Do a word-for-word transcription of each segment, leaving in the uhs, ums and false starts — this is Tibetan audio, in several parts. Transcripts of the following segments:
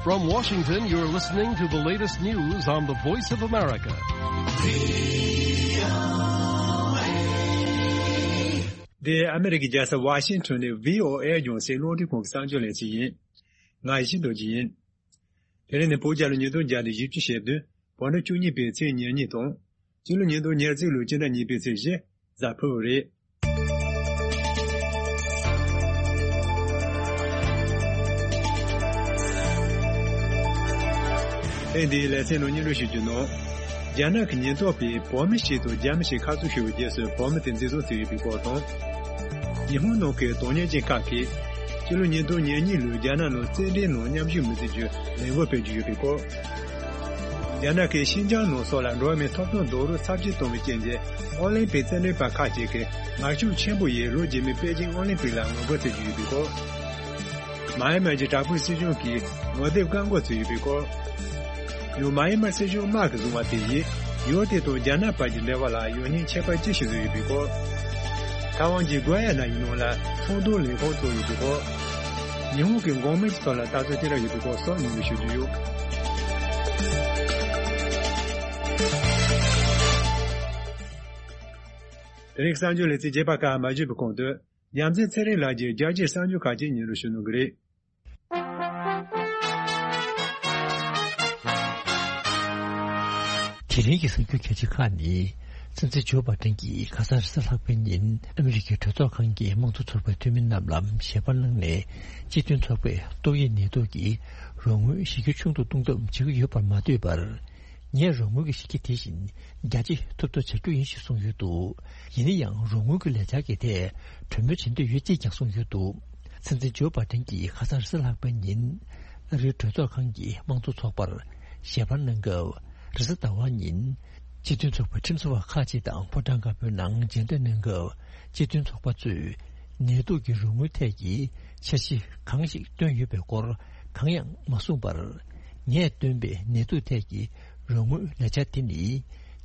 From Washington, you're listening to the latest news on the Voice of America. འདི་ཨ་མི་རི་ཀའི་རྒྱལ་ས་ཝ་ཤིང་ཊོན་ནས་བྷི་ཨོ་ཨེ་རྒྱང་སྲིང་རླུང་འཕྲིན་ཁང་གི་གསར་འགྱུར་ལེ་ཚན་ཡིན། ང་ཡེ་ཤེས་རྡོ་རྗེ་ཡིན། དེ་རིང་ནི་བོད་རྒྱལ་ལོ་ཉིས་སྟོང་བརྒྱ་དང་བཞི་བཅུ་ཞེ་བདུན། བོད་ཟླ་བཅུ་གཉིས་པའི་ཚེས་ཉེར་གཉིས་དང་། སྤྱི་ལོ་ཉིས་སྟོང་ཉེར་གཅིག་ལོའི་སྤྱི་ཟླ་གཉིས་པའི་ཚེས་བཞི། གཟའ་ཕུར་བུ་རེད། ཨེ་འདིའི་ལེ་ཚན་ནང་སྙན་སྒྲོན་ཞུ་རྒྱུ་ནང་། རྒྱ་ནག་གི་ཉེན་རྟོག་པས་བོད་མི་ཞིག་དང་རྒྱ་མི་ཞིག་ཁ་གསོ་ཞུ་བའི་རྗེས་སུ་བོད་མི་དེ་འཛིན་བཟུང་བྱས་ཡོད་པའི་སྐོར་དང་། ཉི་ཧོང་ནང་གི་དོན་གཉེར་ཅན་ཁག་གིས་སྤྱི་ལོ་ཉིས་སྟོང་ཉེར་གཉིས་ལོའི་རྒྱ་ནག་ནང་རྩེད་འགྲན་ནང་མཉམ་ཞུགས་མི་བྱེད་རྒྱུའི་ལས་འགུལ་སྤེལ་གྱི་ཡོད་པའི་སྐོར། རྒྱ་ནག་གིས་ཤིན་ཅང་ནང་སོགས་ལ་འགྲོ་བ་མིའི་ཐོབ་ཐང་རྡོག་རོལ་ཚབས་ཆེན་གཏོང་བའི་རྐྱེན་གྱིས་ཨོ་ལིམ་པིག་རྩེད་འགྲན་པ་ཁག་ཅིག་གིས་ངར་ཤུགས་ཆེན་པོ་ཡིས་ལོ་རྗེས་མའི་པེ་ཅིང་ཨོ་ལིམ་པིག་ལ་ངོ་རྒོལ་བྱེད་ཀྱི་ཡོད་པའི་སྐོར། མཱ་ཡན་མར་གྱི་དྲག་པོའི་སྲིད་གཞུང་གིས་ངོ་དེབ་བཀག་འགོག་བྱས་ཡོད་པའི་སྐོར། ཡང་མཱ་ཡན་མར་སྲིད་གཞུང་དམག་གིས་བཟུང་བ་དེ་ཡིས་ཡུལ་དེ་དང་རྒྱ་ནག་བར་གྱི་འབྲེལ་བ་ལ་ཡང་སྙིང་ཁྱད་པར་ཅི་ཞིག་བཟོས་ཡོད་པའི་སྐོར། ཐའེ་ཝན་གྱི་གུ་ཡ་ན་ཡི་ནང་ལ་ཚོང་དོན་ལས་ཁུངས་བཙུགས་ཡོད་པའི་སྐོར། ཉི་ཧོང་གི་འགོག་སྨན་གྱི་ཐོག་ལ་ལྟ་ཚུལ་ཅི་འདྲ་ཡོད་པའི་སྐོར་སོགས་སྙན་སྒྲོན་ཞུ་རྒྱུ་ཡོད། དེ་རིང་གསར་འགྱུར་ལེ་ཚན་རྒྱས་པ་ཁག་མ་ཞུས་པའི་གོང་དུ། རྒྱལ་མཚན་ཚེ་རིང་ལགས་ཀྱིས་རྒྱལ་སྤྱིའི་གསར་འགྱུར་ཁག་ཅིག་སྙན་སྒྲོན་ཞུ་གནང་གི་རེད། དེ་རིང་གི་གསར་འགྱུར་གལ་ཆེ་ཁག་ནི། སྲིད་འཛིན་ཇོ་བྷ་དན་གྱིས་ཁ་སང་རེས་གཟའ་ལྷག་པའི་ཉིན་ཨ་མི་རི་ཀའི་གྲོས་ཚོགས་ཁང་གི་དམངས་གཙོ་ཚོགས་པའི་འཐུས་མི་རྣམས་ལ་ཞལ་པར་གནང་ནས། སྤྱི་མཐུན་ཚོགས་པས་ཏོག་དབྱིབས་ནད་དུག་གི་རོགས་དངུལ་གཞི་རྒྱ་ཆུང་དུ་གཏོང་ཐབས་བྱེད་ཀྱི་ཡོད་པར་མ་ལྟོས་པར། ངས་རོགས་དངུལ་གྱི་གཞི་རྒྱ་དེ་བཞིན་རྒྱ་སྐྱེད་ཐུབ་ཐབས་བྱ་རྒྱུ་ཡིན་ཞེས་གསུངས་ཡོད་འདུག་ཡིན་ན་ཡང་རོགས་དངུལ་གྱི་ལས་འཆར་གྱི་ཐད་གྲོས་མོལ་བྱེད་འདོད་ཡོད་ཅེས་ཀྱང་གསུངས་ཡོད་འདུག་སྲིད་འཛིན་ཇོ་བྷ་དན་གྱིས་ཁ་སང་རེས་གཟའ་ལྷག་པའི་ཉིན་ཨ་རིའི་གྲོས་ཚོགས་ཁང་གི་དམངས་གཙོ་ཚོགས་པར་ཞལ་པར་གནང་སྐབས། རེས་གཟའ་ཟླ་བ་ཉིན་སྤྱི་མཐུན་ཚོགས་པའི་ཁྲིམས་བཟོ་བ་ཁག་ཅིག་དང་ཕོ་བྲང་དཀར་པོའི་ནང་མཇལ་འཕྲད་གནང་སྐབས། སྤྱི་མཐུན་ཚོགས་པ་ཚོས་ནད་དུག་གི་རོགས་དངུལ་ཐད་ཀྱི་འཆར་གཞི་གང་ཞིག་བཏོན་ཡོད་པའི་སྐོར་གང་ཡང་མ་གསུངས་པར། ངས་བཏོན་པའི་ནད་དུག་ཐད་ཀྱི་རོགས་དངུལ་ལས་འཆར་དེ་ནི།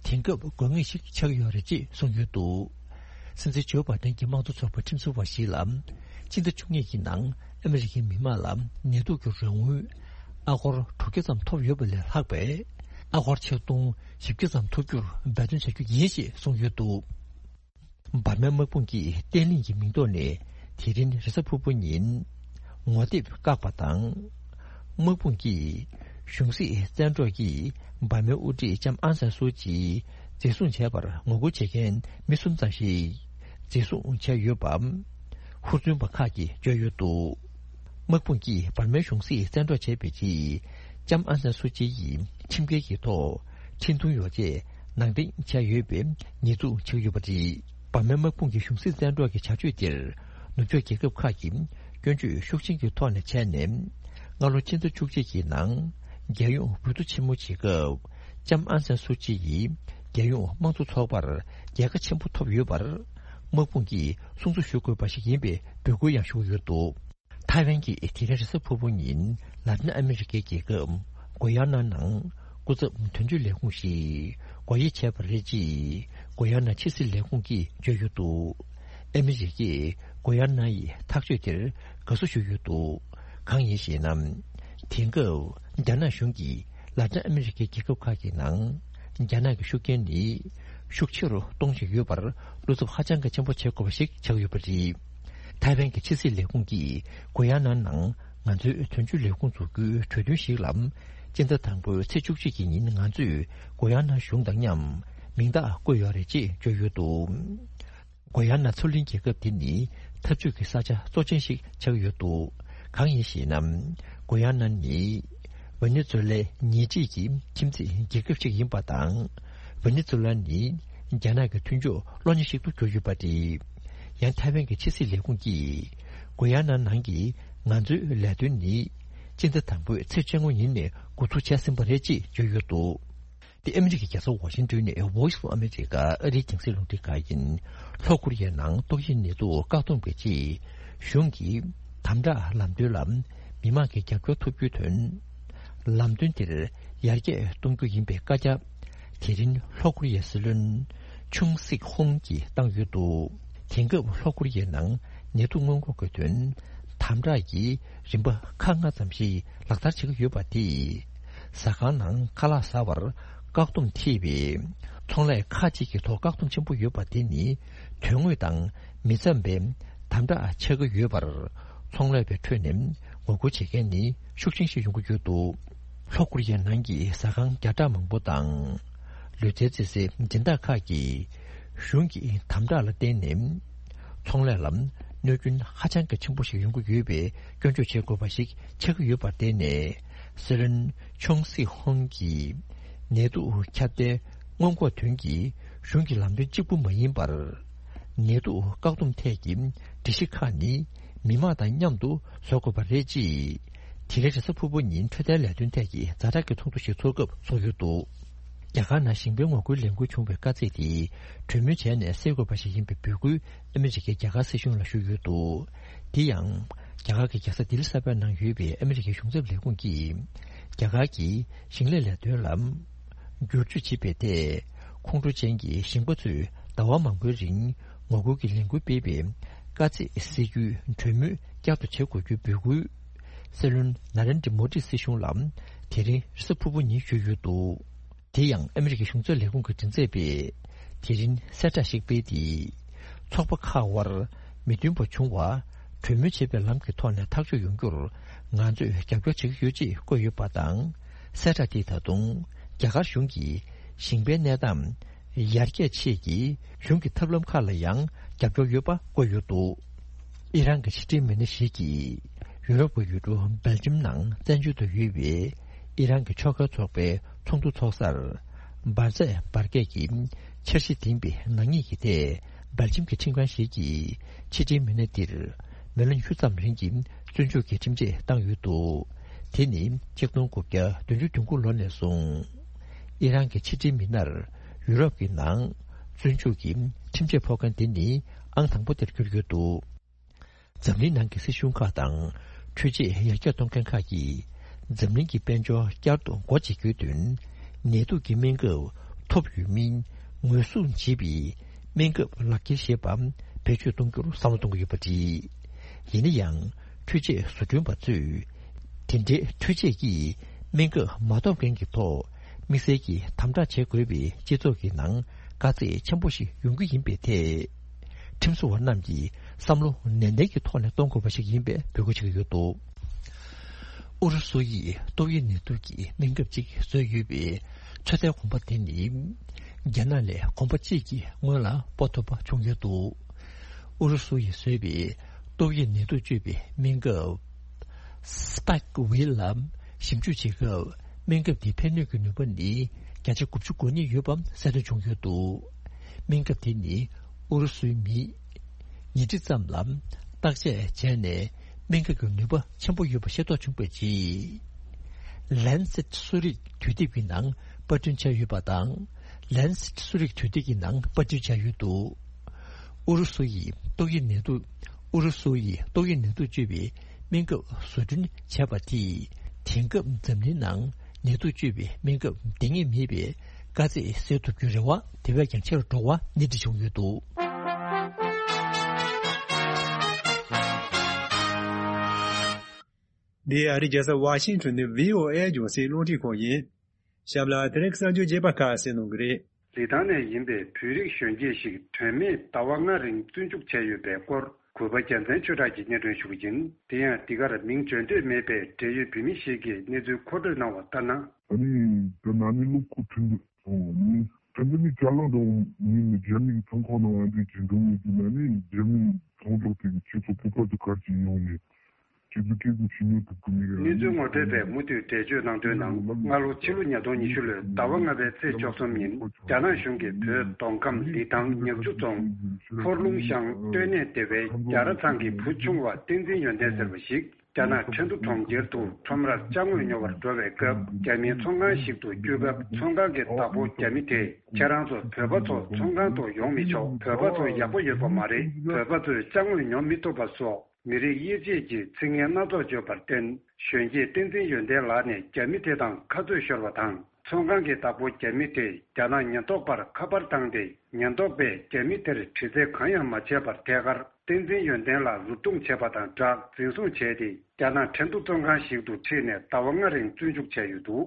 དེང་སྐབས་དགོས་ངེས་ཤིག་ཆགས་ཡོད་རེད་ཅེས་གསུངས་ཡོད་འདུག་སྲིད་འཛིན་ཇོ་བྷ་དན་གྱི་དམངས་གཙོ་ཚོགས་པའི་ཁྲིམས་བཟོ་བ་ཞིག་ལ། སྤྱི་ཟླ་བཅུ་གཉིས་ཀྱི་ནང་ཨ་མི་རི་ཀའི་མི་མང་ལ་ནད་དུག་གི་རོགས་དངུལ་ཨ་སྒོར་དྲུག་བརྒྱ་ཙམ་ཐོབ་ཡོད་པ་ལས་ལྷག་པའི་ཨ་སྒོར་ཆིག་སྟོང་བཞི་བརྒྱ་ཙམ་ཐོབ་རྒྱུར་འབད་བརྩོན་བྱ་རྒྱུ་ཡིན་ཞེས་གསུངས་ཡོད་འདུག་འབར་མའི་དམག་དཔུང་གིས་བརྟན་ལྷིང་གི་མིང་ཐོག་ནས་དེ་རིང་རེས་གཟའ་ཕུར་བུ་ཉིན་ངོ་དེབ་བཀག་པ་དང་། དམག་དཔུང་གིས་གཞུང་སྲིད་བཙན་འཕྲོག་གིས་འབར་མའི་དབུ་ཁྲིད་ལྕམ་ཨང་སན་སུའུ་ཅིའི་འཛིན་བཟུང་བྱས་པར་ངོ་རྒོལ་བྱེད་མཁན་མི་གསུམ་ཙམ་ཞིག་འཛིན་བཟུང་བྱས་ཡོད་པ། ཧུར་བརྩོན་པ་ཁག་གིས་བརྗོད་ཡོད་འདུག་དམག་དཔུང་གིས་འབར་མའི་གཞུང་སྲིད་བཙན་འཕྲོག་བྱས་པའི་རྗེས། ལྕམ་ཨང་སན་སུའུ་ཅི་ཡིས་ཁྲིམས་འགལ་གྱི་ཐོག་འཕྲིན་ཐུང་ཡོ་བྱད་ནང་འདྲེན་བྱས་ཡོད་པའི་ཉེས་འཛུགས་བྱས་ཡོད་པ་རེད། འབར་མའི་དམག་དཔུང་གི་གཞུང་སྲིད་བཙན་འཕྲོག་གི་བྱ་སྤྱོད་དེར་ནུབ་ཕྱོགས་རྒྱལ་ཁབ་ཁག་གིས་སྐྱོན་བརྗོད་ཤུགས་ཆེན་གྱི་ཐོག་ནས་བྱས་ནས། སྔ་ལོ་ཕྱི་ཟླ་བཅུ་གཅིག་གི་ནང་རྒྱལ་ཡོངས་འོས་བསྡུ་ཆེན་མོ་བྱེད་སྐབས། ལྕམ་ཨང་སན་སུའུ་ཅི་ཡིས་རྒྱལ་ཡོངས་དམངས་གཙོ་ཚོགས་པར་རྒྱལ་ཁ་ཆེན་པོ་ཐོབ་ཡོད་པར། དམག་དཔུང་གིས་སྲུང་བརྩི་ཞུ་དགོས་པ་ཞིག་ཡིན་པའི་འབོད་སྐུལ་ཡང་ཞུ་གི་ཡོད་འདུག་ཐའེ་ཝན་གྱིས་དེ་རིང་རེས་གཟའ་ཕུར་བུ་ཉིན་ལ་ཏིན་ཨ་མི་རི་ཀའི་རྒྱལ་ཁབ་གུ་ཡ་ན་ནང་སྐུ་ཚབ་དོན་གཅོད་ལས་ཁུངས་ཤིག་སྒོ་དབྱེ་བྱས་པ་རེད་ཅེས་གུ་ཡ་ན་ཕྱི་སྲིད་ལས་ཁུངས་ཀྱིས་བརྗོད་ཡོད་འདུག་ཨ་མི་རི་ཀས་གུ་ཡ་ན་ཡི་ཐག་གཅོད་དེར་དགའ་བསུ་ཞུས་ཡོད་འདུག་གང་ཡིན་ཞེ་ན། དེང་སྐབས་རྒྱ་ནག་གཞུང་གིས་ལ་ཏིན་ཨ་མི་རི་ཀའི་རྒྱལ་ཁབ་ཁག་གི་ནང་རྒྱ་ནག་གི་ཤུགས་རྐྱེན་ནི་ཤུགས་ཆེ་རུ་གཏོང་བཞིན་ཡོད་པར་བློ་འཚབ་ཧ་ཅང་གི་ཆེན་པོ་བྱེད་དགོས་པ་ཞིག་ཆགས་ཡོད་པ་རེད། ཐའེ་ཝན་གྱི་ཕྱི་སྲིད་ལས་ཁུངས་ཀྱིས་གུ་ཡ་ན་ནང་ང་ཚོའི་དོན་གཅོད་ལས་ཁུངས་འཛུགས་རྒྱུའི་གྲོས་མཐུན་ཞིག་ལ། སྤྱི་ཟླ་དང་པོའི་ཚེས་བཅུ་གཅིག་གི་ཉིན་ང་ཚོས་གུ་ཡ་ན་གཞུང་དང་མཉམ་མིང་རྟགས་བཀོད་ཡོད་རེད་ཅེས་བརྗོད་ཡོད་འདུག་གུ་ཡ་ན་མཚོ་གླིང་རྒྱལ་ཁབ་འདི་ནི་འཐབ་ཇུས་ཀྱི་ས་ཆ་གཙོ་ཆེན་ཞིག་ཆགས་ཡོད་འདུག་གང་ཡིན་ཞེ་ན། གུ་ཡ་ན་ནི་ཝེ་ནེ་ཛུ་ལའི་ཉེ་འཁྲིས་ཀྱི་ཁྱིམ་མཚེས་རྒྱལ་ཁབ་ཅིག་ཡིན་པ་དང་། ཝེ་ནེ་ཛུ་ལ་ནི་རྒྱ་ནག་གི་མཐུན་ཕྱོགས་གློ་ཉེ་ཞིག་ཏུ་གྱུར་ཡོད་པ་རེད། ཡང་ཐའེ་ཝན་གྱི་ཕྱི་སྲིད་ལས་ཁུངས་ཀྱིས་གུ་ཡ་ན་ནང་གི་ང་ཚོའི་ལས་དོན་ནི་སྤྱི་ཟླ་དང་པོའི་ཚེས་བཅོ་ལྔ་ཉིན་ནས་འགོ་འཛུགས་བྱས་ཟིན་པ་རེད་ཅེས་བརྗོད་ཡོད་འདུག་དེ་ཨ་མི་རི་ཀའི་རྒྱལ་ས་ཝ་ཤིང་ཏོན་ནས་Voice of America ཨ་རིའི་རྒྱང་སྲིང་རླུང་འཕྲིན་ཁང་ཡིན། ལྷོ་ཀོ་རི་ཡའི་ནང་ཏོག་དབྱིབས་ནད་དུག་བཀག་སྡོམ་གྱི་ཆེད་གཞུང་གིས་དམ་དྲག་ལམ་སྟོན་ལ་མི་མང་གི་རྒྱབ་སྐྱོར་ཐོབ་རྒྱུའི་དོན། ལམ་སྟོན་དེར་ཡར་རྒྱས་གཏོང་རྒྱུ་ཡིན་པའི་བཀའ་རྒྱ། དེ་རིང་ལྷོ་ཀོ་རི་ཡའི་སྲིད་བློན་ཆུང་སིག་ཧོང་གིས་བཏང་ཡོད་འདུག་དེང་སྐབས་ལྷོ་ཀོ་རི་ཡའི་ནང་ནད་དུག་སྔོན་འགོག་གི་དོན། དམ་དྲག་གི་རིམ་པ་ཁག་ལྔ་ཙམ་ཞིག་ལག་བསྟར་བྱེད་ཀྱི་ཡོད་པ་དེས། ཟ་ཁང་ནང་ཁ་ལག་ཟ་བར་བཀག་སྡོམ་ཐེབས་པའི་ཚོང་ལས་ཁག་ཅིག་གི་ཐོག་བཀག་སྡོམ་ཆེན་པོ་ཡོད་པ་དེ་ནི་དོན་དངོས་དང་མི་འཚམ་པའི་དམ་དྲག་ཆགས་ཀྱི་ཡོད་པར། ཚོང་ལས་པའི་ཁྲོད་ནས་ངོ་རྒོལ་བྱེད་མཁན་ནི་ཤུགས་ཆེན་ཞིག་ཡོང་གི་ཡོད་འདུག་ལྷོ་ཀོ་རི་ཡའི་ནང་གི་ཟ་ཁང་བརྒྱ་ཕྲག་མང་པོ་དང་། ལུས་རྩལ་རྩེད་སའི་སྦྱིན་བདག་ཁག་གིས་གཞུང་གི་དམ་དྲག་ལ་བརྟེན་ནས། ཚོང་ལས་ལ་གནོད་སྐྱོན་ཧ་ཅང་གི་ཆེན་པོ་ཞིག་ཡོང་གི་ཡོད་པའི་སྐྱོན་བརྗོད་བྱེད་དགོས་པ་ཞིག་ཆགས་ཀྱི་ཡོད་པར་བརྟེན་ནས། སྲིད་བློན་ཆོང་སི་ཧོང་གིས་ནད་དུག་ཁྱབ་གདལ་སྔོན་འགོག་དོན་གྱི་གཞུང་གི་ལམ་སྟོན་གཅིག་པུ་མ་ཡིན་པར། ནད་དུག་བཀག་སྡོམ་ཐད་ཀྱི་སྒྲིག་གཞི་ཁག་ནི་མི་དམངས་དང་མཉམ་དུ་བཟོ་དགོས་པ་རེད། ཅེས་དེ་རིང་རེས་གཟའ་ཕུར་བུ་ཉིན་འཕྲོད་བསྟེན་ལས་དོན་ཐད་ཀྱི་ཛ་དྲག་གི་ཚོགས་འདུ་ཞིག་ཚོགས་སྐབས་གསུངས་ཡོད་འདུག་རྒྱ་གར་ནང་ཞིང་པའི་ངོ་རྒོལ་ལས་འགུལ་བྱུང་བའི་དཀའ་ཚེགས་དེ་གྲོས་མོལ་བྱས་ནས་སེལ་དགོས་པ་ཞིག་ཡིན་པའི་འབོད་སྐུལ་ཨ་མི་རི་ཀས་རྒྱ་གར་སྲིད་གཞུང་ལ་ཞུས་ཡོད་འདུག་དེ་ཡང་རྒྱ་གར་གྱི་རྒྱལ་ས་ལྡི་ལི་གསར་པའི་ནང་ཡོད་པའི་ཨ་མི་རི་ཀའི་གཞུང་ཚབ་ལས་ཁུངས་ཀྱིས་རྒྱ་གར་གྱི་ཞིང་ལས་ལས་དོན་ལ་བསྒྱུར་བཅོས་བྱེད་པའི་ཐད། ཁོང་ཁྲོ་ཅན་གྱི་ཞིང་པ་ཚོས་ཟླ་བ་མང་པོའི་རིང་ངོ་རྒོལ་གྱི་ལས་འགུལ་སྤེལ་བའི་དཀའ་ཚེགས་སེལ་རྒྱུའི་གྲོས་མོལ་བསྐྱར་དུ་བྱེད་དགོས་རྒྱུའི་འབོད་སྐུལ། སྲིད་བློན་ན་རེན་དྲི་མོ་དིའི་སྲིད་གཞུང་ལ་དེ་རིང་རེས་གཟའ་ཕུར་བུ་ཉིན་ཞུས་ཡོད་འདུག་དེ་ཡང་ཨ་མི་རི་ཀའི་གཞུང་ཚབ་ལས་ཁུངས་ཀྱི་མགྲིན་ཚབ་པས་དེ་རིང་གསལ་བསྒྲགས་ཤིག་སྤེལ་ཏེ། ཚོགས་པ་ཁག་དབར་མི་མཐུན་པ་བྱུང་བ་གྲོས་མོལ་བྱེད་པའི་ལམ་གྱི་ཐོག་ནས་ཐག་གཅོད་ཡོང་རྒྱུར་ང་ཚོས་རྒྱབ་སྐྱོར་བྱེད་ཀྱི་ཡོད་ཅེས་བཀོད་ཡོད་པ་དང་། གསལ་བསྒྲགས་དེས་ད་དུང་རྒྱ་གར་གཞུང་གིས་ཞིང་པའི་གནས་སྟངས་ཡར་རྒྱས་ཆེད་ཀྱི་གཞུང་གི་ཐབས་ལམ་ཁག་ལ་ཡང་རྒྱབ་སྐྱོར་ཡོད་པ་བཀོད་ཡོད་འདུག་ཨི་རན་གྱི་ཕྱི་འབྲེལ་མི་སྣ་ཞིག་གིས་ཡུ་རོབ་ཀྱི་ཡུལ་གྲུ་སྦེལ་ཇམ་ནང་བཙན་བྱོལ་དུ་ཡོད་པའི་ཨི་རན་གྱི་ཕྱོགས་འགལ་ཚོགས་པའི་ཚོགས་འདུ་ཚོགས་སར། འབར་རྫས་འབར་གས་ཀྱི་འཆར་གཞི་ལྡན་པའི་ནག་ཉེས་ཀྱི་ཐད་སྦེལ་ཇམ་གྱི་ཁྲིམས་ཁང་ཞིག་གིས་ཕྱི་འབྲེལ་མི་སྣ་འདིར་མི་ལོ་ཉི་ཤུ་ཙམ་རིང་གི་བཙོན་འཇུག་གི་ཁྲིམས་ཆད་བཏང་ཡོད་འདུག་དེ་ནི་ཆིག་སྟོང་དགུ་བརྒྱ་བདུན་ཅུ་དོན་དགུ་ལོ་ནས་བཟུང་། ཨི་རན་གྱི་ཕྱི་འབྲེལ་མི་སྣར་ཡུ་རོབ་ཀྱི་ནང་བཙོན་འཇུག་གི་ཁྲིམས་ཆད་ཕོག་མཁན་དེ་ནི་ཨང་དང་པོ་དེར་གྱུར་ཡོད་འདུག་འཛམ་གླིང་ནང་གི་སྲིད་གཞུང་ཁག་དང་འཕྲུལ་ཆས་ཡར་རྒྱས་གཏོང་མཁན་ཁག་གིས་འཛམ་གླིང་གི་དཔལ་འབྱོར་བསྐྱར་དུ་སྒོ་འབྱེད་རྒྱུའི་དོན། ནད་དུག་གི་སྨན་ཁབ་ཐོབ་ཡོད་མིན་ངོས་བཟུང་བྱེད་པའི་སྨན་ཁབ་ལག་ཁྱེར་ཞེས་པ་བེད་སྤྱོད་གཏོང་རྒྱུར་བསམ་བློ་གཏོང་གི་ཡོད་པ་རེད། ཡིན་ན་ཡང་འཕྲུལ་ཆས་བཟོ་སྐྲུན་པ་ཚོས་དེ་འདྲའི་འཕྲུལ་ཆས་ཀྱིས་སྨན་ཁབ་མ་ཐོབ་མཁན་གྱི་ཐོག་དམིགས་བསལ་གྱིས་དམ་དྲག་བྱེད་དགོས་པའི་སྤྱི་ཚོགས་ཀྱི་ནང་དཀའ་ཚེགས་ཆེན་པོ་ཞིག་ཡོང་གི་ཡིན་པའི་ཐད། ཁྲིམས་བཟོ་བ་རྣམས་ཀྱིས་བསམ་བློ་ནན་ཏན་གྱི་ཐོག་ནས་གཏོང་དགོས་པ་ཞིག་ཡིན་པའི་འབོད་སྐུལ་བྱེད་ཀྱི་ཡོད་འདུག་ཨུ་རུ་སུ་ཡིས་ཏོག་དབྱིབས་ནད་དུག་གི་སྨན་ཁབ་ཅིག་བཟོས་ཡོད་པའི་ཚོད་ལྟའི་གོམ་པ་དེ་ནི་རྒྱ་ནག་ལས་གོམ་པ་གཅིག་གི་སྔོན་ལ་སྤོ་ཐུབ་པ་བྱུང་ཡོད་འདུག་ཨུ་རུ་སུ་ཡིས་བཟོས་པའི་ཏོག་དབྱིབས་ནད་དུག་བཅོས་པའི་སྨན་ཁབ་Spikevax ལ་ཞིབ་འཇུག་བྱེད་སྐབས། སྨན་ཁབ་འདིའི་ཕན་གནོད་ཀྱི་ནུས་པ་ནི་བརྒྱ་ཆ་དགུ་བཅུ་གོ་གཉིས་ཡོད་པ་གསལ་སྟོན་བྱུང་ཡོད་འདུག་སྨན་ཁབ་འདི་ནི་ཨུ་རུ་སུའི་མིས་ཉིན་ཁྲི་ཙམ་ལ་བརྟག་དཔྱད་བྱས་ནས་སྨན་ཁབ་ཀྱི་ནུས་པ་ཆེན་པོ་ཡོད་པ་ཤེས་རྟོགས་བྱུང་བའི་རྗེས། Lancet གསོ་རིག་དུས་དེབ་ཀྱི་ནང་པར་སྐྲུན་བྱས་ཡོད་པ་དང་། Lancet གསོ་རིག་དུས་དེབ་ཀྱི་ནང་པར་སྐྲུན་བྱས་ཡོད་འདུག་ཨུ་རུ་སུ་ཡིས་ཏོག་དབྱིབས་ནད་དུག་ཨུ་རུ་སུ་ཡིས་ཏོག་དབྱིབས་ནད་དུག་བཅོས་པའི་སྨན་ཁབ་བཟོ་སྐྲུན་བྱས་པ་དེས། དེང་སྐབས་འཛམ་གླིང་ནང་ནད་དུག་བཅོས་པའི་སྨན་ཁབ་འདང་ངེས་མེད་པའི་དཀའ་ཚེགས་སེལ་ཐུབ་རྒྱུའི་རེ་བ་དེ་བས་ཀྱང་ཆེ་རུ་འགྲོ་བ་སྣེ་ཁྲིད་བྱུང་ཡོད་འདུག་འདི་ཨ་རིའི་རྒྱལ་ས་ཝ་ཤིང་ཊོན་ནས་བྷི་ཨོ་ཨེ་རྒྱང་སྲིང་རླུང་འཕྲིན་ཁང་ཡིན། ཞབས་ལ་དེ་རིང་གསར་འགྱུར་རྒྱས་པ་ཁག་གསན་གནང་གི་རེད། ལི་ཐང་ནས་ཡིན་པའི་བོད་རིགས་གཞོན་སྐྱེས་ཤིག་དོན་མེད་ཟླ་བ་ལྔ་རིང་བཙོན་འཇུག་བྱས་ཡོད་པའི་སྐོར་གུས་པ་རྒྱལ་མཚན་ཆོས་གྲགས་ཀྱིས་སྙན་སྒྲོན་ཞུ་གི་ཡིན། དེ་ཡང་འདི་གར་མིང་བརྗོད་འདོད་མེད་པའི་འབྲེལ་ཡོད་བོད་མི་ཞིག་གིས་གནས་ཚུལ་མཁོ་སྤྲོད་གནང་བ་ལྟར་ན། ཨ་ནི་ད་ན་ནིང་ལོ་འཁོར་ཁྲི་འདུག་སོང་ནི་ད་འདི་ནི་ཅ་ལག་འདྲ་བོ་མིན་ནི་རྒྱ་མི་གི་ཚོང་ཁང་ནང་ཨ་འདི་ཇི་འདུག་མི་འདུག་ན་ནི་རྒྱ་མི་ཚོང་ཚོགས་དེ་གི་ཁྱེད་ཚོ་བོད་པ་ཚོ་གར་གྱི་ཡོང་ནས། གནས་ཚུལ་ངོ་སྤྲོད་པས་མུ་མཐུད་འགྲེལ་བརྗོད་གནང་དོན་ནང་། སྔ་ལོ་ཕྱི་ལོ་ཉིས་སྟོང་ཉི་ཤུ་ལོའི་ཟླ་བ་ལྔ་པའི་ཚེས་བཅུ་གསུམ་ཉིན། རྒྱ་ནག་གཞུང་གིས་བོད་མདོ་ཁམས་ལི་ཐང་ཉག་ཆུ་རྫོང་འཁོར་ལུང་ཤང་སྟོད་གནས་སྡེ་བའི་རྒྱ་ར་ཚང་གི་བུ་ཆུང་བ་བསྟན་འཛིན་ཡོན་ཏན་ཟེར་བ་ཞིག་རྒྱ་ནག་ཁྲེང་ཏུ་གྲོང་ཁྱེར་དུ་ཁྲོམ་རར་ཅ་དངོས་ཉོ་བར་འགྲོ་བའི་སྐབས། རྒྱ་མིའི་ཚོང་ཁང་ཞིག་ཏུ་བསྐྱོད་སྐབས། ཚོང་ཁང་གི་བདག་པོ་རྒྱ་མི་དེས། ཁྱེད་རང་ཚོ་བོད་པ་ཚོ་ཚོང་ཁང་དུ་ཡོང་མི་ཆོག་བོད་པ་ཚོ་ཡག་པོ་ཡོད་པ་མ་རེད། བོད་པ་ཚོས་ཅ་དངོས་ཉོ་མི་ཐུབ་པ་སོགས། མི་རིགས་དབྱེ་འབྱེད་ཀྱི་ཚིག་ངན་སྣ་ཚོགས་བརྗོད་པར་བརྟེན། གཞོན་སྐྱེས་བསྟན་འཛིན་ཡོན་ཏན་ལགས་ནས་རྒྱ་མི་དེ་དང་ཁ་རྩོད་ཤོར་བ་དང་། ཚོང་ཁང་གི་བདག་པོ་རྒྱ་མི་དེས་རྒྱ་ནག་ཉེན་རྟོག་པར་ཁ་པར་བཏང་སྟེ། ཉེན་རྟོག་པས་རྒྱ་མི་དེར་དྲི་རྩད་གང་ཡང་མ་བྱས་པར་ཐད་ཀར་ བསྟན་འཛིན་ཡོན་ཏན་ལགས་རུབ་རྡུང་བྱས་པ་དང་སྦྲགས་འཛིན་བཟུང་བྱས་ཏེ། རྒྱ་ནག་ཁྲེང་ཏུའུ་བཙོན་ཁང་ཞིག་ཏུ་ཁྲིད་ནས་ཟླ་བ་ལྔ་རིང་བཙོན་འཇུག་བྱས་ཡོད་འདུག།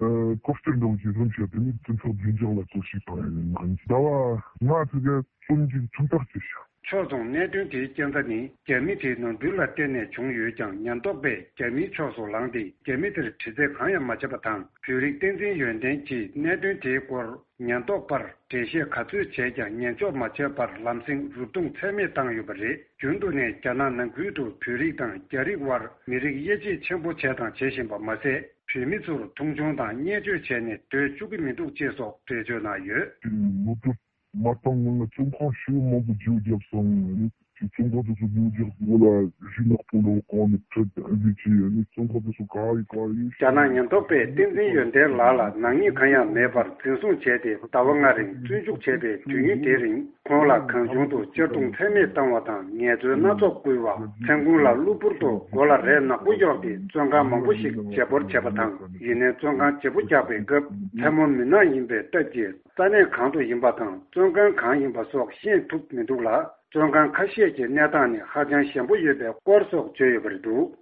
ཨ། ཀོ་སྟེར་ནང་འཛིན་བཟུང་བྱས་ཏེ་ནི་སྤྱི་ཚོགས་བདེ་འཇགས་ལ་གཏོར་བཤིག་བཏང་ཡོད་ནི་ཟླ་བ་ལྔ་ཙམ་གྱི་བཙོན་འཇུག་ཁྲིམས་ཐག་བཅད་བཞག། ཕྱོགས་མཚུངས་གནད་དོན་དེའི་རྐྱེན་རྩ་ནི་རྒྱ་མི་དེའི་ནོར་འཁྲུལ་ལ་བརྟེན་ནས་བྱུང་ཡོད་ཀྱང་། ཉེན་རྟོག་པས་རྒྱ་མིའི་ཕྱོགས་སུ་ལངས་ཏེ་རྒྱ་མི་དེར་དྲི་རྩད་གང་ཡང་མ་བྱས་པ་དང་། བོད་རིགས་བསྟན་འཛིན་ཡོན་ཏན་གྱིས་གནད་དོན་དེའི་སྐོར་ཉེན་རྟོག་པར་འགྲེལ་བཤད་ག་ཚོད་བྱས་ཀྱང་ཉན་འཇོག་མ་བྱས་པར་ལམ་སེང་རུབ་རྡུང་ཚད་མེད་བཏང་ཡོད་པ་རེད། རྒྱུན་དུ་ནས་རྒྱ་ནག་ནང་ཁུལ་དུ་བོད་རིགས་དང་རྒྱ་རིགས་དབར་མི་རིགས་དབྱེ་འབྱེད་ཆེན་པོ་བྱས་དང་བྱེད་བཞིན་པ་མ་ཟད། བོད་མི་ཚོར་མཐོང་ཆུང་དང་བརྙས་བཅོས་བྱས་ནས་སྡོད་བཅུག་གི་མི་འདུག་ཅེས་སོགས་འགྲེལ་བརྗོད་གནང་ཡོད། ལོ་ཏོག་མ་བཏང་སྔོན་ལ་བཙོན་ཁང་ཞེ་པོ་མང་པོ་བརྗེ་པོ་བརྒྱབ་སོང་། ཨ་ནི་བཙོན་ཁང་དེ་ཚོ་བརྗེ་པོ་བརྒྱབ་སྔོན་ལ་རི་ནག་པོ་ལོ་གང་ནས་ཁྲིད་ཨ་ནི་བྱས། ཨ་ནི་བཙོན་ཁང་དེ་ཚོ་ག་ཡི་ག་ཡི། རྒྱ་ནག་ཉེན་རྟོག་པས་བསྟན་འཛིན་ཡོན་ཏན་ལགས་ལ་ནག་ཉེས་གང་ཡང་མེད་པར་འཛིན་བཟུང་བྱས་ཏེ། ཟླ་བ་ལྔ་རིང་བཙོན་འཇུག་བྱས་པའི་དུས་ཡུན་དེའི་རིང་ཁོང་ལ་གང་བྱུང་དུ་གཅར་རྡུང་ཚད་མེད་བཏང་བ་དང་ངལ་རྩོལ་སྣ་ཚོགས་བསྐུལ་བ། མཚན་གུང་ལ་གློ་བུར་དུ་མགོ་ལ་རས་ནག་པོ་གཡོགས་ཏེ་བཙོན་ཁང་མང་པོ་ཞིག་བརྗེ་སྤོར་བྱས་པ་དང་། ཡིན་ནའི་བཙོན་ཁང་བརྗེ་པོ་རྒྱག་པའི་སྐབས་མཚན་མོ་མུན་ནག་ཡིན་པའི་སྟབས་ཀྱིས། ས་གནས་གང་དུ་ཡིན་པ་དང་བཙོན་ཁང་གང་ཡིན་པ་སོགས་ཤེས་ཐུབ་མི་འདུག་ལ། བཙོན་ཁང་ཁ་ཤས་ཀྱི་གནས་སྟངས་ནི་ཧ་ཅང་ཞན་པོ་ཡོད་པའི་སྐོར་སོགས་བརྗོད་ཡོད་པ་རེད་འདུག།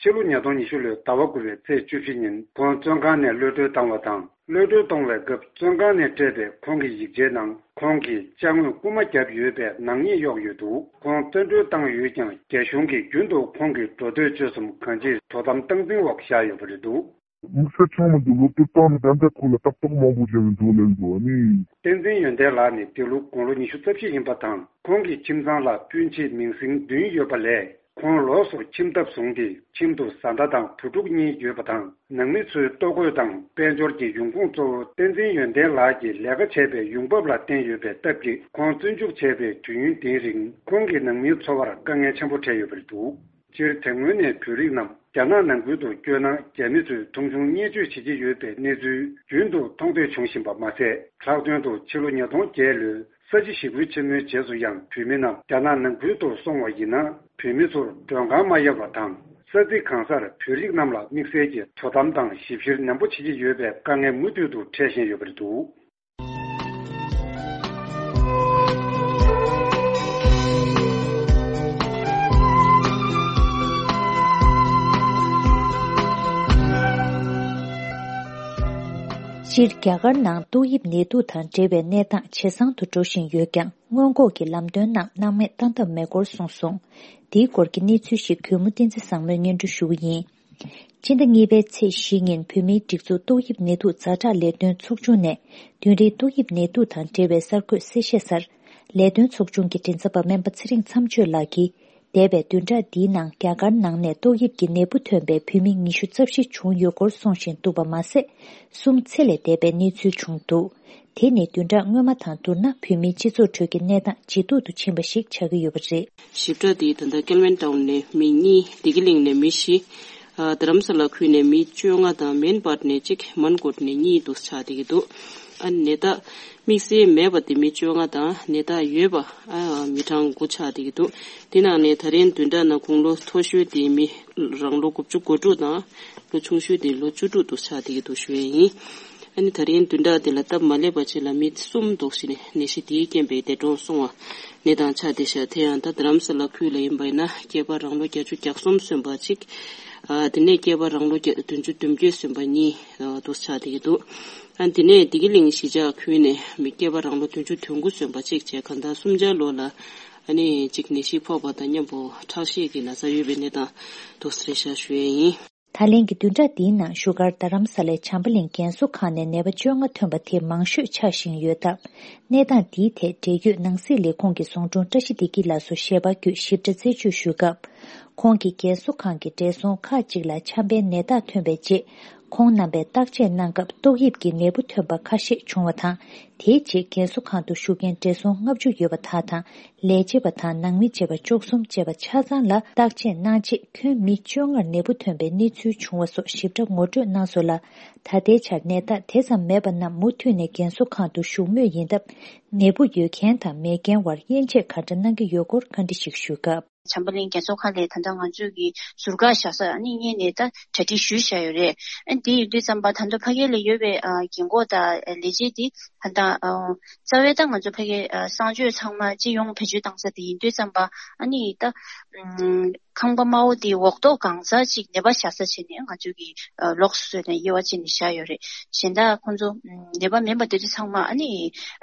ཕྱི་ལོ་ཉིས་སྟོང་ཉི་ཤུ་ལོའི་ཟླ་བ་དགུ་པའི་ཚེས་བཅུ་བཞི་ཉིན་ཁོང་བཙོན་ཁང་ནས་གློད་གྲོལ་བཏང་བ་དང་། གློད་གྲོལ་གཏོང་བའི་སྐབས་བཙོན་ཁང་ནས་སྤྲད་པའི་ཁོང་གི་ཡིག་ཆའི་ནང་ཁོང་གིས་ཅ་དངོས་རྐུ་མ་བརྒྱབ་ཡོད་པའི་ནག་ཉེས་གཡོགས་ཡོད་འདུག། ཁོང་བཙོན་གྲོལ་བཏང་ཡོད་ཀྱང་རྒྱ་གཞུང་གིས་རྒྱུན་དུ་ཁོང་གི་འགྲོ་སྡོད་སྤྱོད་གསུམ་གང་ཅིར་དོ་དམ་སྟངས་འཛིན་འོག་བཞག་ཡོད་པ་རེད་འདུག། དམིགས་བསལ་ཆགས་མི་འདུག། སློབ་གྲྭ་བཏང་ནས་ད་ལྟ་ཁོ་ལ་ཏག་ཏག་མང་པོ་བྱས་ཡོད་འདུག་ལབ་འདུག་ཨ་ནི། བསྟན་འཛིན་ཡོན་ཏན་ལགས་ནི་འདི་ལོ་དགུང་ལོ་ཉི་ཤུ་རྩ་བཞི་ཡིན་པ་དང་། ཁོང་གི་ཁྱིམ་ཚང་ལ་སྤུན་མཆེད་མིང་སྲིང་བདུན་ཡོད་པ་ལས། ཁོང་ལོགས་སུ་ཁྱིམ་ཐབ་བཟུང་སྟེ་ཁྱིམ་དུ་བཟའ་ཟླ་དང་བུ་ཕྲུག་གཉིས་ཡོད་པ་དང་། ནང་མི་ཚོའི་ལྟོ་གོས་དང་དཔལ་འབྱོར་གྱི་ཡོང་ཁུངས་གཙོ་བོ་བསྟན་འཛིན་ཡོན་ཏན་ལགས་ཀྱིས་ལས་ཀ་བྱས་པའི་ཡོང་འབབ་ལ་བརྟེན་ཡོད་པའི་སྟབས་ཀྱིས། ཁོང་བཙོན་འཇུག་བྱས་པའི་དུས་ཡུན་འདིའི་རིང་ཁོང་གི་ནང་མིའི་འཚོ་བར་དཀའ་ངལ་ཆེན་པོ་འཕྲད་ཡོད་པ་རེད་འདུག། སྤྱིར་དེ་སྔོན་ནས་བོད་རིགས་རྣམས་རྒྱ་ནག་ནང་ཁུལ་དུ་བསྐྱོད་ན་རྒྱ་མི་ཚོས་མཐོང་ཆུང་བརྙས་བཅོས་བྱེད་ཀྱི་ཡོད་པའི་གནས་ཚུལ་རྒྱུན་དུ་མཐོང་ཐོས་བྱུང་བཞིན་པ་མ་ཟད། ལྷག་དོན་དུ་ཕྱི་ལོ་ཉིས་སྟོང་བརྒྱད་ལོའི་ས་བྱི་ཞི་རྒོལ་ཆེན་མོའི་རྗེས་སུ་ཡང་བོད་མི་རྣམས་རྒྱ་ནག་ནང་ཁུལ་དུ་སོང་བ་ཡིན་ན་བོད་མི་ཚོར་མགྲོན་ཁང་མ་གཡར་བ་དང་། ས་ཚིགས་གང་སར་བོད་རིགས་རྣམས་ལ་དམིགས་བསལ་གྱི་དོ་དམ་དང་ཞིབ་བཤེར་ནན་པོ་བྱེད་ཀྱི་ཡོད་པའི་དཀའ་ངལ་མུ་མཐུད་དུ་འཕྲད་བཞིན་ཡོད་པ་རེད་འདུག། སྤྱིར་རྒྱ་གར་ནང་ཏོག་དབྱིབས་ནད་དུག་དང་འབྲེལ་བའི་གནས་སྟངས་ཇེ་བཟང་དུ་འགྲོ་བཞིན་ཡོད་ཀྱང་། སྔོན་འགོག་གི་ལམ་སྟོན་རྣམས་སྣང་མེད་བཏང་ཐབས་མེད་སྐོར་གསུངས་སོང་། འདིའི་སྐོར་གྱི་གནས་ཚུལ་ཞིག་གུས་མོ་བསྟན་འཛིན་བཟང་མོས་སྙན་སྒྲོན་ཞུ་གི་ཡིན། སྤྱི་ཟླ་གཉིས་པའི་ཚེས་བཞི་ཉིན་བོད་མིའི་སྒྲིག་འཛུགས་ཏོག་དབྱིབས་ནད་དུག་ཛ་དྲག་ལས་དོན་ཚོགས་ཆུང་ནས་བདུན་རེའི་ཏོག་དབྱིབས་ནད་དུག་དང་འབྲེལ་བའི་གསར་འགོད་གསལ་བཤད་སར། ལས་དོན་ཚོགས་ཆུང་གི་མགྲིན་ཚབ་པ་སྨན་པ་ཚེ་རིང་མཚམས་གཅོད་ལགས་ཀྱིས། འདས་པའི་བདུན་ཕྲག་འདིའི་ནང་རྒྱ་གར་ནང་ནས་ཏོག་དབྱིབས་ཀྱི་ནད་འབུ་ཐོན་པའི་བོད་མི་ཉི་ཤུ་རྩ་བཞི་བྱུང་ཡོད་སྐོར་གསུང་བཞིན་འདུག་པ་མ་ཟད། གསུམ་ཚེ་ལས་འདས་པའི་གནས་ཚུལ་བྱུང་འདུག། དེ་ནི་བདུན་ཕྲག་སྔོན་མ་དང་བསྡུར་ན་བོད་མིའི་སྤྱི་ཚོགས་ཁྲོད་ཀྱི་གནས་སྟངས་ཇེ་སྡུག་ཏུ་ཕྱིན་པ་ཞིག་ཆགས་ཀྱི་ཡོད་པ་རེད། ཞིབ་ཕྲ་དེ་ད་ལྟ་ཀལ་ཝན་ཊའུན་ནས་མི་གཉིས། བདེ་སྐྱིད་གླིང་ནས་མི་བཞི། ཨ། རྡ་རམ་ས་ལ་ཁུལ་ནས་མི་བཅོ་ལྔ་དང་མེན་པར་ནས་གཅིག་མན་གོ་ཊ་ནས་གཉིས་འདུག་ཆགས་བསྡད་ཀྱི་འདུག། ཨ་ནི་ནད་རྟགས་དམིགས་བསལ་མེད་པ་དེ་མི་བཅོ་ལྔ་དང་ནད་རྟགས་ཡོད་པ། ཨ། མི་གྲངས་དགུ་ཆགས་བསྡད་ཀྱི་འདུག། དེ་ནང་ནས་ད་རིང་བདུན་ཕྲག་ནང་དགུང་ལོ་མཐོ་ཤོས་དེ་མི་རང་ལོ་དགུ་བཅུ་གོ་དྲུག་དང་། ལོ་ཆུང་ཤོས་དེ་ལོ་བཅུ་དྲུག་འདུག་ཆགས་བསྡད་ཀྱི་འདུག་ཞུ་ཡས་ཡིན། ཨ་ནི་ད་རིང་བདུན་ཕྲག་འདི་ལ་སྟབས་མ་ལེགས་པ་ཅིག་ལ་མི་གསུམ་འདུག་ཟེར་ནས་ནད་གཞི་དེའི་རྐྱེན་པས་འདས་གྲོངས་སོང་བ་ནད་དང་ཆགས་བསྡད་ཤག། དེ་ཡང་ད་རྡ་རམ་ས་ལ་ཁུལ་ལ་ཡིན་པ་ཡིན་ན་སྐྱེས་པ་རང་ལོ་བརྒྱད་ཅུ་གྱ་གསུམ་སོན་པ་གཅིག། ཨ། དེ་ནས་སྐྱེས་པ་རང་ལོ་བརྒྱ། བདུན་ཅུ་དོན་བརྒྱད་སོན་པ་གཉིས། ཨ། འདུག་ཆགས་བསྡད་ཀྱི་འདུག། ཨ། དེ་ནས་བདེ་སྐྱིད་གླིང་གཞིས་ཆགས་ཁུལ་ནས་མི་སྐྱེས་པ་རང་ལོ་བདུན་ཅུ་དོན་དགུ་སོན་པ་གཅིག་བྱས་གང་ལྟར་སུམ་ཆ་ལོ་ལ་ཨ་ནི་གཅིག་ནད་གཞི་ཕོག་པ་དང་མཉམ་པོ་ཁྲག་ཤེད་ཀྱི་ན་ཚ་ཡོད་པའི་གནས་སྟངས་འདུག་ཟེར་ཤག་ཞུ་ཡས་ཡིན། ད་ལན་གྱི་བདུན་ཕྲག་འདིའི་ནང་བཞུགས་སྒར་རྡ་རམ་ས་ལའི་བྱམས་པ་གླིང་རྒན་གསོ་ཁང་ནས་ནད་པ་བཅོ་ལྔ་ཐོན་པ་དེ་མང་ཤོས་ཆགས་བཞིན་ཡོད་སྟབས། གནས་སྟངས་འདིའི་ཐད་འབྲེལ་ཡོད་ནང་སྲིད་ལས་ཁུངས་ཀྱི་ཟུང་དྲུང་བཀྲ་ཤིས་བདེ་སྐྱིད་ལགས་སུ་ཞལ་པར་བརྒྱུད་ཞིབ་ཕྲ་རྩད་གཅོད་ཞུས་སྐབས། ཁོང་གིས་རྒན་གསོ་ཁང་གི་བགྲེས་སོང་ཁག་ཅིག་ལ་ཆམ་པའི་ནད་རྟགས་ཐོན་པའི་རྗེས། ཁོང་རྣམ་པས་བརྟག་དཔྱད་གནང་སྐབས་ཏོག་དབྱིབས་ཀྱི་ནད་འབུ་ཐོན་པ་ཁ་ཤས་བྱུང་བ་དང་། དེའི་རྗེས་རྒན་གསོ་ཁང་དུ་བཞུགས་མཁན་བགྲེས་སོང་ལྔ་བཅུ་ཡོད་པ་དག་དང་། ལས་བྱེད་པ་དང་ནང་མི་བཅས་པ་བཅུ་གསུམ་བཅས་པ་ཆ་ཚང་ལ་བརྟག་དཔྱད་གནང་རྗེས། ཁྱོན་མི་བཅོ་ལྔར་ནད་འབུ་ཐོན་པའི་གནས་ཚུལ་བྱུང་བ་སོགས་ཞིབ་ཕྲ་ངོ་སྤྲོད་གནང་སོང་ལ། ད་ལྟའི་ཆར་ནད་རྟགས་དེ་ཙམ་མེད་པ་རྣམས་མུ་མཐུད་ནས་རྒན་གསོ་ཁང་དུ་བཞུགས་མུས་ཡིན་སྟབས། ནད་འབུ་ཡོད་མཁན་དང་མེད་མཁན་བར་དབྱེ་འབྱེད་ག་འདྲ་གནང་གི་ཡོད་སྐོར་བཀའ་འདྲི་ཞིག་ཞུས་སྐབས། བྱམས་པ་གླིང་རྒན་གསོ་ཁང་ལས་ད་ལྟ་ང་ཚོས་ཀྱི་ཟུར་བཀག་བཞག་ས་ཨ་ནི་སྔོན་ནས་ད་གྲ་སྒྲིག་ཞུས་བཞག་ཡོད་རེད། ཨ་ནི་དེ་ཡིན་དུས་ཙམ་པ་ད་ལྟ་ཕ་གི་ལ་ཡོད་པའི་ཨ་རྒན་གོག་དང་ལས་བྱེད་དེ་ད་ལྟ་ཨ་རྩ་བའི་ད་ང་ཚོ་ཕ་གི་ཨ་གསང་སྤྱོད་ཚང་མ་སྤྱི་ཡོངས་བེད་སྤྱོད་བཏང་ས་དེ་ཡིན་དུས་ཙམ་པ་ཨ་ནི་ད་ཨམ་ཁང་པ་དམའ་བོ་དེ་འོག་ཐོག་གང་ས་ཅིག་ནད་པ་བཞག་ས་བྱས་ནས་ང་ཚོས་ཀྱི་ཨ་ལོགས་སུ་བཟོས་ནས་དབྱེ་བ་ཕྱེ་ནས་བཞག་ཡོད་རེད། གཞན་དག་ཁོང་ཚོ་ཨམ་ནད་པ་མིན་པ་དེ་ཚོ་ཚང་མ་ཨ་ནི་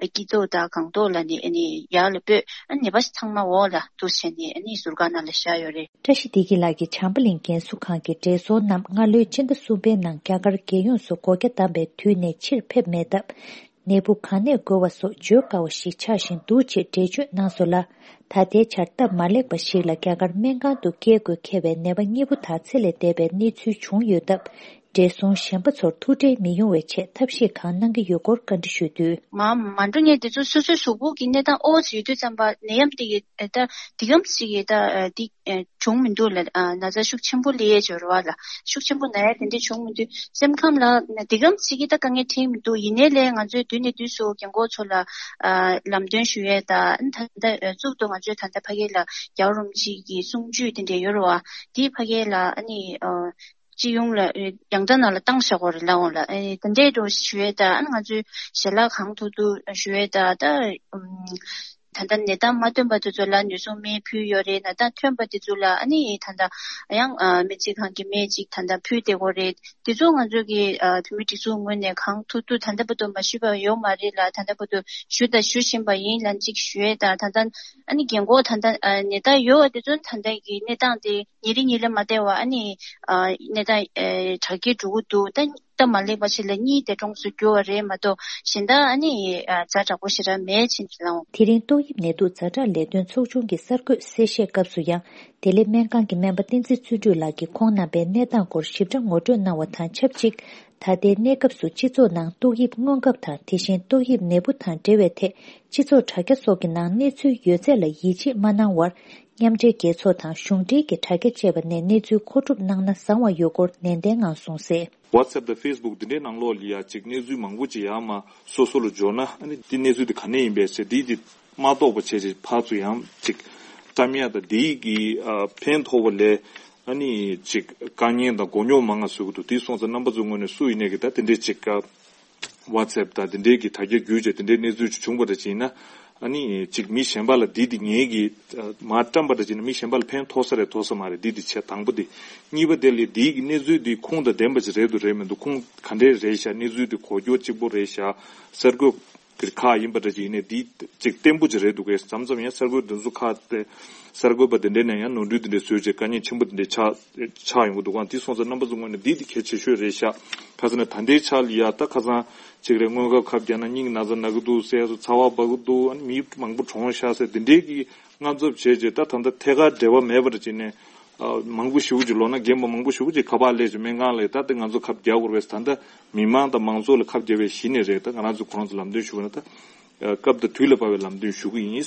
ཨ་སྐྱིད་ཐོག་དང་སྒང་ཐོག་ལ་ནི་ཨ་ནི་ཡར་ལ་སྤོས། ཨ་ནི་ནད་པ་ཚང་མ་འོག་ལ་འདུག་བྱས་ནས་ཨ་ནི་ཟུར་བཀག་ནང་ལ་བཞག་ཡོད་རེད། བཀྲ་ཤིས་བདེ་སྐྱིད་ལགས་ཀྱིས་བྱམས་པ་གླིང་རྒན་གསོ་ཁང་གི་བགྲེས་སོང་རྣམས་སྔ་ལོའི་ཕྱི་ཟླ་གསུམ་པའི་ནང་རྒྱ་གར་རྒྱལ་ཡོངས་སུ་སྒོ་རྒྱ་བསྡམས་པའི་དུས་ནས་ཕྱིར་ཕེབས་མེད་སྟབས། ནད་འབུ་གང་ནས་འགོས་པ་སོགས་བརྗོད་དཀའ་བ་ཞིག་ཆགས་བཞིན་འདུག་ཅེས་འགྲེལ་བརྗོད་གནང་སོང་ལ། ད་ལྟའི་ཆར་སྟབས་མ་ལེགས་པ་ཞིག་ལ་རྒྱ་གར་སྨན་ཁང་དུ་སྐྱེལ་དགོས་འཁེལ་བའི་ནད་པ་གཉིས་པོ་དག་ཚེ་ལས་འདས་པའི་གནས་ཚུལ་བྱུང་ཡོད་སྟབས། བགྲེས་སོང་གཞན་པ་ཚོར་ཐུགས་ཁྲལ་མི་ཡོང་བའི་ཆེད་ཐབས་ཤེས་གང་གནང་གི་ཡོད་སྐོར་བཀའ་འདྲི་ཞུས་དུས། མ་མ་འགྲོ་ངས་དེ་ཚོ་སོ་སོའི་གཟུགས་པོ་གི་གནས་སྟངས་ཨོ་ཙི་ཡོད་དུས་ཙམ་པ་ནད་ཡམས་དེ་གི་ད་འདི་གམ་ཞིག་གི་ད་འདི་བྱུང་མི་འདུག་ལ། ན་ཚ་ཤུགས་ཆེན་པོ་ལས་ཡས་འབྱོར་བ་ལ་ཤུགས་ཆེན་པོ་ན་ཡ་དེ་འདྲ་བྱུང་མི་འདུག་སེམས་ཁམས་ལ་འདི་གམ་ཞིག་གི་ད་དཀའ་ངལ་འཕྲད་མི་འདུག་ཡིན་ནའི་ལས་ང་ཚོའི་དུས་ནས་དུས་སུ་རྒན་གོག་ཚོ་ལ་ལམ་སྟོན་ཞུ་ཡས་ད་ད་ལྟ་གཙུག་ཏུ་ང་ཚོས་ད་ལྟ་ཕ་གི་ལ་རྒྱལ་བ་རིན་པོ་ཆེ་གི་གསུང་ཆོས་དེ་འདྲ་ཡོད་རེད་བ། དེའི་ཕ་གི་ལ་ཨ་ནི། སྤྱི་ཡོངས་ལ་ཡང་ད་ནང་ལ་བཏང་བཞག་གོ་རེད་ལ་འོང་ལ། ཨེ་ད་འདྲས་འགྲོ་ཞུ་ཡས་ད་ཨ་ང་ཚོའི་ཞལ་ལག་གང་ཐུབ་ཐུབ་ཞུ་ཡས་ད་ད་ཨུམ་ད་ལྟ་ནད་རྟགས་མ་ཐོན་པ་དེ་ཚོ་ལ་ནུས་གསུམ་སྨན་ཕུལ་ཡོད་རེད། ནད་རྟགས་ཐོན་པ་དེ་ཚོ་ལ་ཨ་ནི་ད་ལྟ་ཡང་སྨན་རྩིས་ཁང་གི་སྨན་ཅིག་ད་ལྟ་ཕུལ་བསྡད་གོ་རེད། དེ་ཚོ་ང་ཚོ་གི་བོད་མི་སྒྲིག་འཛུགས་ངོས་ནས་གང་ཐུབ་ཐུབ་ད་ལྟ་བར་དུ་མ་ཞུས་པ་ཡོད་མ་རེད་ལ། ད་ལྟ་བར་དུ་ཞུ་དང་ཞུ་བཞིན་པ་ཡིན་ལ་ཅིག་ཞུ་ཡས་ད་ད་ལྟ་ཨ་ནི་རྒན་གོག་ད་ལྟ་ནད་རྟགས་ཡོད་པ་དེ་ཚོ་ད་ལྟ་གི་གནས་སྟངས་དེ། ཉིན་རེ་ཉིན་རེ་མ་བདེ་བ་ཨ་ནི་ཨ་གནས་སྟངས་ཨེ་དྲག་སྐྱེད་འགྲོ་གི་འདུག་ད་སྟབས་མ་ལེགས་པ་ཞིག་ལ་གཉིད་དེ་གྲོངས་སུ་གྱུར་བ་རེད་མ་གཏོགས་གཞན་དག་ཨ་ནི་ཨ་ཛ་དྲག་པོ་ཞེ་དྲག་མེད་ཅེས་ལབ། དེ་རིང་ཏོག་དབྱིབས་ནད་དུག་ཛ་དྲག་ལས་དོན་ཚོགས་ཆུང་གི་གསར་འགོད་གསལ་བཤད་སྐབས་སུ་ཡང་། བདེ་ལེགས་སྨན་ཁང་གི་སྨན་པ་བསྟན་འཛིན་བརྩོན་འགྲུས་ལགས་ཀྱིས་ཁོང་རྣམ་པའི་གནས་སྟངས་སྐོར་ཞིབ་ཕྲ་ངོ་སྤྲོད་གནང་བ་དང་ཆབས་ཅིག་ད་ལྟའི་གནས་སྐབས་སུ་སྤྱི་ཚོགས་ནང་ཏོག་དབྱིབས་སྔོན་ཁབ་དང་དེ་བཞིན་ཏོག་དབྱིབས་ནད་འབུ་དང་འབྲེལ་བའི་ཐད་སྤྱི་ཚོགས་དྲ་རྒྱ་སོགས་ཀྱི་ནང་གནས་ཚུལ་ཡོད་ཚད་ལ་ཡིད་ཆེས་མ་གནང་བར། མཉམ་འབྲེལ་རྒྱལ་ཚོགས་དང་གཞུང་འབྲེལ་གྱི་དྲ་རྒྱ་བཅས་པ་ནས་གནས་ཚུལ་མཁོ་སྒྲུབ་གནང་ན་བཟང་བ་ཡོད་སྐོར་ནན་ཏན་ངང་གསུངས་གསལ། WhatsApp་དང་Facebook་འདི་འདྲའི་ནང་ལོགས་ལ་ཡ་ཅིག་གནས་ཚུལ་མང་པོ་ཅིག་ཡར་མར་སོ་སོ་ལ་འབྱོར་ན་ཨ་ནི་འདི་གནས་ཚུལ་འདི་ག་ནས་ཡིན་པས་ཟེར་འདི་འདི་མ་རྟོགས་པ་བྱས་ཅིག་ཕར་ཚུར་ཡང་ཅིག་བཀྲམ་ཡ་དང་འདི་གི་ཨ་ཕན་ཐོགས་པ་ལས་ཨ་ནི་ཅིག་དཀའ་ངལ་དང་མགོ་རྙོག་མང་ང་བཟོ་གི་འདུག་དེ་སོང་ཙང་རྣམ་པ་ཚོའི་ངོས་ནས་སུ་ཡིན་ནས་གི་ད་དེ་འདྲའི་ཅིག་ཨ། WhatsApp་དང་དེ་འདྲའི་གི་དྲ་རྒྱ་བརྒྱུད་བྱས་དེ་འདྲའི་གནས་ཚུལ་ཅིག་བྱུང་བ་འདྲ་ཅིག་ཡིན་ན། ཨ་ནི་ཅིག་མི་གཞན་པ་ལ་འདི་འདི་ངེད་ཀྱིས་མར་བཀྲམ་པ་འདྲ་ཅིག་ཡིན་ན་མི་གཞན་པ་ལ་ཕན་ཐོགས་ས་རེད་ཐོགས་ས་མ་རེད། འདི་འདི་བྱས་དང་པོ་འདི། གཉིས་པ་དེ་ལ་འདིའི་གི་གནས་ཚུལ་འདི་ཁུངས་དང་ལྡན་པ་ཅིག་རེད་འདུག་རེད་མི་འདུག་ཁུངས་ག་འདྲས་རེད་ཤག་གནས་ཚུལ་འདི་གོ་རྒྱུ་གཅིག་པོ་རེད་ཤག་གསར་འགོད་ཀྱི་ཁག་ཡིན་པ་འདྲ་ཅིག་ཡིན་ནའི་འདི་ཅིག་བརྟན་པོ་ཅིག་རེད་འདུག་གས། མཚམས་མཚམས་ཡང་གསར་འགོད་འདི་ཚོ་ཁག་དེ་གསར་འགོད་པ་དེ་འདྲས་ནས་ཡང་ནོར་འཁྲུལ་དེ་འདྲས་བཟོས་བྱས་དཀའ་ངལ་ཆེན་པོ་དེ་འདྲས་ཆགས་ཆགས་ཡོང་གི་འདུག་ག་དེ་སོང་ཙང་རྣམ་པ་ཚོ་ངོས་ནས་འདི་དེ་གལ་ཆེ་ཤོས་རེད་ཤག་ཁ་སང་ནས་ད་ལྟའི་ཆ་ལ་ཡ་ད་ཁ་སང་ཅིག་རེད། སྔོན་ཁབ་ཁབ་རྒྱག་ན་སྙིང་ན་ཚ་ན་གི་འདུག་ཟེར་སོ་ཚ་བ་འབར་གི་འདུག་ཨ་ནི་མི་མང་པོ་གྲོངས་ཤག་ཟེར་དེ་འདྲའི་གི་དངངས་འཚབ་བྱས་རྗེས་ད་ད་ལྟ་ཐད་ཀར་འབྲེལ་བ་མེད་པར་བྱས་ནས་ཨ་མང་པོ་ཞེ་པོ་ཅིག་ལོ་ན་རྒན་པ་མང་པོ་ཞེ་པོ་ཅིག་ཁ་པར་སླེབས་བྱས་སྨན་ཁང་ལ་ད་དེ་ང་ཚོ་ཁབ་རྒྱག་དགོས་རེད་པས། ད་ལྟ་མི་མང་དང་མང་ཚོགས་ལ་ཁབ་རྒྱག་པའི་གཞི་ནས་རེད། ད་ང་རང་ཚོ་ཁོ་རང་ཚོ་ལམ་སྟོན་ཞུ་བ་ན་ད་སྐབས་དང་དུས་ལ་བབ་པའི་ལམ་སྟོན་ཞུ་གི་ཡིན།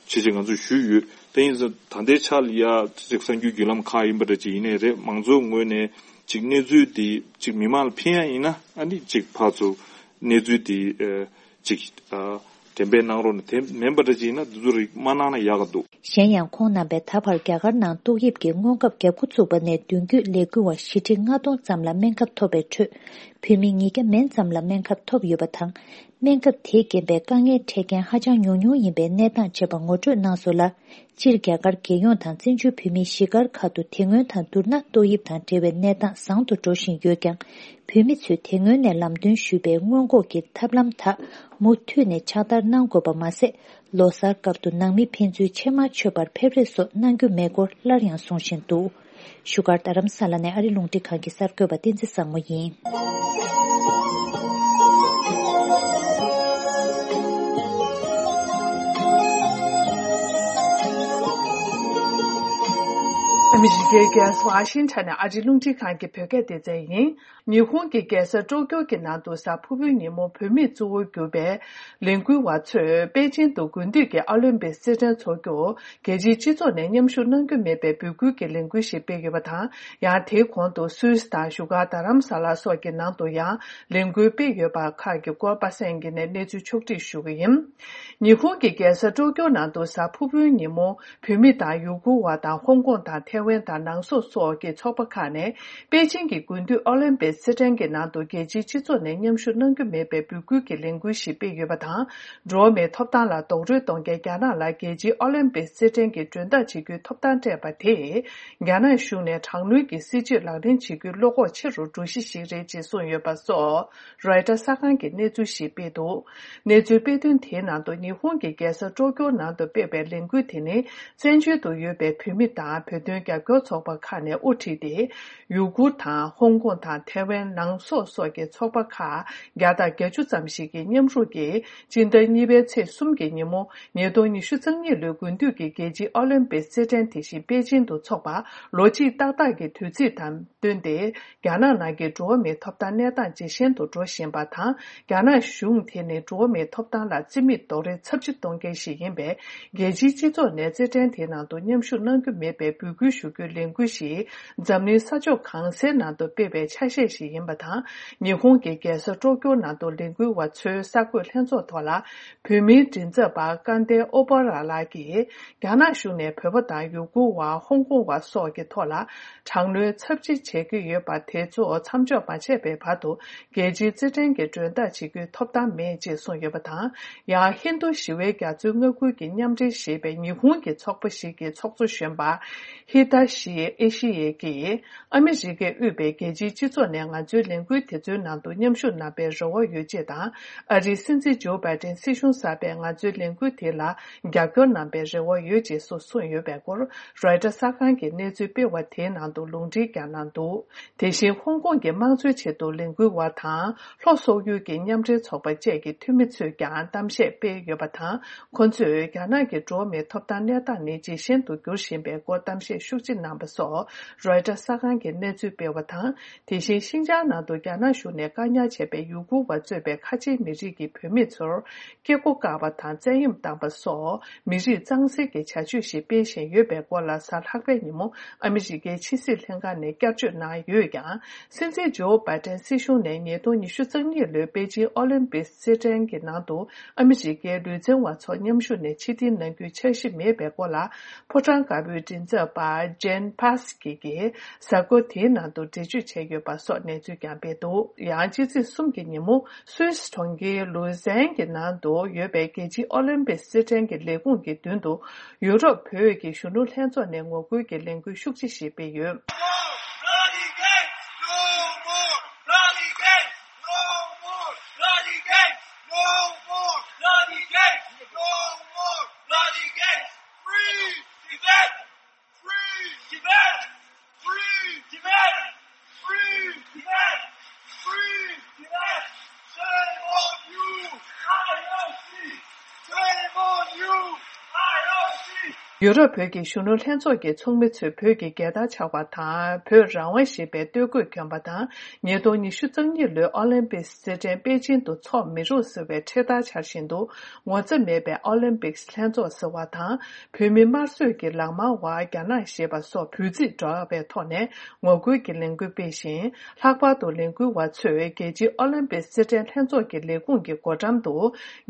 ཅེས་ཅེས་ང་ཚོས་ཞུས་ཡོད། དེ་ཡིན་ཙང་ད་ལྟའི་ཆ་ལ་ཡ་ཅིག་གསར་འགྱུར་བརྒྱུད་ལམ་ཁག་ཡིན་པ་འདྲ་ཅིག་ཡིན་ནའི་རེད། མང་ཚོགས་ངོས་ནས་ཅིག་གནས་ཚུལ་འདི་ཅིག་མི་མང་ལ་ཕན་ཡ་ཡིན་ན་ཨ་ནི་ཅིག་ཕར་ཚུར་གནས་ཚུལ་འདི་ཨ་ཅིག་ཨ་འགྲེམས་སྤེལ་གནང་རོགས་གནང་། དེ་མིན་པ་འདྲ་ཅིག་ཡིན་ན་འདི་ཚོ་རིགས་མ་གནང་ན་ཡག་ག་འདུག་གཞན་ཡང་ཁོང་རྣམ་པས་ད་བར་རྒྱ་གར་ནང་ཏོག་དབྱིབས་ཀྱི་སྔོན་ཁབ་བརྒྱབ་འགོ་ཚུགས་པ་ནས་མདུན་སྐྱོད་ལས་འགུལ་བ་བཞི་ཁྲི་ལྔ་སྟོང་ཙམ་ལ་སྨན་ཁབ་ཐོབ་པའི་ཁྲོད། བོད་མི་ཉིས་བརྒྱ་མན་ཙམ་ལ་སྨན་ཁབ་ཐོབ་ཡོད་པ་དང་། སྨན་ཁབ་དེའི་རྐྱེན་པས་དཀའ་ངལ་འཕྲད་མཁན་ཧ་ཅང་ཉུང་ཉུང་ཡིན་པའི་གནས་སྟངས་བཅས་པ་ངོ་སྤྲོད་གནང་སོང་ལ། སྤྱིར་རྒྱ་གར་རྒྱལ་ཡོངས་དང་བཙན་བྱོལ་བོད་མིའི་གཞིས་སྒར་ཁག་ཏུ་དེ་སྔོན་དང་བསྡུར་ན་ཏོག་དབྱིབས་དང་འབྲེལ་བའི་གནས་སྟངས་བཟང་དུ་འགྲོ་བཞིན་ཡོད་ཀྱང་། བོད་མི་ཚོས་དེ་སྔོན་ནས་ལམ་སྟོན་ཞུས་པའི་སྔོན་འགོག་གི་ཐབས་ལམ་དག་མུ་མཐུད་ནས་ཕྱག་བསྟར་གནང་དགོས་པ་མ་ཟད། ལོ་གསར་སྐབས་དུ་ནང་མི་ཕན་ཚུན་ཕྱེ་མར་མཆོད་པར་ཕེབས་རེས་སོགས་གནང་རྒྱུ་མེད་སྐོར་སླར་ཡང་གསུང་བཞིན་འདུག་བཞུགས་སྒར་རྡ་རམ་ས་ལ་ནས་ཨ་རི་རླུང་འཕྲིན་ཁང་གི་གསར་འགོད་པ་བསྟན་འཛིན་བཟང་མོ་ཡིན། ཨ་མི་རི་ཀའི་རྒྱལ་ས་ཝ་ཤིང་ཊོན་ནས་ཨ་རིའི་རླུང་འཕྲིན་ཁང་གི་བོད་སྐད་སྡེ་ཚན་ཡིན། ཉི་ཧོང་གི་རྒྱལ་ས་ཀྲོ་ཀྱོ་གི་ནང་དུ་གཟའ་ཕུར་བུའི་ཉིན་མོ་བུད་མེད་གཙོ་བོར་གྱུར་པའི་ལས་འགུལ་བ་ཚོས་པེ་ཅིན་དུ་དགུན་དུས་ཀྱི་ཨོ་ལིམ་པིག་རྩེད་འགྲན་འཚོགས་རྒྱུར་རྒྱལ་སྤྱིའི་སྤྱི་ཚོགས་ནས་མཉམ་ཞུགས་གནང་རྒྱུ་མེད་པའི་འབོད་སྐུལ་གྱི་ལས་འགུལ་ཞིག་སྤེལ་ཡོད་པ་དང་། ཡང་དེའི་གོང་དུ་སུད་སི་དང་བཞུགས་སྒར་རྡ་རམ་ས་ལ་སོགས་ཀྱི་ནང་དུ་ཡང་ལས་འགུལ་སྤེལ་ཡོད་པ་ཁག་གི་སྐོར་པ་སངས་ཀྱིས་ནས་གནས་ཚུལ་ཕྱོགས་བསྒྲིགས་ཞུ་གི་ཡིན། ཉི་ཧོང་གི་རྒྱལ་ས་ཀྲོ་ཀྱོ་ནང་དུ་གཟའ་ཕུར་བུའི་ཉིན་མོ་བོད་མི་དང་ཡུ་གུར་བ་དང་ཧོང་ཀོང་དང་ཐའེ་ཝན་དང་ནང་སོག་སོགས་ཀྱི་ཚོགས་པ་ཁག་ནས་པེ་ཅིང་གི་དགུན་དུས་ཨོ་ལིམ་པིག་རྩེད་འགྲན་གྱི་ནང་དུ་རྒྱལ་སྤྱིའི་སྤྱི་ཚོགས་ནས་མཉམ་ཞུགས་གནང་རྒྱུ་མེད་པའི་འབོད་སྐུལ་གྱི་ལས་འགུལ་ཞིག་སྤེལ་ཡོད་པ་དང་། འགྲོ་བ་མིའི་ཐོབ་ཐང་ལ་རྡོག་རོལ་གཏོང་མཁན་རྒྱ་ནག་ལ་རྒྱལ་སྤྱིའི་ཨོ་ལིམ་པིག་རྩེད་འགྲན་གྱི་མགྲོན་བདག་བྱེད་རྒྱུའི་ཐོབ་ཐང་སྤྲད་པ་དེས། རྒྱ་ནག་གཞུང་ནས་དྲག་གནོན་གྱི་སྲིད་བྱུས་ལག་ལེན་བྱེད་རྒྱུའི་བློ་ཁོག་ཆེ་རུ་འགྲོ་གཞི་ཞིག་རེད་ཅེས་གསུངས་ཡོད་པ་སོགས། རོའི་ཊར་གསར་ཁང་གིས་གནས་ཚུལ་ཞིག་སྤེལ་འདུག་གནས་ཚུལ་སྤེལ་དོན་དེའི་ནང་དུ་ཉི་ཧོང་གི་རྒྱལ་ས་ཀྲོ་ཀྱོ་ནང་དུ་སྤེལ་བའི་ལས་འགུལ་དེ་ནི། བཙན་བྱོལ་དུ་ཡོད་པའི་བོད་མི་དང་བོད་དོན་རྒྱབ་སྐྱོར་ཚོགས་པ་ཁག་ནས་དབུ་ཁྲིད་དེ། ཡུ་གུར་དང་ཧོང་ཀོང་དང་ཐའེ་ཝན་ནང་སོག་སོགས་ཀྱི་ཚོགས་པ་ཁག་བརྒྱ་དང་བརྒྱད་ཅུ་ཙམ་ཞིག་གིས་མཉམ་རུབ་ཀྱིས། སྤྱི་ཟླ་གཉིས་པའི་ཚེས་གསུམ་གྱི་ཉིན་མོ། ཉིས་སྟོང་ཉི་ཤུ་རྩ་གཉིས་ལོའི་དགུན་དུས་ཀྱི་རྒྱལ་སྤྱིའི་ཨོ་ལིམ་པིག་རྩེད་འགྲན་དེ་བཞིན་པེ་ཅིན་དུ་འཚོགས་པར་ལོ་གཅིག་ཏག་ཏག་གི་དུས་ཚིགས་དང་བསྟུན་ཏེ། རྒྱ་ནག་ནང་གི་འགྲོ་བ་མིའི་ཐོབ་ཐང་གནས་སྟངས་ཇེ་ཞན་དུ་འགྲོ་བཞིན་པ་དང་། རྒྱ་ནག་གཞུང་དེ་ནི་འགྲོ་བ་མིའི་ཐོབ་ཐང་ལ་རྩིས་མེད་རྡོག་རོལ་ཚབས་ཆེ་གཏོང་མཁན་ཞིག་ཡིན་པས། རྒྱལ་སྤྱིའི་སྤྱི་ཚོགས་ནས་རྩེད་འགྲན་དེའི་ནང་དུ་མཉམ་ཞུགས་གནང་རྒྱུ་མེད་པའི་འབོད་སྐུལ་ཞུ་རྒྱུའི་ལས་འགུལ་ཞིག་འཛམ་གླིང་ས་ཕྱོགས་གང་སའི་ནང་དུ་སྤེལ་བའི་ཆ་ཤས་ཤིག་ཡིན་པ་དང་། ཉི་ཧོང་གི་རྒྱལ་ས་ཀྲོ་ཀྱོ་ནང་དུ་ལས་འགུལ་བ་ཚོའི་གསར་འགོད་ལྷན་ཚོགས་ཐོག་ལ། བོད་མིའི་མགྲིན་ཚབ་པ་སྐལ་ལྡན་ཨོ་པ་ར་ལགས་ཀྱིས། རྒྱ་ནག་གཞུང་ནས་བོད་པ་དང་ཡུ་གུར་བ། ཧོང་ཀོང་བ་སོགས་ཀྱི་ཐོག་ལ་དྲག་གནོན་ཚབས་ཆེ་བྱེད་ཀྱི་ཡོད་པ་དེ་ཚོ་མཚམས་འཇོག་མ་བྱས་པའི་བར་དུ་རྒྱལ་སྤྱིའི་རྩེད་འགྲན་གྱི་མགྲོན་བདག་བྱེད་རྒྱུའི་ཐོབ་ཐང་མེད་ཅེས་གསུངས་ཡོད་པ་དང་། ཡང་ཧིན་རྡུ་ཞི་བའི་རྒྱ་མཚོའི་མངའ་ཁུལ་གྱི་མཉམ་འབྲེལ་ཞེས་པའི་ཉི་ཧོང་གི་ཚོགས་པ་ཞིག་གི་ཚོགས་གཙོ་གཞོན་པ་ཧི་ཏ་ཤི་ཨེ་ཤི་ཡེ་གིས། ཨ་མི་རི་ཀས་དབུས་པའི་རྒྱལ་སྤྱིའི་སྤྱི་ཚོགས་ནས་ང་ཚོའི་ལས་འགུལ་དེ་ཚོའི་ནང་དུ་མཉམ་ཞུགས་གནང་པའི་རེ་བ་ཡོད་ཅེས་དང་། ཨ་རིའི་སྲིད་འཛིན་ཇོ་བྷའི་ཏན་སྲིད་གཞུང་གསར་པས་ང་ཚོའི་ལས་འགུལ་དེ་ལ་རྒྱབ་སྐྱོར་གནང་པའི་རེ་བ་ཡོད་ཅེས་སུ་གསུངས་ཡོད་པའི་སྐོར་རོའི་ཊར་གསར་ཁང་གིས་གནས་ཚུལ་སྤེལ་བ་དེའི་ནང་དུ་ལུང་འདྲེན་ཀྱང་གནང་འདུག་དེ་བཞིན་ཧོང་ཀོང་གི་དམངས་གཙོའི་ཆེད་དུ་ལས་འགུལ་བ་དང་། ལྷོ་སོག་ཡུལ་གྱི་མཉམ་འབྲེལ་ཚོགས་པ་བཅས་ཀྱི་འཐུས་མི་ཚོས་ཀྱང་གཏམ་བཤད་སྤེལ་ཡོད་པ་དང་། ཁོ་ཚོས་རྒྱ་ནག་གི་འགྲོ་བ་མིའི་ཐོབ་ཐང་གནས་སྟངས་ནི་ཇེ་ཞན་དུ་འགྱུར་བཞིན་པའི་སྐོར་གཏམ་བཤད་ཤུགས་ཆེ་གནང་པ་སོགས་རོའི་ཊར་གསར་ཁང་གིས་གནས་ཚུལ་སྤེལ་བ་དང་། དེ་བཞིན་ཤིན་ཅང་ནང་དུ་རྒྱ་ནག་གཞུང་ནས་བཀག་ཉར་བྱས་པའི་ཡུ་གུར་བ་གཙོས་པའི་ཁ་ཆེའི་མི་རིགས་ཀྱི་བུད་མེད་ཚོར་སྐྱེ་སྒོ་བཀག་པ་དང་བཙན་གཡེམ་བཏང་པ་སོགས་མི་རིགས་གཙང་སེལ་གྱི་བྱ་སྤྱོད་ཞིག་སྤེལ་བཞིན་ཡོད་པའི་སྐོར་ལ་གཟའ་ལྷག་པའི་ཉིན་མོ་ཨ་མི་རི་ཀའི་ཕྱི་སྲིད་ལྷན་ཁང་ནས་བསྐྱར་བརྗོད་གནང་ཡོད་ཀྱང་། སྲིད་འཛིན་ཇོ་བྷའི་ཏན་སྲིད་གཞུང་ནས་ཉིས་སྟོང་ཉི་ཤུ་རྩ་གཉིས་ལོའི་པེ་ཅིན་ཨོ་ལིམ་པིག་རྩེད་འགྲན་གྱི་ནང་དུ་ཨ་མི་རི་ཀའི་ལུས་རྩལ་བ་ཚོ་མཉམ་ཞུགས་ནས་ཕྱིར་འཐེན་གནང་རྒྱུའི་འཆར་གཞི་མེད་པའི་སྐོར་ལ། ཕོ་བྲང་དཀར་པོའི་མགྲིན་ཚབ་པ་ཇེན་ཕ་སི་ཀི་གིས་གཟའ་འཁོར་དེའི་ནང་དུ་འགྲེལ་བརྗོད་བྱས་ཡོད་པ་སོགས་གནས་ཚུལ་ཀྱང་སྤེལ་འདུག་ཡང་ཕྱི་ཚེས་གསུམ་གྱི་ཉིན་མོ་སུད་སི་གྲོང་ཁྱེར་ལུ་ཟན་གྱི་ནང་དུ་ཡོད་པའི་རྒྱལ་སྤྱིའི་ཨོ་ལིམ་པིག་རྩེད་འགྲན་གྱི་ལས་ཁུངས་ཀྱི་མདུན་དུ་ཡུ་རོབ་བོད་ཀྱི་གཞོན་ནུ་ལྷན་ཚོགས་ནས་ངོ་རྒོལ་གྱི་ལས་འགུལ་ཤུགས་ཆེ་ཞིག་སྤེལ་ཡོད། Free Tibet! Free Tibet! Free Tibet! Free Tibet! Free Tibet! Shame on you! I O C! Shame on you! I O C! ཡུ་རོབ་བོད་ཀྱི་གཞོན་ནུ་ལྷན་ཚོགས་ཀྱི་ཚོགས་མི་ཚོས་བོད་ཀྱི་རྒྱལ་དར་འཕྱར་བ་དང་། བོད་རང་དབང་ཞེས་པའི་སྟོད་གོས་གྱོན་པ་དང་། ཉིས་སྟོང་ཉི་ཤུ་རྩ་གཉིས་ལོའི་ཨོ་ལིམ་པིག་རྩེད་འགྲན་པེ་ཅིན་དུ་འཚོགས་མི་རུང་ཟེར་བའི་འཕྲེད་དར་འཕྱར་བཞིན་དུ། ངོ་ཚ་མེད་པའི་ཨོ་ལིམ་པིག་ལྷན་ཚོགས་ཟེར་བ་དང་། བོད་མི་དམར་གསོད་ཀྱི་ལག་དམར་བ་རྒྱ་ནག་ཞེས་པ་སོགས་འབོད་ཚིག་སྒྲོག་པའི་ཐོག་ནས་ངོ་རྒོལ་གྱི་ལས་འགུལ་སྤེལ་ཞིང་། ལྷག་པར་དུ་ལས་འགུལ་བ་ཚོས་རྒྱལ་སྤྱིའི་ཨོ་ལིམ་པིག་རྩེད་འགྲན་ལྷན་ཚོགས་ཀྱི་ལས་ཁུངས་ཀྱི་སྒོ་འགྲམ་དུ།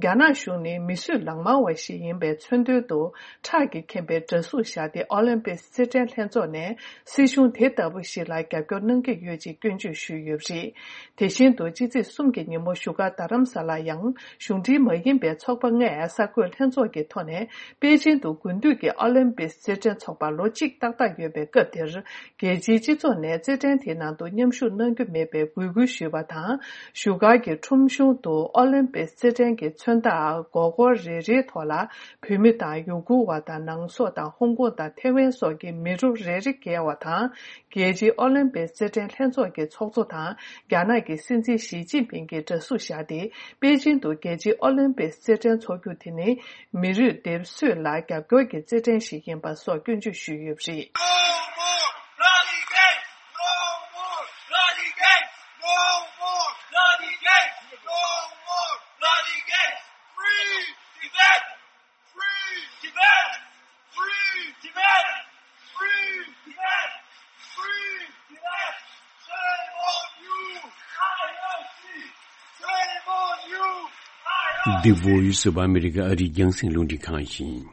རྒྱ་ནག་གཞུང་ནི་མི་གསོད་ལག་དམར་བ་ཞིག་ཡིན་པའི་མཚོན་དོན་དུ། ཁྲག་གིས་ཁེངས་པའི་འདྲ་གཟུགས་བཞག་སྟེ་ཨོ་ལིམ་པིག་རྩེད་འགྲན་ལྷན་ཚོགས་ནས། སྲིད་གཞུང་དེ་ལྟ་བུ་ཞིག་ལ་རྒྱབ་སྐྱོར་གནང་གི་ཡོད་ཅེས་སྐྱོན་བརྗོད་ཞུས་ཡོད་པ་རེད། དེ་བཞིན་དུ་ཕྱི་ཚེས་གསུམ་གྱི་ཉིན་མོ་བཞུགས་སྒར་རྡ་རམ་ས་ལར་ཡང་གཞུང་འབྲེལ་མ་ཡིན་པའི་ཚོགས་པ་ལྔས་གསར་འགོད་ལྷན་ཚོགས་ཀྱི་ཐོག་ནས་པེ་ཅིན་དུ་དགུན་དུས་ཀྱི་ཨོ་ལིམ་པིག་རྩེད་འགྲན་འཚོགས་པར་ལོ་གཅིག་ཏག་ཏག་ཡོད་པའི་སྐབས་དེར། རྒྱལ་སྤྱིའི་སྤྱི་ཚོགས་ནས་རྩེད་འགྲན་དེའི་ནང་དུ་མཉམ་ཞུགས་གནང་རྒྱུ་མེད་པའི་འབོད་སྐུལ་ཞུས་པ་དང་། བཞུགས་སྒར་གྱི་ཁྲོམ་གཞུང་དུ་ཨོ་ལིམ་པིག་རྩེད་འགྲན་གྱི་མཚོན་རྟགས་མགོ་སྐོར་རེ་རེའི་ཐོག་ལ་བོད་མི་དང་ཡུ་གུར་བ་དང་ནང་ སོགས་དང་ཧོང་ཀོང་དང་ཐེ་ཝན་སོགས་ཀྱི་མི་རུ་རེ་རེ་བརྒལ་བ་དང་། རྒྱལ་སྤྱིའི་ཨོ་ལིམ་པིག་རྩེད་འགྲན་ལྷན་ཚོགས་ཀྱི་ཚོགས་གཙོ་དང་རྒྱ་ནག་གི་སྲིད་འཛིན་ཞི་ཅིན་ཕིང་གིས་འདྲ་གཟུགས་བཞག་སྟེ། པེ་ཅིང་དུ་རྒྱལ་སྤྱིའི་ཨོ་ལིམ་པིག་རྩེད་འགྲན་འཚོགས་རྒྱུ་དེ་ནི་མི་རུས་སྡེབ་གསོད་ལ་རྒྱབ་སྐྱོར་གྱི་རྩེད་འགྲན་ཞིག་ཡིན་པ་སོགས་སྐྱོན་བརྗོད་ཞུས་ཡོད་པ་རེད། No more bloody games! No more bloody games! No more bloody games! No more bloody games! Free Tibet! Free Tibet! Free Tibet! Free Tibet! Free Tibet! Shame on you! I O C! Shame on you! I O C! འདི་Voice of America ཨ་རིའི་རྒྱང་སྲིང་རླུང་འཕྲིན་ཁང་ཡིན།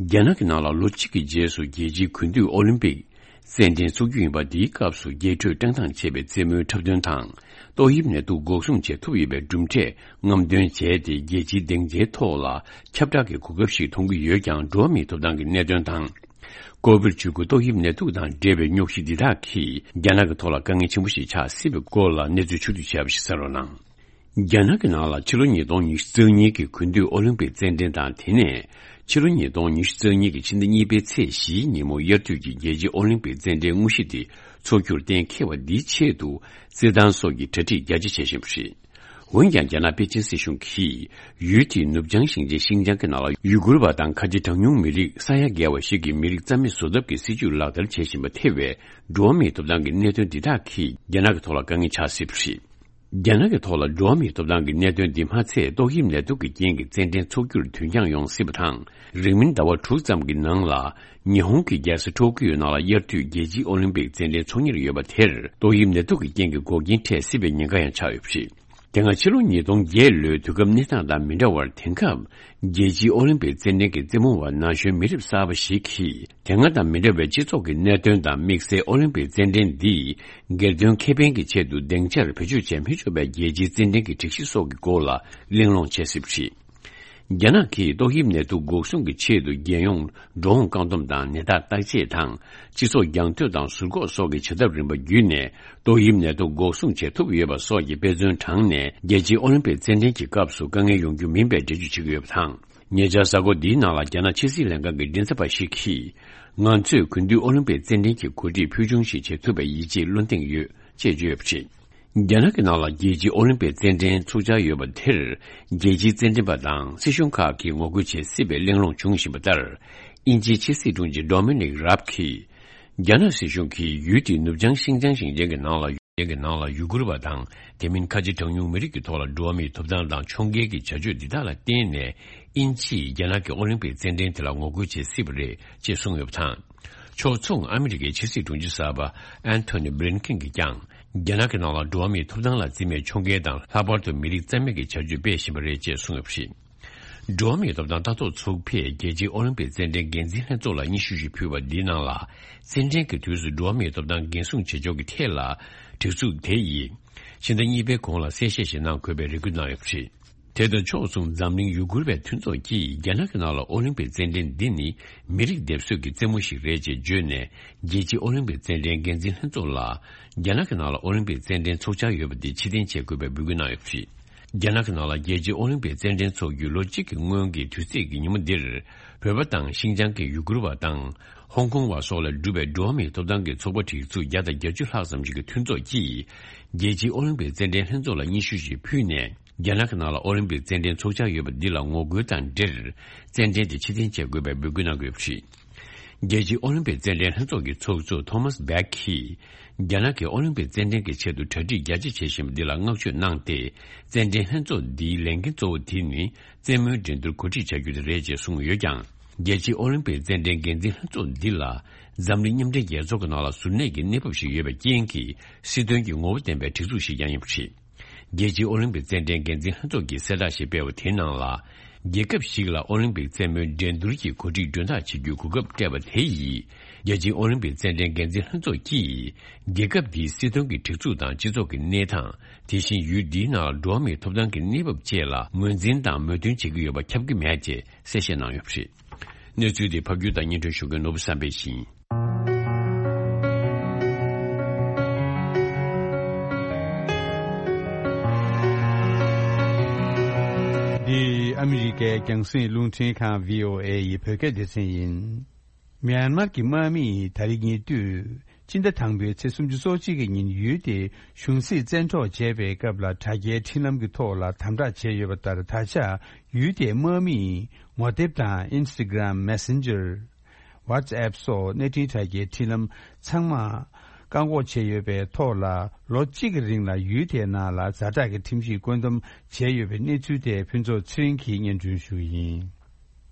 རྒྱ་ནག་གི་ནང་ལ་ལོ་གཅིག་གི་རྗེས་སུ་རྒྱལ་སྤྱིའི་དགུན་དུས་ཨོ་ལིམ་པིག་རྩེད་འགྲན་འཚོགས་རྒྱུ་ཡིན་པ། འདིའི་སྐབས་སུ་རྒྱས་སྤྲོས་བཀྲམ་སྟངས་བྱས་པའི་རྩེད་མོའི་འཁྲབ་སྟོན་དང་། ཏོག་དབྱིབས་ནད་དུག་འགོག་སྲུང་ཆེད་ཐུབ་ཡོད་པའི་གྲུབ་འབྲས་རྔམ་སྟོན་བྱས་ཏེ། རྒྱལ་སྤྱིའི་སྡིངས་ཆའི་ཐོག་ལ་ཁྱབ་བསྒྲགས་ཀྱི་གོ་སྐབས་ཤིག་མཐོང་གི་ཡོད་ཀྱང་། འགྲོ་བ་མིའི་ཐོབ་ཐང་གི་གནད་དོན་དང་། ཀོ་བིཌ་བཅུ་དགུ་ཏོག་དབྱིབས་ནད་དུག་དང་འབྲེལ་བའི་རྙོག་གཞི་འདི་དག་གིས་རྒྱ་ནག་གི་ཐོག་ལ་དཀའ་ངལ་ཆེན་པོ་ཞིག་ཆགས་སྲིད་པའི་སྐོར་ལ་གནས་ཚུལ་ཕྱོགས་བསྡུས་བྱས་པ་ཞིག་གསན་རོགས་གནང་། རྒྱ་ནག་གི་ནང་ལ་ཕྱི་ལོ་ཉིས་སྟོང་ཉི་ཤུ་རྩ་གཉིས་ཀྱི་དགུན་དུས་ཨོ་ལིམ་པིག་རྩེད་འགྲན་དང་། དེ་ནས་ཕྱི་ལོ་ཉིས་སྟོང་ཉི་ཤུ་རྩ་གཉིས་ཀྱི་ཕྱི་ཟླ་གཉིས་པའི་ཚེས་བཞིའི་ཉིན་མོ་དབྱར་དུས་ཀྱི་རྒྱལ་སྤྱིའི་ཨོ་ལིམ་པིག་རྩེད་འགྲན་དངོས་གཞི་དེ་འཚོགས་རྒྱུར་གཏན་འཁེལ་བ་འདིའི་ཆེད་དུ་རྩེད་ཐང་སོགས་ཀྱི་གྲ་སྒྲིག་རྒྱ་ཆེ་བྱེད་བཞིན་པ་རེད། འོན་ཀྱང་། རྒྱ་ནག་པེ་ཅིན་སྲིད་གཞུང་གིས་ཡུལ་དེའི་ནུབ་བྱང་ཞིང་ཆེན་ཤིན་ཅང་གི་ནང་ལ་ཡུ་གུར་བ་དང་ཁ་ཆེ་གྲངས་ཉུང་མི་རིགས་ས་ཡ་བརྒལ་བ་ཞིག་གི་མི་རིགས་རྩ་མེད་བཟོ་ཐབས་ཀྱི་སྲིད་ཇུས་ལག་བསྟར་བྱེད་བཞིན་པ་ཐེ་བའི་འགྲོ་བ་མིའི་ཐོབ་ཐང་གི་གནད་དོན་འདི་དག་གིས་རྒྱ་ནག་གི་ཐོག་ལ་དཀའ་ངལ་ཆགས་སྲིད་པ་རེད། རྒྱ་ནག་གི་ཐོག་ལ་འགྲོ་བ་མིའི་ཐོབ་ཐང་གི་གནད་དོན་འདི་མ་ཚད། ཏོག་དབྱིབས་ནད་དུག་གི་རྐྱེན་གྱིས་རྩེད་འགྲན་འཚོགས་རྒྱུར་དུས་འགྱངས་ཡོང་སྲིད་པ་དང་། རིང་མིན་ཟླ་བ་དྲུག་ཙམ་གྱི་ནང་ལ་ཉི་ཧོང་གི་རྒྱལ་ས་ཊོ་ཀིའོ་ནང་ལ་དབྱར་དུས་རྒྱལ་སྤྱིའི་ཨོ་ལིམ་པིག་རྩེད་འགྲན་འཚོགས་ཉེར་ཡོད་པ་དེར། ཏོག་དབྱིབས་ནད་དུག་གི་རྐྱེན་གྱིས་འགོག་རྐྱེན་འཕྲད་སྲིད་པའི་ཉེན་ཁ་ཡང་ཆགས་ཡོད་པ་རེད། དེ་སྔ་ཕྱི་ལོ་ཉིས་སྟོང་བརྒྱད་ལོའི་དུས་སྐབས་གནས་སྟངས་དང་མི་འདྲ་བར། དེང་སྐབས་རྒྱལ་སྤྱིའི་ཨོ་ལིམ་པིག་རྩེད་འགྲན་གྱི་རྩེད་མོ་བ་ན་གཞོན་མི་རབས་གསར་པ་ཞིག་གིས། དེ་སྔ་དང་མི་འདྲ་བའི་སྤྱི་ཚོགས་ཀྱི་གནད་དོན་དང་། དམིགས་བསལ་ཨོ་ལིམ་པིག་རྩེད་འགྲན་འདིས་སྒེར་དོན་ཁེ་ཕན་གྱི་ཆེད་དུ་སྡིངས་ཆར་བེད་སྤྱོད་བྱས་མི་ཆོག་པའི་རྒྱལ་སྤྱིའི་རྩེད་འགྲན་གྱི་སྒྲིག་གཞི་སོགས་ཀྱི་སྐོར་ལ་གླེང་སློང་བྱས་སྲིད་པ་རེད། རྒྱ་ནག་གིས་ཏོག་དབྱིབས་ནད་དུག་འགོག་སྲུང་གི་ཆེད་དུ། རྒྱལ་ཡོངས་འགྲོ་འོང་བཀག་སྡོམ་དང་། ནད་རྟགས་བརྟག་དཔྱད་དང་། སྤྱི་ཚོགས་རྒྱང་མཐུད་དང་ཟུར་འགོག་སོགས་ཀྱི་བྱ་ཐབས་རིམ་པ་བརྒྱུད་ནས། ཏོག་དབྱིབས་ནད་དུག་འགོག་སྲུང་བྱེད་ཐུབ་ཡོད་པ་སོགས་ཀྱི་དཔེ་མཚོན་དྲངས་ནས། རྒྱལ་སྤྱིའི་ཨོ་ལིམ་པིག་རྩེད་འགྲན་གྱི་སྐབས་སུ་དཀའ་ངལ་ཡོང་རྒྱུ་མིན་པའི་འགྲེལ་བརྗོད་བྱེད་ཀྱི་ཡོད་པ་དང་། ཉེ་ཆར་གཟའ་འཁོར་འདིའི་ནང་ལ་རྒྱ་ནག་ཕྱི་སྲིད་ལྷན་ཁང་གི་མགྲིན་ཚབ་པ་ཞིག་གིས། ང་ཚོས་དགུན་དུས་ཨོ་ལིམ་པིག་རྩེད་འགྲན་གྱི་གོ་སྒྲིག་ཕུལ་བྱུང་ཞིག་བྱེད་ཐུབ་པའི་ཡིད་ཆེས་བློ་གདེང་ཡོད། ཅེས་བརྗོད་ཡོད་པ་རེད། རྒྱ་ནག་གི་ནང་ལ་རྒྱལ་སྤྱིའི་ཨོ་ལིམ་པིག་རྩེད་འགྲན་འཚོགས་འཆར་ཡོད་པ་དེར། རྒྱལ་སྤྱིའི་རྩེད་འགྲན་པ་དང་སྲིད་གཞུང་ཁག་གིས་ངོ་རྒོལ་བྱེད་སྲིད་པའི་གླེང་སློང་བྱུང་བཞིན་པ་ལྟར། དབྱིན་ཇིའི་ཕྱི་སྲིད་དྲུང་ཆེ་ཌོ་མི་ནིག་རབ་གིས། རྒྱ་ནག་སྲིད་གཞུང་གིས་ཡུལ་དེའི་ནུབ་བྱང་ཤིན་ཅང་ཞིང་ཆེན་གྱི་ནང་ལ། ཞིང་ཆེན་གྱི་ནང་ལ་ཡུ་གུར་བ་དང་། དེ་མིན་ཁ་ཆེ་གྲངས་ཉུང་མི་རིགས་ཀྱི་ཐོག་ལ་འགྲོ་བ་མིའི་ཐོབ་ཐང་དང་ཕྱོགས་འགལ་གྱི་བྱ་སྤྱོད་འདི་དག་ལ་བརྟེན་ནས། དབྱིན་ཇིས་རྒྱ་ནག་གི་ཨོ་ལིམ་པིག་རྩེད་འགྲན་དེ་ལ་ངོ་རྒོལ་བྱེད་སྲིད་པ་རེད། ཅེས་གསུངས་ཡོད་པ་དང་། ཕྱོགས་མཚུངས། ཨ་མི་རི་ཀའི་ཕྱི་སྲིད་དྲུང་ཆེ་གསར་པ་ཨན་ཐོ་ནི་བྷི་ལིན་ཀིན་གྱིས་ཀྱང་། རྒྱ་ནག་གི་ནང་ལ་འགྲོ་བ་མིའི་ཐོབ་ཐང་ལ་བརྩི་མེད་ཕྱོགས་འགལ་དང་། ལྷག་པར་དུ་མི་རིགས་རྩ་མེད་ཀྱི་བྱ་སྤྱོད་སྤེལ་བཞིན་པ་རེད། ཅེས་གསུངས་ཡོད་པ་རེད། འགྲོ་བ་མིའི་ཐོབ་ཐང་ལྟ་རྟོག་ཚོགས་པས་རྒྱལ་སྤྱིའི་ཨོ་ལིམ་པིག་རྩེད་འགྲན་འགན་འཛིན་ལྷན་ཚོགས་ལ་སྙན་ཞུ་ཞིག་ཕུལ་བ་འདིའི་ནང་ལ། རྩེད་འགྲན་གྱི་དུས་སུ་འགྲོ་བ་མིའི་ཐོབ་ཐང་འགན་སྲུང་བྱེད་ཕྱོགས་ཀྱི་ཐད་ལ། སྒྲིག་འཛུགས་དེ་ཡིས་ཕྱི་ཟླ་གཉིས་པའི་གོང་ལ་གསལ་བཤད་ཞིག་གནང་དགོས་པའི་རེ་སྐུལ་གནང་ཡོད་པ་རེད། དེ་དང་ཕྱོགས་མཚུངས། འཛམ་གླིང་ཡུ་གུར་བའི་མཐུན་ཚོགས་ཀྱིས་རྒྱ་ནག་གི་ནང་ལ་ཨོ་ལིམ་པིག་རྩེད་འགྲན་འདི་ནི་མི་རིགས་སྡེབ་གསོད་ཀྱི་རྩེད་མོ་ཞིག་རེད་ཅེས་བརྗོད་ནས། རྒྱལ་སྤྱིའི་ཨོ་ལིམ་པིག་རྩེད་འགྲན་འགན་འཛིན་ལྷན་ཚོགས་ལ། རྒྱ་ནག་གི་ནང་ལ་ཨོ་ལིམ་པིག་རྩེད་འགྲན་འཚོགས་འཆར་ཡོད་པ་འདི་ཕྱིར་འཐེན་བྱེད་དགོས་པའི་འབོད་སྐུལ་གནང་ཡོད་པ་རེད། རྒྱ་ནག་གི་ནང་ལ་རྒྱལ་སྤྱིའི་ཨོ་ལིམ་པིག་རྩེད་འགྲན་འཚོགས་རྒྱུའི་ལོ་གཅིག་གི་སྔོན་གྱི་དུས་ཚིགས་ཀྱི་ཉིན་མོ་འདིར། བོད་པ་དང་ཤིན་ཅང་གི་ཡུ་གུར་བ་དང་། ཧོང་ཀོང་བ་སོགས་ལས་གྲུབ་པའི་འགྲོ་བ་མིའི་ཐོབ་ཐང་གི་ཚོགས་པ་སྒྲིག་འཛུགས་བརྒྱ་དང་བརྒྱད་ཅུ་ལྷག་ཙམ་ཞིག་གི་མཐུན་ཚོགས་ཀྱིས། རྒྱལ་སྤྱིའི་ཨོ་ལིམ་པིག་རྩེད་འགྲན་ལྷན་ཚོགས་ལ་སྙན་ཞུ་ཞིག་ཕུལ་ནས། རྒྱ་ནག་གི་ནང་ལ་ཨོ་ལིམ་པིག་རྩེད་འགྲན་འཚོགས་འཆར་ཡོད་པ་འདི་ལ་ངོ་རྒོལ་དང་འབྲེལ། རྩེད་འགྲན་དེ་ཕྱིར་འཐེན་བྱེད་དགོས་པའི་འབོད་སྐུལ་གནང་གི་ཡོད་པ་རེད། རྒྱལ་སྤྱིའི་ཨོ་ལིམ་པིག་རྩེད་འགྲན་ལྷན་ཚོགས་ཀྱི་ཚོགས་གཙོ་ཐོ་མཱས་བྷེག་གིས། རྒྱ་ནག་གིས་ཨོ་ལིམ་པིག་རྩེད་འགྲན་གྱི་ཆེད་དུ་གྲ་སྒྲིག་རྒྱ་ཆེ་བྱེད་བཞིན་པ་འདི་ལ་བསྔགས་བརྗོད་གནང་སྟེ། རྩེད་འགྲན་ལྷན་ཚོགས་འདིའི་ལས་འགན་གཙོ་བོ་དེ་ནི། རྩེད་མོའི་འགྲན་བསྡུར་གོ་སྒྲིག་བྱ་རྒྱུ་དེ་རེད་ཅེས་གསུངས་ཡོད་ཀྱང་། རྒྱལ་སྤྱིའི་ཨོ་ལིམ་པིག་རྩེད་འགྲན་འགན་འཛིན་ལྷན་ཚོགས་འདི་ལ། འཛམ་གླིང་མཉམ་འབྲེལ་རྒྱལ་ཚོགས་ཀྱི་ནང་ལ་ཟུར་གནས་ཀྱི་གནས་བབ་ཞིག་ཡོད་པའི་རྐྱེན་གྱིས། སྲིད་དོན་གྱི་ངོ་བོ་ལྡན་པའི་སྒྲིག་འཛུགས་ཤིག་ཀྱང་ཡིན་པ་རེད། རྒྱལ་སྤྱིའི་ཨོ་ལིམ་པིག་རྩེད་འགྲན་འགན་འཛིན་ལྷན་ཚོགས་ཀྱིས་གསལ་བསྒྲགས་ཤིག་སྤེལ་བ་དེའི་ནང་ལ། རྒྱལ་ཁབ་ཞིག་ལ་ཨོ་ལིམ་པིག་རྩེད་མོའི་འགྲན་བསྡུར་གྱི་གོ་སྒྲིག་མགྲོན་བདག་བྱེད་རྒྱུའི་གོ་སྐབས་སྤྲད་པ་དེ་ཡིས། རྒྱལ་སྤྱིའི་ཨོ་ལིམ་པིག་རྩེད་འགྲན་འགན་འཛིན་ལྷན་ཚོགས་ཀྱིས། རྒྱལ་ཁབ་འདིའི་སྲིད་དོན་གྱི་སྒྲིག་འཛུགས་དང་སྤྱི་ཚོགས་ཀྱི་གནས་སྟངས། དེ་བཞིན་ཡུལ་འདིའི་ནང་ལ་འགྲོ་བ་མིའི་ཐོབ་ཐང་གི་གནས་བབ་བཅས་ལ་ངོས་འཛིན་དང་མོས་མཐུན་བྱེད་ཀྱི་ཡོད་པ་ཁྱབ་ཀྱི་མེད་ཅེས་གསལ་བཤད་གནང་ཡོད་པ་རེད། གནས་ཚུལ་དེ་ཕབ་སྒྱུར་དང་སྙན་སྒྲོན་ཞུ་མཁན་ནོར་བུ་བསམ་འཕེལ་ཡིན། འདི་ཨ་མི་རི་ཀའི་རྒྱང་སྲིང་རླུང་འཕྲིན་ཁང་བྷི་ཨོ་ཨེ་ཡི་བོད་སྐད་སྡེ་ཚན་ཡིན། མྱན་མར་གྱི་དམག་མིས་ད་རེས་ཉེ་དུས་སྤྱི་ཟླ་དང་པོའི་ཚེས་སོ་གཅིག་གི་ཉིན་ཡུལ་དེའི་གཞུང་སྲིད་བཙན་འཕྲོག་བྱས་པའི་སྐབས་ལ་དྲ་རྒྱའི་འཕྲིན་ལམ་གྱི་ཐོག་ལ་དམ་དྲག་བྱས་ཡོད་པ་ལྟར། ད་ཆ་ཡུལ་དེའི་དམག་མིས་ངོ་དེབ་དང་Instagram Messenger། WhatsApp སོགས་གནས་འཕྲིན་དྲ་རྒྱའི་འཕྲིན་ལམ་ཚང་མ་བཀག་འགོག་བྱས་ཡོད་པའི་ཐོག་ལ། ལོ་གཅིག་གི་རིང་ལ་ཡུལ་དེའི་ནང་ལ་ཛ་དྲག་གི་ཁྲིམས་གཞི་བཀོད་འདོམས་བྱས་ཡོད་པའི་གནས་ཚུལ་དེ་ཕུན་ཚོགས་ཚེ་རིང་གིས་སྙན་སྒྲོན་ཞུ་གི་ཡིན།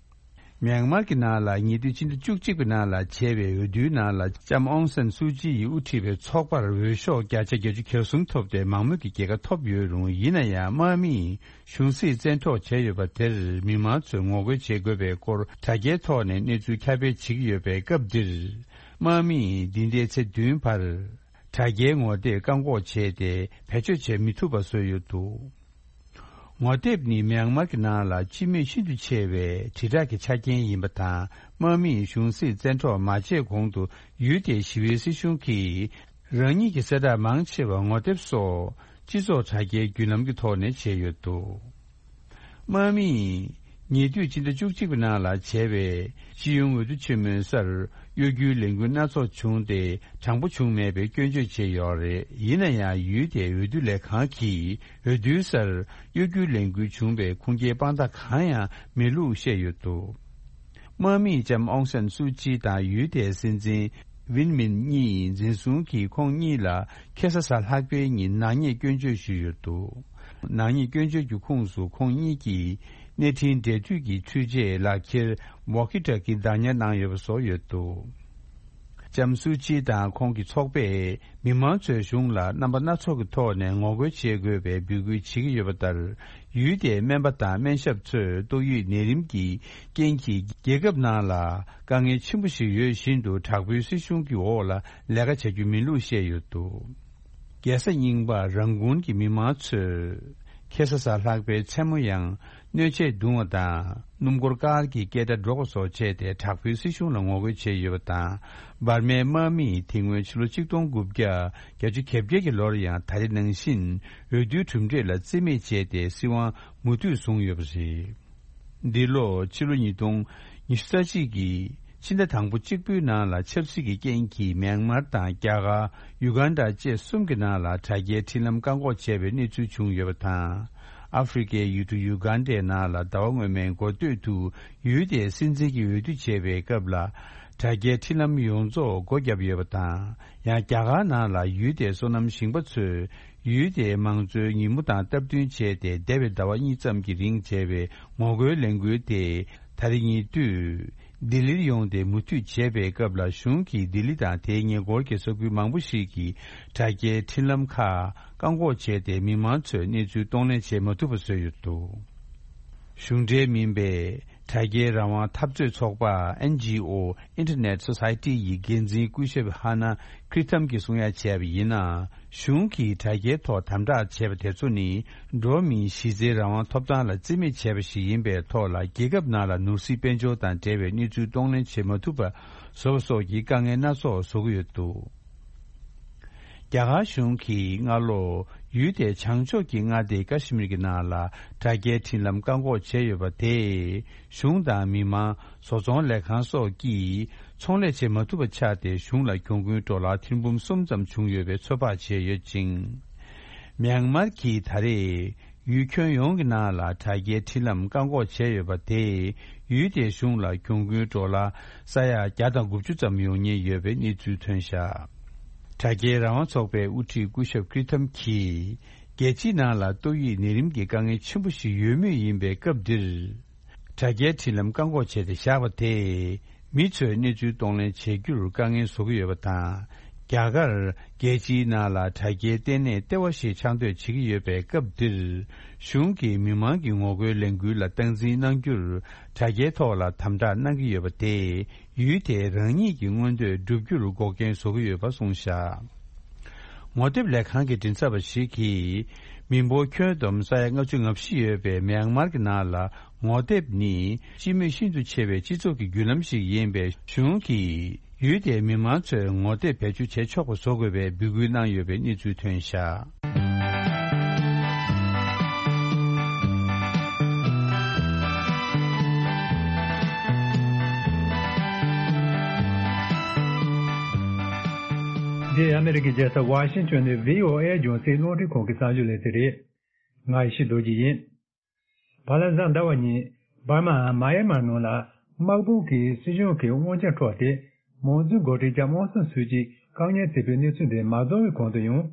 མྱན་མར་གྱི་ནང་ལ་ཉེ་དུས་སྤྱི་ཟླ་བཅུ་གཅིག་པའི་ནང་ལ་བྱས་པའི་འོས་བསྡུའི་ནང་ལ་ལྕམ་ཨོང་སན་སུའུ་ཅི་ཡིས་དབུ་ཁྲིད་པའི་ཚོགས་པར་འོས་ཤོག་བརྒྱ་ཆ་བརྒྱད་ཅུ་གྱ་གསུམ་ཐོབ་སྟེ་མང་མོས་ཀྱི་རྒྱལ་ཁ་ཐོབ་ཡོད་རུང་། ཡིན་ན་ཡང་དམག་མིས་གཞུང་སྲིད་བཙན་འཕྲོག་བྱས་ཡོད་པ་དེར་མི་མང་ཚོས་ངོ་རྒོལ་བྱེད་དགོས་པའི་སྐོར་དྲ་རྒྱའི་ཐོག་ནས་གནས་ཚུལ་ཁྱབ་སྤེལ་བྱེད་ཀྱི་ཡོད་པའི་སྐབས་འདིར། དམག་མིས་འདི་ཟླའི་ཚེས་བདུན་བར་དྲ་རྒྱའི་ངོ་དེབ་བཀག་འགོག་བྱས་ཏེ་བེད་སྤྱོད་བྱེད་མི་ཐུབ་པ་བཟོས་ཡོད་འདུག། ངོ་དེབ་ནི་མྱན་མར་གྱི་ནང་ལ་སྤྱི་མོས་ཤིན་ཏུ་ཆེ་བའི་དྲིལ་བསྒྲགས་ཀྱི་ཆ་རྐྱེན་ཡིན་པ་དང་། དམག་མིས་གཞུང་སྲིད་བཙན་འཕྲོག་མ་བྱས་གོང་དུ་ཡུལ་དེའི་ཞི་བའི་སྲིད་གཞུང་གིས་རང་ཉིད་ཀྱི་གསལ་བསྒྲགས་མང་ཆེ་བ་ངོ་དེབ་སོགས་སྤྱི་ཚོགས་དྲ་རྒྱའི་བརྒྱུད་ལམ་གྱི་ཐོག་ནས་བྱས་ཡོད་འདུག། དམག་མིས་ཉེ་དུས་སྤྱི་ཟླ་བཅུ་གཅིག་པའི་ནང་ལ་བྱས་པའི་སྤྱི་ཡོངས་འོས་བསྡུ་ཆེན་མོའི་སར་གཡོ་སྒྱུའི་ལས་འགུལ་སྣ་ཚོགས་བྱུང་སྟེ། དྲང་པོ་བྱུང་མེད་པའི་སྐྱོན་བརྗོད་བྱས་ཡོད་རེད། ཡིན་ན་ཡང་ཡུལ་དེའི་འོས་བསྡུ་ལས་ཁང་གིས་འོས་བསྡུའི་སར་གཡོ་སྒྱུའི་ལས་འགུལ་བྱུང་བའི་ཁུངས་སྐྱེལ་དཔང་རྟགས་གང་ཡང་མེད་ལུགས་བཤད་ཡོད་འདུག། དམག་མིས་ལྕམ་ཨོང་སན་སུའུ་ཅི་དང་ཡུལ་དེའི་སྲིད་འཛིན་ཝིན་མིན་གཉིས་འཛིན་བཟུང་གིས་ཁོང་གཉིས་ལ་ཁ་སང་གཟའ་ལྷག་པའི་ཉིན་ནག་ཉེས་སྐྱོན་བརྗོད་ཞུས་ཡོད་འདུག། ནག་ཉེས་སྐྱོན་བརྗོད་ཀྱི་ཁོངས་སུ་ཁོང་གཉིས་ཀྱིས་གནས་འཕྲིན་འབྲེལ་མཐུད་ཀྱི་འཕྲུལ་ཆས་ལག་ཁྱེར་ཝོ་ཀི་ཊོ་ཀི་བདག་ཉར་གནང་ཡོད་པ་སོགས་ཡོད་འདུག། ལྕམ་སུའུ་ཅི་དང་ཁོང་གི་ཚོགས་པས་མི་མང་ཚོས་གཞུང་ལ་རྣམ་པ་སྣ་ཚོགས་ཀྱི་ཐོག་ནས་ངོ་རྒོལ་བྱེད་དགོས་པའི་འབོད་སྐུལ་བྱེད་ཀྱི་ཡོད་པ་ལྟར། ཡུལ་དེའི་སྨན་པ་དང་སྨན་ཞབས་ཚོས་ཏོག་དབྱིབས་ནད་རིམས་ཀྱི་རྐྱེན་གྱིས་རྒྱལ་ཁབ་ནང་ལ་དཀའ་ངལ་ཆེན་པོ་ཞིག་ཡོད་བཞིན་དུ། དྲག་པོའི་སྲིད་གཞུང་གི་འོག་ལ་ལས་ཀ་བྱ་རྒྱུ་མིན་ལུགས་བཤད་ཡོད་འདུག། རྒྱལ་ས་རྙིང་པ་རང་ཀུན་གྱི་མི་མང་ཚོས་ཁ་སང་གཟའ་ལྷག་པའི་མཚན་མོ་ཡང་སྣོད་ཆས་རྡུང་བ་དང་། སྣུམ་འཁོར་ཀར་གྱི་སྐད་སྒྲ་སྒྲོག་པ་སོགས་བྱས་ཏེ། དྲག་པོའི་སྲིད་གཞུང་ལ་ངོ་རྒོལ་བྱས་ཡོད་པ་དང་། འབར་མའི་དམག་མིས་དེ་སྔོན་ཕྱི་ལོ་ཆིག་སྟོང་དགུ་བརྒྱ་བརྒྱད་ཅུ་གྱ་བརྒྱད་ཀྱི་ལོར་ཡང་ད་རེས་ནང་བཞིན་འོས་བསྡུའི་གྲུབ་འབྲས་ལ་རྩིས་མེད་བྱས་ཏེ་སྲིད་དབང་མུ་མཐུད་བཟུང་ཡོད་པ་རེད། འདི་ལོ་ཕྱི་ལོ་ཉིས་སྟོང་ཉི་ཤུ་རྩ་གཅིག་གི་ཕྱི་ཟླ་དང་པོ་གཅིག་པུའི་ནང་ལ་ཆབ་སྲིད་ཀྱི་རྐྱེན་གྱིས་མྱན་མར་དང་རྒྱ་གར། ཡུ་གན་ཌ་བཅས་གསུམ་གྱི་ནང་ལ་དྲ་རྒྱའི་འཕྲིན་ལམ་བཀག་འགོག་བྱས་པའི་གནས་ཚུལ་བྱུང་ཡོད་པ་དང་། ཨ་ཧྥེ་རི་ཁའི་ཡུལ་གྲུ་ཡུ་གན་ཌའི་ནང་ལ་ཟླ་བ་སྔོན་མའི་འགོ་སྟོད་དུ་ཡུལ་དེའི་སྲིད་འཛིན་གྱི་འོས་བསྡུ་བྱས་པའི་སྐབས་ལ། དྲ་རྒྱའི་འཕྲིན་ལམ་ཡོངས་རྫོགས་སྒོ་བརྒྱབ་ཡོད་པ་དང་། ཡང་རྒྱ་གར་ནང་ལ་ཡུལ་དེའི་སོ་ནམ་ཞིང་པ་ཚོས་ཡུལ་དེའི་མང་གཙོའི་ཉིན་མོ་དང་སྟབས་བསྟུན་བྱས་ཏེ། འདས་པའི་ཟླ་བ་གཉིས་ཙམ་གྱི་རིང་བྱས་པའི་ངོ་རྒོལ་ལས་འགུལ་དེ་ད་རེས་ཉེ་དུས་ལྡི་ལིར་ཡོང་སྟེ་མུ་མཐུད་བྱས་པའི་སྐབས་ལ། གཞུང་གིས་ལྡི་ལི་དང་དེའི་ཉེ་འཁོར་གྱི་ས་ཁུལ་མང་པོ་ཞིག་གི་དྲ་རྒྱའི་འཕྲིན་ལམ་ཁག་བཀག་འགོག་བྱས་ཏེ། མི་མང་ཚོས་གནས་ཚུལ་གཏོང་ལེན་བྱེད་མ་ཐུབ་པ་བཟོས་ཡོད་འདུག། གཞུང་འབྲེལ་མིན་པའི་དྲ་རྒྱའི་རང་དབང་འཐབ་རྩོད་ཚོགས་པ་ཨེན་ཇི་ཨོ་Internet Society ཡི་འགན་འཛིན་སྐུ་ཞབས་ཧ་ན་ཁྲི་ཐམ་གྱིས་གསུང་ཡ་བྱས་པ་ཡིན་ན། གཞུང་གིས་དྲ་རྒྱའི་ཐོག་དམ་དྲག་བྱས་པ་དེ་ཚོ་ནི། འགྲོ་བ་མིའི་གཞི་རྩའི་རང་དབང་ཐོབ་ཐང་ལ་རྩིས་མེད་བྱས་པ་ཞིག་ཡིན་པའི་ཐོག་ལ། རྒྱལ་ཁབ་ནང་ལ་ནོར་སྲིད་དཔལ་འབྱོར་དང་འབྲེལ་བའི་གནས་ཚུལ་གཏོང་ལེན་བྱེད་མ་ཐུབ་པ་བཟོ་བ་སོགས་ཀྱི་དཀའ་ངལ་སྣ་ཚོགས་བཟོ་གི་ཡོད་འདུག། རྒྱ་གར་གཞུང་གིས་སྔ་ལོ་ཡུལ་དེའི་བྱང་ཕྱོགས་ཀྱི་མངའ་སྡེ་ཀ་ཤི་མིར་གྱི་ནང་ལ་དྲ་རྒྱའི་འཕྲིན་ལམ་བཀག་འགོག་བྱས་ཡོད་པ་དེས། གཞུང་དང་མི་མང་། བཟོ་ཚོང་ལས་ཁང་སོགས་ཀྱིས་ཚོང་ལས་བྱེད་མ་ཐུབ་པ་ཆགས་ཏེ། གཞུང་ལ་གྱོང་གུན་ཌོ་ལར་ཐེར་འབུམ་གསུམ་ཙམ་བྱུང་ཡོད་པའི་ཚོད་དཔག་བྱས་ཡོད་ཅིང་། མྱན་མར་གྱིས་ད་རེས་ཡུལ་ཁྱོན་ཡོངས་ཀྱི་ནང་ལ་དྲ་རྒྱའི་འཕྲིན་ལམ་བཀག་འགོག་བྱས་ཡོད་པ་དེས། ཡུལ་དེའི་གཞུང་ལ་གྱོང་གུན་ཌོ་ལར་ས་ཡ་བརྒྱ་དང་དགུ་བཅུ་ཙམ་ཡོང་ཉེན་ཡོད་པའི་གནས་ཚུལ་ཐོན་བཞག། དྲ་རྒྱའི་རང་དབང་ཚོགས་པའི་དབུ་ཁྲིད་སྐུ་ཞབས་ཀྲི་ཐམ་གྱིས། རྒྱལ་སྤྱིའི་ནང་ལ་ཏོག་དབྱིབས་ནད་རིམས་ཀྱི་དཀའ་ངལ་ཆེན་པོ་ཞིག་ཡོད་མུས་ཡིན་པའི་སྐབས་འདིར། དྲ་རྒྱའི་འཕྲིན་ལམ་བཀག་འགོག་བྱས་ཏེ་བཞག་པ་དེས། མི་ཚོས་གནས་ཚུལ་གཏོང་ལེན་བྱེད་རྒྱུར་དཀའ་ངལ་བཟོ་གི་ཡོད་པ་དང་། རྒྱ་གར་རྒྱལ་སྤྱིའི་ནང་ལ་དྲ་རྒྱའི་ལྟེ་གནས་ལྟེ་བ་ཞིག་ཆགས་འདོད་བྱེད་ཀྱི་ཡོད་པའི་སྐབས་འདིར། གཞུང་གིས་མི་མང་གི་ངོ་རྒོལ་ལས་འགུལ་ལ་སྟངས་འཛིན་གནང་རྒྱུར། དྲ་རྒྱའི་ཐོག་ལ་དམ་དྲག་གནང་གི་ཡོད་པ་དེས། ཡུལ་དེས་རང་ཉིད་ཀྱི་མངོན་འདོད་བསྒྲུབ་རྒྱུར་འགོག་རྐྱེན་བཟོ་གི་ཡོད་པ་གསུངས་བཞག། ངོ་དེབ་ལས་ཁང་གི་མགྲིན་ཚབ་པ་ཞིག་གིས། མི་འབོར་ཁྱོན་བསྡོམས་ས་ཡ་ལྔ་བཅུ་ང་བཞི་ཡོད་པའི་མྱན་མར་གྱི་ནང་ལ། ངོ་དེབ་ནི་སྤྱི་མོས་ཤིན་ཏུ་ཆེ་བའི་སྤྱི་ཚོགས་ཀྱི་བརྒྱུད་ལམ་ཞིག་ཡིན་པས། གཞུང་གིས་ཡུལ་དེའི་མི་མང་ཚོས་ངོ་དེབ་བེད་སྤྱོད་བྱེད་ཆོག་པ་བཟོ་དགོས་པའི་འབོད་སྐུལ་གནང་ཡོད་པའི་གནས་ཚུལ་ཐོན་བཞག། འདི་ཨ་མི་རི་ཀའི་རྒྱལ་ས་ཝ་ཤིང་ཊོན་ནས་བྷི་ཨོ་ཨེ་རྒྱང་སྲིང་རླུང་འཕྲིན་ཁང་གི་གསར་འགྱུར་ལེ་ཚན་རེད། ང་ཡེ་ཤེས་རྡོ་རྗེ་ཡིན། བར་ལ་གཟའ་ཟླ་བ་ཉིན་འབར་མའམ་མཱ་ཡན་མར་ནང་ལ་དམག་དཔུང་གིས་སྲིད་གཞུང་གི་དབང་ཆ་འཕྲོག་སྟེ་དམངས་གཙོའི་འགོ་ཁྲིད་ལྕམ་ཨོང་སན་སུའུ་ཅི་བཀག་ཉར་བྱས་པའི་གནས་ཚུལ་འདི་མ་རྫོགས་པའི་གོང་དུ་ཡང་།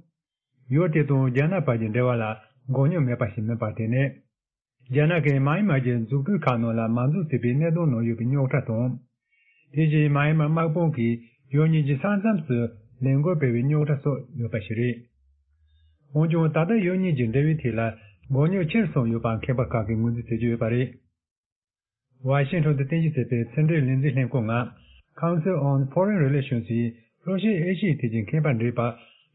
ཡུལ་དེ་དང་རྒྱ་ནག་བར་གྱི་འབྲེལ་བ་ལ་འགོག་སྙོམས་མེད་པ་ཞིག་མིན་པར་བརྟེན་ནས། རྒྱ་ནག་གིས་མཱ་ཡན་མར་གྱི་འཛུགས་སྐྲུན་ཁག་ནང་ལ་མ་འཛུལ་ཟེར་བའི་གནད་དོན་ནང་ཡོད་པའི་རྙོག་དྲ་དང་། དེ་བཞིན་མཱ་ཡན་མར་དམག་དཔུང་གིས་ཡུལ་གཉིས་ཀྱི་ས་མཚམས་སུ་ལས་འགུལ་སྤེལ་བའི་རྙོག་དྲ་སོགས་ཡོད་པ་ཞིག་རེད། འོན་ཀྱང་ད་ལྟ་ཡུལ་གཉིས་ཀྱི་འབྲེལ་བའི་ཐད་ལ་མགོ་རྙོག་ཆེར་སོང་ཡོད་པ་མཁས་པ་ཁག་གིས་ངོས་འཛིན་བྱེད་ཀྱི་ཡོད་པ་རེད། ཝ་ཤིང་ཊོན་དུ་རྟེན་གཞི་བྱས་པའི་ཕྱི་འབྲེལ་ལས་འཛིན་ལྷན་ཁང་ནང་Council on Foreign Relations ཡི་ལྷོ་ཤར་ཨེ་ཤི་ཡའི་ཐད་ཀྱི་མཁས་པ་འདྲེས་པ་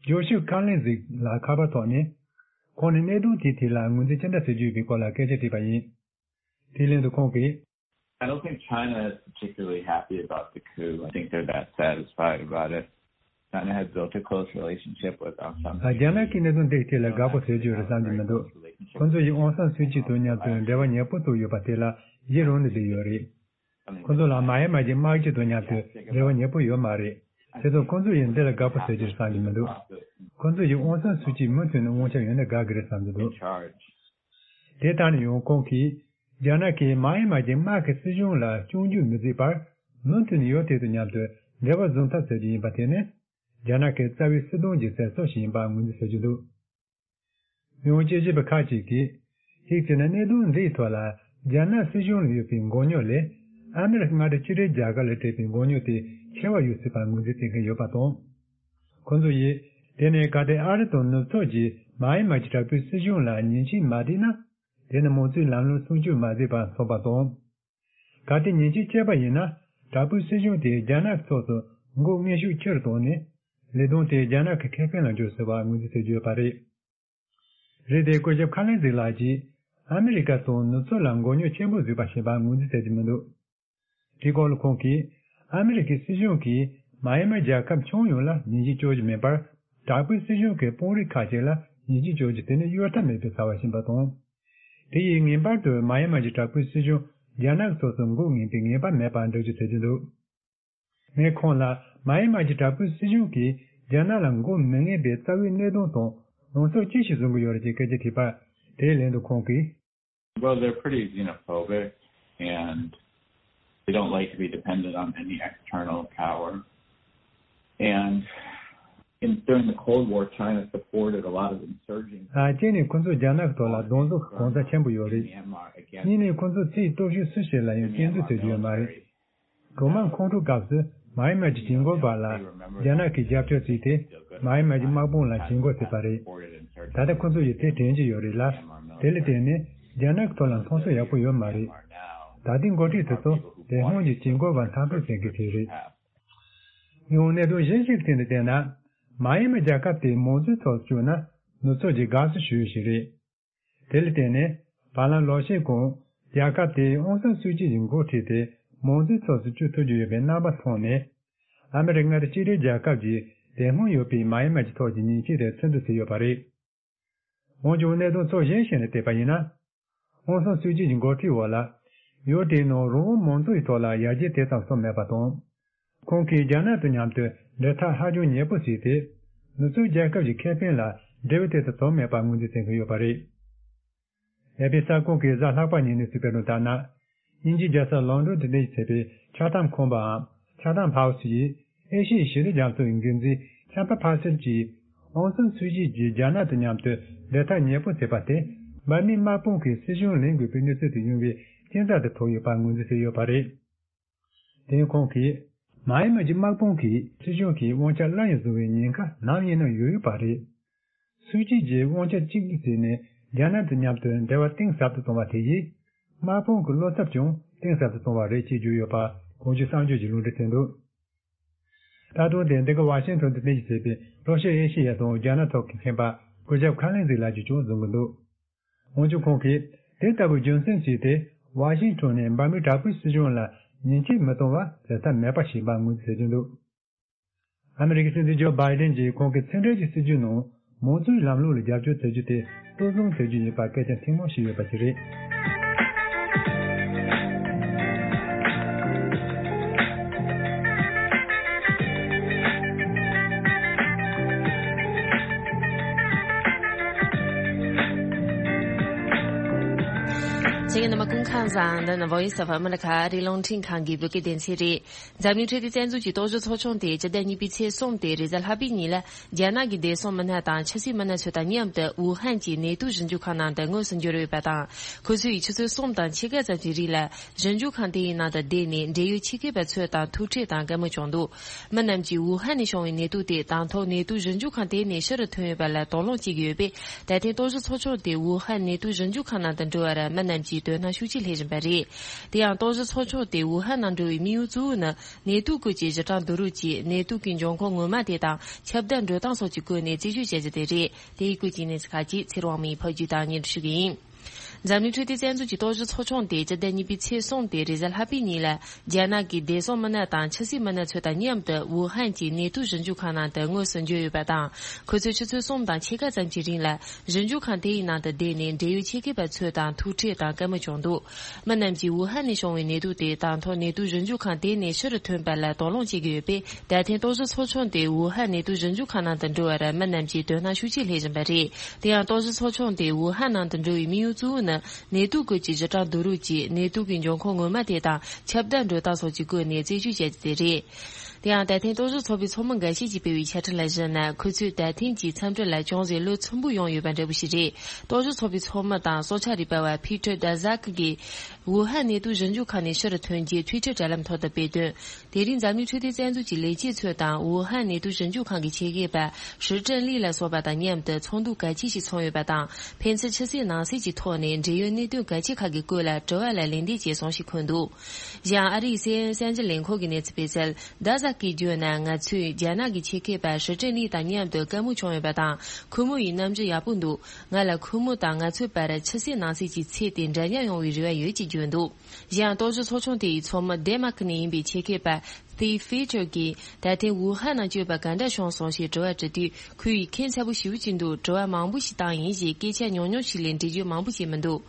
ཇོ་ཤུ་ཁ་ལིན་ཟིག་ལ་ཁ་པར་ཐོག་ནས། ཁོང་ནས་གནད་དོན་དེའི་ཐད་ལ་ངོས་འཛིན་ཅི་འདྲ་བྱེད་རྒྱུ་ཡོད་པའི་སྐོར་ལ་སྐད་ཆ་དྲིས་པ་ཡིན། དེའི་ལན་དུ་ཁོང་གིས། I don't think China is particularly happy about the coup. I think they're that satisfied about it. China has built a close relationship with Aung San Suu Kyi. རྒྱ་ནག་གིས་གནད་དོན་དེའི་ཐད་ལ་དགའ་པོ་བྱེད་རྒྱུ་རེད་བསམ་གྱི་མི་འདུག་ཁོང་ཚོ་ཡིས་ཨོང་སན་སུའུ་ཅི་དང་མཉམ་དུ་འབྲེལ་བ་ཉེ་པོ་བཙུགས་ཡོད་པ་དེ་ལ་གཞི་རང་ནས་བསྡད་ཡོད་རེད། ཁོང་ཚོ་ལ་མཱ་ཡན་མར་གྱི་དམག་སྤྱི་དང་མཉམ་དུ་འབྲེལ་བ་ཉེ་པོ་ཡོད་མ་རེད། དེ་ཚོ་ཁོང་ཚོ་ཡིས་འདི་ལ་དགའ་པོ་བྱེད་རྒྱུ་རེད་བསམ་གྱི་མི་འདུག་ཁོང་ཚོ་ཡིས་ཨོང་སན་སུའུ་ཅི་མུ་མཐུད་ནས་དབང་ཆ་ཡོད་ན་དགའ་གི་རེད་བསམ་གྱི་འདུག་དེ་ལྟར་ན་ཡང་ཁོང་གིས། རྒྱ་ནག་གིས་མཱ་ཡན་མར་གྱི་དམག་གི་སྲིད་གཞུང་ལ་སྐྱོན་བརྗོད་མི་བྱེད་པར། མུ་མཐུད་ནས་ཡུལ་དེ་དང་མཉམ་དུ་འབྲེལ་བ་བཟུང་ཐབས་བྱེད་རྒྱུ་ཡིན་པ་དེ་ནི། རྒྱ་ནག་གི་རྩ་བའི་སྲིད་དོན་གྱི་ཟེར་སྲོལ་ཞིག་ཡིན་པར་ངོས་འཛིན་བྱེད་ཀྱི་འདུག་མི་དབང་དཔྱད་ཞིབ་པ་ཁག་ཅིག་གིས། གཅིག་བྱས་ན་གནད་དོན་འདིའི་ཐོག་ལ་རྒྱ་ནག་སྲིད་གཞུང་ལ་ཡོད་པའི་མགོ་རྙོག་ལས། ཨ་མི་རི་ཀ་མངའ་སྡེ་གཅིག་སྒྲིལ་རྒྱལ་ཁབ་ལ་སྤྲད་པའི་མགོ་རྙོག་དེ་ཆེ་བ་ཡོད་སྲིད་པར་ངོས་འཛིན་བྱེད་མཁན་ཡོད་པ་དང་། ཁོང་ཚོ་ཡིས། དེ་ནི་གལ་ཏེ་ཨ་རི་དང་ནུབ་ཕྱོགས་ཀྱིས་མཱ་ཡན་མར་གྱི་དྲག་པོའི་སྲིད་གཞུང་ལ་ཉེས་ཆད་མ་བསྒྲིགས་ན། དེ་ནི་མང་གཙོའི་ལམ་ལུགས་སྲུང་སྐྱོབ་མ་བྱས་པ་མཚོན་པ་དང་། གལ་ཏེ་ཉེས་ཆད་བཅད་པ་ཡིན་ན། དྲག་པོའི་སྲིད་གཞུང་དེས་རྒྱ་ནག་གི་ཕྱོགས་སུ་མགོ་མངོན་ཤུགས་ཆེ་རུ་བཏང་ནས། ལས་དོན་དེ་རྒྱ་ནག་གི་ཁེ་ཕན་ལ་འགྱུར་སྲིད་པར་ངོས་འཛིན་བྱེད་ཀྱི་ཡོད་པ་རེད། རེད་དེ་སྐུ་ཞབས་ཁ་ལན་ཟིག་ལགས་ཀྱིས་ཨ་མི་རི་ཀ་དང་ནུབ་ཕྱོགས་ལ་མགོ་རྙོག་ཆེན་པོ་བཟོས་པ་ཞིག་ཡིན་པར་ངོས་འཛིན་བྱེད་ཀྱི་མི་འདུག་དེའི་སྐོར་ལ་ཁོང་གིས། ཨ་མི་རི་ཀའི་སྲིད་གཞུང་གིས་མཱ་ཡན་མར་རྒྱལ་ཁབ་ཁྱོན་ཡོངས་ལ་ཉེས་ཆད་གཅོད་རྒྱུ་མིན་པར། དྲག་པོའི་སྲིད་གཞུང་གི་དཔོན་རིགས་ཁག་ཅིག་ལ་ཉེས་ཆད་གཅོད་རྒྱུ་དེ་ནི་གཡོལ་ཐབས་མེད་པའི་བྱ་བ་ཞིག་ཡིན་པ་དང་། དེ་ཡིས་ངེས་པར་དུ་མཱ་ཡན་མར་གྱི་དྲག་པོའི་སྲིད་གཞུང་རྒྱ་ནག་གི་ཕྱོགས་སུ་འགོག་ངེས་པའི་ངེས་པ་མེད་པར་འགྲེལ་བརྗོད་བྱེད་ཀྱི་འདུག་ངས་ཁོང་ལ་མཱ་ཡན་མར་གྱི་དྲག་པོའི་སྲིད་གཞུང་གིས་རྒྱ་ནག་ལ་འགོག་མི་ངེས་པའི་རྩ་བའི་གནད་དོན་དང་ལངས་ཕྱོགས་ཅི་ཞིག་བཟུང་གི་ཡོད་རེད་ཅེས་སྐད་ཆ་དྲིས་པར། དེའི་ལན་དུ་ཁོང་གིས། Well, they're pretty xenophobic, and they don't like to be dependent on any external power. And in, during the Cold War, China supported a lot of insurgents. ཨ། གཅིག་ནས་ཁོ་ཚོས་རྒྱ་ནག་གི་ཐོག་ལ་གདོང་བསུ་གི་གང་ཟག་ཆེན་པོ་ཡོད་རེད། གཉིས་ནས་ཁོ་ཚོས་ཕྱིའི་སྟོབས་ཤུགས་སུ་ཞིག་ལ་ཡང་སྐྱོན་འཛུགས་བྱེད་རྒྱུ་ཡོད་མ་རེད། གྲོག་མ་ཁོང་ཁྲོའི་སྐབས་སུ་མཱ་ཡན་མར་གྱི་གྱི་འགོག་པ་ལ་རྒྱ་ནག་གིས་རྒྱབ་སྐྱོར་བྱས་ཏེ་མཱ་ཡན་མར་གྱི་དམག་དཔུང་ལ་གྱི་འགོག་བྱས་པ་རེད། ད་ལྟ་ཁོ་ཚོ་ཡིས་དེ་དྲན་གྱི་ཡོད་རེད་ལ། དེ་ལ་བརྟེན་ནས་རྒྱ་ནག་གི་ཐོག་ལ་མཐོང་ཆུང་ཡག་པོ་ཡོད་མ་རེད། ད་ལྟའི་འགོ་ཁྲིད་དེ་ཚོ་དེ་སྔོན་གྱི་གྱི་འགོག་པ་འཐབ་རྩོད་བྱེད་མཁན་ཞིག་རེད། ཡང་གནད་དོན་གཞན་ཞིག་གི་སྟེང་དུ་བལྟས་ན། མཱ་ཡན་མར་རྒྱལ་ཁབ་དེ་མང་གཙོའི་ཐོག་བསྐྱོད་ན་ནུབ་ཕྱོགས་ཀྱིས་དགའ་བསུ་ཞུ་ཡུལ་ཞིག་རེད། དེ་ལ་བརྟེན་ནས་བར་ལམ་ལོ་ཤས་གོང་རྒྱལ་ཁབ་དེས་ཨོང་སན་སུའུ་ཅི་ཡི་འགོ་ཁྲིད་དེ་མང་གཙོའི་ཕྱོགས་སུ་བསྐྱོད་ཐུབ་ཀྱི་ཡོད་པའི་རྣམ་པ་མཐོང་ནས། ཨ་མི་རི་ཀ་མངའ་སྡེ་གཅིག་སྒྲིལ་རྒྱལ་ཁབ་ཀྱིས་དེ་སྔོན་ཡོད་པའི་མཱ་ཡན་མར་གྱི་ཐོག་གི་ཉེས་ཆད་དེ་ཚུར་འདུ་བྱས་ཡོད་པ་རེད། འོན་ཀྱང་གནད་དོན་ཕྱོགས་གཞན་ཞིག་ནས་བལྟས་པ་ཡིན་ན། ཨོང་སན་སུའུ་ཅི་ཡི་འགོ་ཁྲིད་འོག་ལ། ཡུལ་དེའི་ནང་རང་དབང་མང་གཙོ་ཡི་ཐོག་ལ་ཡར་རྒྱས་དེ་ཙམ་སོང་མེད་པ་དང་། ཁོང་གིས་རྒྱ་ནག་དང་མཉམ་དུ་འབྲེལ་ཐག་ཧ་ཅང་ཉེ་པོ་བྱས་ཏེ། ནུབ་ཕྱོགས་རྒྱལ་ཁབ་ཀྱི་ཁེ་ཕན་ལ་འབྲེལ་བ་དེ་ཙམ་བྱུང་མེད་པར་ངོས་འཛིན་བྱེད་ཀྱི་ཡོད་པ་རེད། ཨེ་ཕི་གསར་ཁང་གིས་གཟའ་ལྷག་པ་ཉིན་གནས་ཚུལ་སྤེལ་དོན་ལྟར་ན། དབྱིན་ཇིའི་རྒྱལ་ས་ལོན་ཌོན་དུ་རྟེན་གཞི་བྱས་པའི་ཆ་ཐམ་ཁང་པའམ་ཆ་ཐམ་ཧའུ་སི་ཡིས་ཨེ་ཤི་ཡའི་ཞི་བདེ་རྒྱ་མཚོ་ཡི་འགན་འཛིན་ཆམ་པ་ཕ་སེལ་གྱིས་ཨོང་སན་སུའུ་ཅི་ཡིས་རྒྱ་ནག་དང་མཉམ་དུ་འབྲེལ་ཐག་ཉེ་པོ་བྱས་པ་དེ་འབར་མའི་དམག་དཔུང་གིས་སྲིད་གཞུང་ལེན་དགོས་པའི་གནས་ཚུལ་དུ་ཡོང་བའི་རྐྱེན་རྩ་དུ་གྱུར་ཡོད་པར་ངོས་འཛིན་བྱས་ཡོད་པ་རེད། དེ་ཡང་ཁོང་གིས། མཱ་ཡན་མར་གྱི་དམག་དཔུང་གིས་སྲིད་གཞུང་གི་དབང་ཆ་སླར་ཡང་བཟུང་བའི་ཉེན་ཁ་ནམ་ཡིན་ན་ཡོད་ཡོད་པ་རེད། སུའུ་ཅི་ཡིས་དབང་ཆ་གཅིག་བརྩིས་ནས་རྒྱ་ནག་དང་མཉམ་དུ་འབྲེལ་བ་གཏིང་ཟབ་ཏུ་བཏང་བ་དེ་ཡིས། དམག་དཔུང་གི་བློ་འཚབ་ཀྱང་གཏིང་ཟབ་ཏུ་བཏང་བ་རེད་ཅེས་བརྗོད་ཡོད་པ་གོང་ཞུས་གསར་འགྱུར་གྱིས་ལུང་འདྲེན་བྱས་འདུག་ད་དུང་དེ་འདི་ག་ཝ་ཤིང་ཊོན་དུ་རྟེན་གཞི་བྱས་པའི་ལྷོ་ཤར་ཨེ་ཤེ་ཡ་དང་རྒྱ་ནག་ཐོག་གི་མཁྱེན་པ་སྐུ་ཞབས་ཁ་ལིན་ཟིག་ལགས་ཀྱིས་ཀྱང་གསུང་གི་འདུག་འོན་ཀྱང་ཁོང་གིས་དེ་ལྟ་བུའི་རྒྱུ་མཚན་བརྩིས་ཏེ་ཝ་ཤིང་ཊོན་ནས་འབར་མའི་དྲག་པོའི་སྲིད་གཞུང་ལ་ཉེས་ཆད་མི་གཏོང་བ་བྱེད་ཐབས་མེད་པ་ཞིག་ཡིན་པར་ངོས་འཛིན་བྱེད་ཀྱི་འདུག་ཨ་མི་རི་ཀའི་སྲིད་འཛིན་ཇོ་བྷའི་ཌེན་གྱིས་ཁོང་གི་ཕྱི་འབྲེལ་གྱི་སྲིད་ཇུས་ནང་མང་གཙོའི་ལམ་ལུགས་ལ་རྒྱབ་སྐྱོར་བྱེད་རྒྱུ་དེ་གཙོ་བཟུང་བྱེད་རྒྱུ་ཡིན་པར་སྐད་ཆ་ཐེངས་མང་བཤད་ཡོད་པ་ཞིག་རེད། ཁམས་བཟང་། འདི་ནི་Voice of America ཨ་རིའི་རླུང་འཕྲིན་ཁང་གི་བོད་སྐད་སྡེ་ཚན་རེད། འཛམ་གླིང་འཕྲོད་བསྟེན་རྩ་འཛུགས་ཀྱི་རྟོག་ཞིབ་ཚོགས་ཆུང་དེ་སྤྱི་ཟླ་གཉིས་པའི་ཚེས་གསུམ་སྟེ་རེས་གཟའ་ལྷག་པའི་ཉིན་ལ་རྒྱ་ནག་གི་བདེ་སྲུང་མི་སྣ་དང་ཕྱི་སྲིད་མི་སྣ་ཚོ་དང་མཉམ་དུ་ཝུ་ཧན་གྱི་ནད་དུག་ཞིབ་འཇུག་ཁང་ནང་དུ་དངོས་སུ་འབྱོར་ཡོད་པ་དང་། ཁོ་ཚོས་ཆུ་ཚོད་གསུམ་དང་ཕྱེད་ཀ་ཙམ་གྱི་རིང་ལ་ཞིབ་འཇུག་ཁང་དེའི་ནང་དུ་བསྡད་ནས་འབྲེལ་ཡོད་ཆེད་མཁས་པ་ཚོ་དང་ཐུག་འཕྲད་དང་བཀའ་མོལ་བྱུང་འདུག་མི་རྣམས་ཀྱིས་ཝུ་ཧན་ནས་བྱུང་བའི་ནད་དུག་དེ་དང་ཐོག་ནད་དུག་ཞིབ་འཇུག་ཁང་དེ་ནས་ཕྱི་རུ་ཐོན་ཡོད་པ་ལ་དོགས་སློང་བྱེད་ཀྱི་ཡོད་པས། ད་ཐེངས་རྟོག་ཞིབ་ཚོགས་ཆུང་དེ་ཝུ་ཧན་ནད་དུག་ཞིབ་འཇུག་ཁང་ནང་དུ་འགྲོ་བར་མི་རྣམས་ཀྱིས་དོ་སྣང་ཤུགས་ཆེ་སླེབས་བཞིན་པ་རེད། དེ་ཡང་རྟོག་ཞིབ་ཚོགས་ཆུང་དེ་ཝུ་ཧན་ནང་འགྲོ་བའི་དམིགས་ཡུལ་གཙོ་བོ་ནི་ནད་དུག་སྐོར་གྱི་ཞིབ་ཕྲ་བསྡུ་རུབ་ཀྱིས་ནད་དུག་གི་འབྱུང་ཁུངས་ངོ་མ་དེ་དང་ཁྱབ་གདལ་འགྲོ་སྟངས་སོགས་ཀྱི་སྐོར་ནས་རྩད་གཅོད་བྱ་རྒྱུ་དེ་རེད། དེའི་སྐོར་གྱི་གནས་ཚུལ་ཁག་ཅིག་ཚེ་རིང་དབང་མོས་ཕབ་སྒྱུར་དང་སྙན་སྒྲོན་ཞུ་གི་ཡིན། འཛམ་གླིང་འཕྲོད་བསྟེན་རྩ་འཛུགས་ཀྱི་རྟོག་ཞིབ་ཚོགས་ཆུང་དེ་སྤྱི་ཟླ་གཉིས་པའི་ཚེས་གསུམ་སྟེ་རེས་གཟའ་ལྷག་པའི་ཉིན་ལ་རྒྱ་ནག་གི་བདེ་སྲུང་མི་སྣ་དང་ཕྱི་སྲིད་མི་སྣ་ཚོ་དང་མཉམ་དུ་ཝུ་ཧན་གྱི་ནད་དུག་ཞིབ་འཇུག་ཁང་ནང་དུ་དངོས་སུ་འབྱོར་ཡོད་པ་དང་། ཁོ་ཚོས་ཆུ་ཚོད་གསུམ་དང་ཕྱེད་ཀ་ཙམ་གྱི་རིང་ལ་ཞིབ་འཇུག་ཁང་དེའི་ནང་དུ་བསྡད་ནས་འབྲེལ་ཡོད་ཆེད་མཁས་པ་ཚོ་དང་ཐུག་འཕྲད་དང་བཀའ་མོལ་བྱུང་འདུག་མི་རྣམས་ཀྱིས་ཝུ་ཧན་ནས་བྱུང་བའི་ནད་དུག་དེ་དང་ཐོག་ནད་དུག་ཞིབ་འཇུག་ཁང་དེ་ནས་ཕྱི་རུ་ཐོན་པ་ལ་དོགས་སློང་བྱེད་ཀྱི་ཡོད་པས། ད་ཐེངས་རྟོག་ཞིབ་ཚོགས་ཆུང་དེ་ཝུ་ཧན་ནད་དུག་ཞིབ་འཇུག་ཁང་ནང་དུ་འགྲོ་བར་མི་རྣམས་ཀྱིས་དོ་སྣང་ཤུགས་ཆེ་སླེབས་བཞིན་པ་རེད། དེ་ཡང་རྟོག་ཞིབ་ཚོགས་ཆུང་དེ་ཝུ་ཧན་ནང་དུ་འགྲོ་བའི་དམིགས་ཡུལ་གཙོ་བོ་ནི་ནད་དུག་སྐོར་གྱི་ཞིབ་ཕྲ་བསྡུ་རུབ་ཀྱིས་ནད་དུག་གི་འབྱུང་ཁུངས་ངོ་མ་དེ་དང་ཁྱབ་གདལ་འགྲོ་སྟངས་སོགས་ཀྱི་སྐོར་ནས་རྩད་གཅོད་བྱ་རྒྱུ་དེ་རེད། དེ་ཡང་ད་ཐེངས་རྟོག་ཞིབ་ཚོགས་པའི་ཚོགས་མི་འགའ་ཤས་ཀྱིས་སྤེལ་བའི་བཅད་ཁྲ་ལ་གཞིགས་ན། ཁོ་ཚོས་ད་ཐེངས་ཀྱི་འཚམས་འདྲི་ལ་ཅུང་ཟད་བློ་ཚིམ་པོ་ཡོང་ཡོད་པ་འདྲ་པོ་ཞིག་རེད། རྟོག་ཞིབ་ཚོགས་པའི་ཚོགས་མི་དང་སྲོག་ཆགས་རིག་པ་བ་ཕི་ཏྲ་ཌ་ཟག་གིས་ཝུ་ཧན་ནད་དུག་ཞིབ་འཇུག་ཁང་ནས་ཕྱི་རུ་ཐོན་རྗེས་ཊུའི་ཊར་དྲ་ལམ་ཐོག་ཏུ་སྤེལ་དོན། དེ་རིང་འཛམ་གླིང་འཕྲོད་བསྟེན་རྩ་འཛུགས་ཀྱི་ལས་བྱེད་ཚོ་དང་ཝུ་ཧན་ནད་དུག་ཞིབ་འཇུག་ཁང་གི་ཆེད་མཁས་པ་ཧྲི་ཀྲིན་ལི་ལ་སོགས་པ་དང་མཉམ་དུ་ཚོགས་འདུ་གལ་ཆེ་ཞིག་ཚོགས་ཡོད་པ་དང་། ཕན་ཚུན་ཕྱི་གསལ་ནང་གསལ་གྱི་ཐོག་ནས་འབྲེལ་ཡོད་གནད་དོན་གལ་ཆེ་ཁག་གི་སྐོར་ལ་དྲི་བ་ལ་ལན་འདེབས་བྱས་སོང་ཞེས་འཁོད་འདུག་གཞན་ཨ་རིའི་སི་ཨེན་ཨེན་གསར་འགྱུར་ལས་ཁང་གི་གནས་ཚུལ་སྤེལ་གསལ། ཌ་ཟག་གིས་བརྗོད་ན། ང་ཚོས་རྒྱ་ནག་གི་ཆེད་མཁས་པ་ཧྲི་ཀྲིན་ལི་དང་མཉམ་དུ་བཀའ་མོལ་བྱུང་ཡོད་པ་དང་། ཁོ་མོ་ཡི་རྣམ་འགྱུར་ཡག་པོ་འདུག་ང་ལ་ཁོ་མོ་དང་ང་ཚོའི་བར་ཕྱི་གསལ་ནང་གསལ་གྱི་ཚད་དེ་འདྲ་མཉམ་ཡོང་བའི་རེ་བ་ཡོད་ཅེས་བརྗོད་འདུག་གཞན་རྟོག་ཞིབ་ཚོགས་ཆུང་དེ་ཡི་ཚོགས་མི་ཌེན་མཱར་ཀི་ནས་ཡིན་པའི་ཆེད་མཁས་པ་སྟིབ་ཕི་ཏྲ་གིས་ད་ཐེངས་ཝུ་ཧན་ནང་བསྐྱོད་པ་ག་འདྲ་བྱུང་སོང་ཞེས་དྲི་བ་དྲིས་དུས། ཁོ་ཡིས་ཁྱད་མཚར་པོ་ཞེ་པོ་ཅིག་འདུག་དྲི་བ་མང་པོ་ཞིག་བཏང་ཡིན་ཞེས་སྐད་ཆ་ཉུང་ཉུང་ཞིག་ལས་འགྲེལ་བརྗོད་མང་པོ་བྱས་མི་འདུག་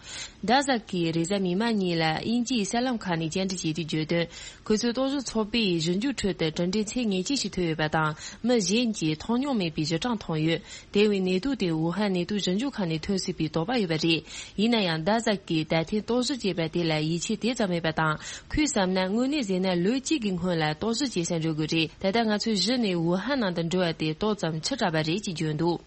ཌ་ཟག་གིས་རེས་གཟའ་མིག་དམར་ཉིན་ལ་དབྱིན་ཇིའི་གསར་ལམ་ཁག་ནས་བཅར་འདྲི་བྱས་དུས་བརྗོད་དོན། ཁོ་ཚོས་རྟོག་ཞིབ་ཚོགས་པའི་ཞིབ་འཇུག་ཁྲོད་དུ་གྲུབ་འབྲས་ཚད་ངེས་ཅན་ཞིག་ཐོན་ཡོད་པ་དང་། མི་གཞན་གྱིས་མཐོང་མྱོང་མེད་པའི་ཞིབ་ཕྲ་མཐོང་ཡོད། དེ་བས་ནད་དུག་དེ་ཝུ་ཧན་ནད་དུག་ཞིབ་འཇུག་ཁང་ནས་ཐོན་སྲིད་པའི་དོགས་པ་ཡོད་པ་རེད། ཡིན་ན་ཡང་ཌ་ཟག་གིས་ད་ཐེངས་རྟོག་ཞིབ་བྱས་པ་དེ་ལ་ཡིད་ཆེས་དེ་ཙམ་མེད་པ་དང་། ཁོས་བསམ་ན་དངོས་གནས་ཟེར་ན་ལོ་གཅིག་གི་སྔོན་ལ་རྟོག་ཞིབ་བྱེད་སར་འགྲོ་དགོས་རེད། ད་ལྟ་ང་ཚོས་གཞི་ནས་ཝུ་ཧན་ནང་དུ་འགྲོ་བ་དེ་ཏོག་ཙམ་ཕྱི་དྲགས་པ་རེད་ཅེས་བརྗོད་འདུག་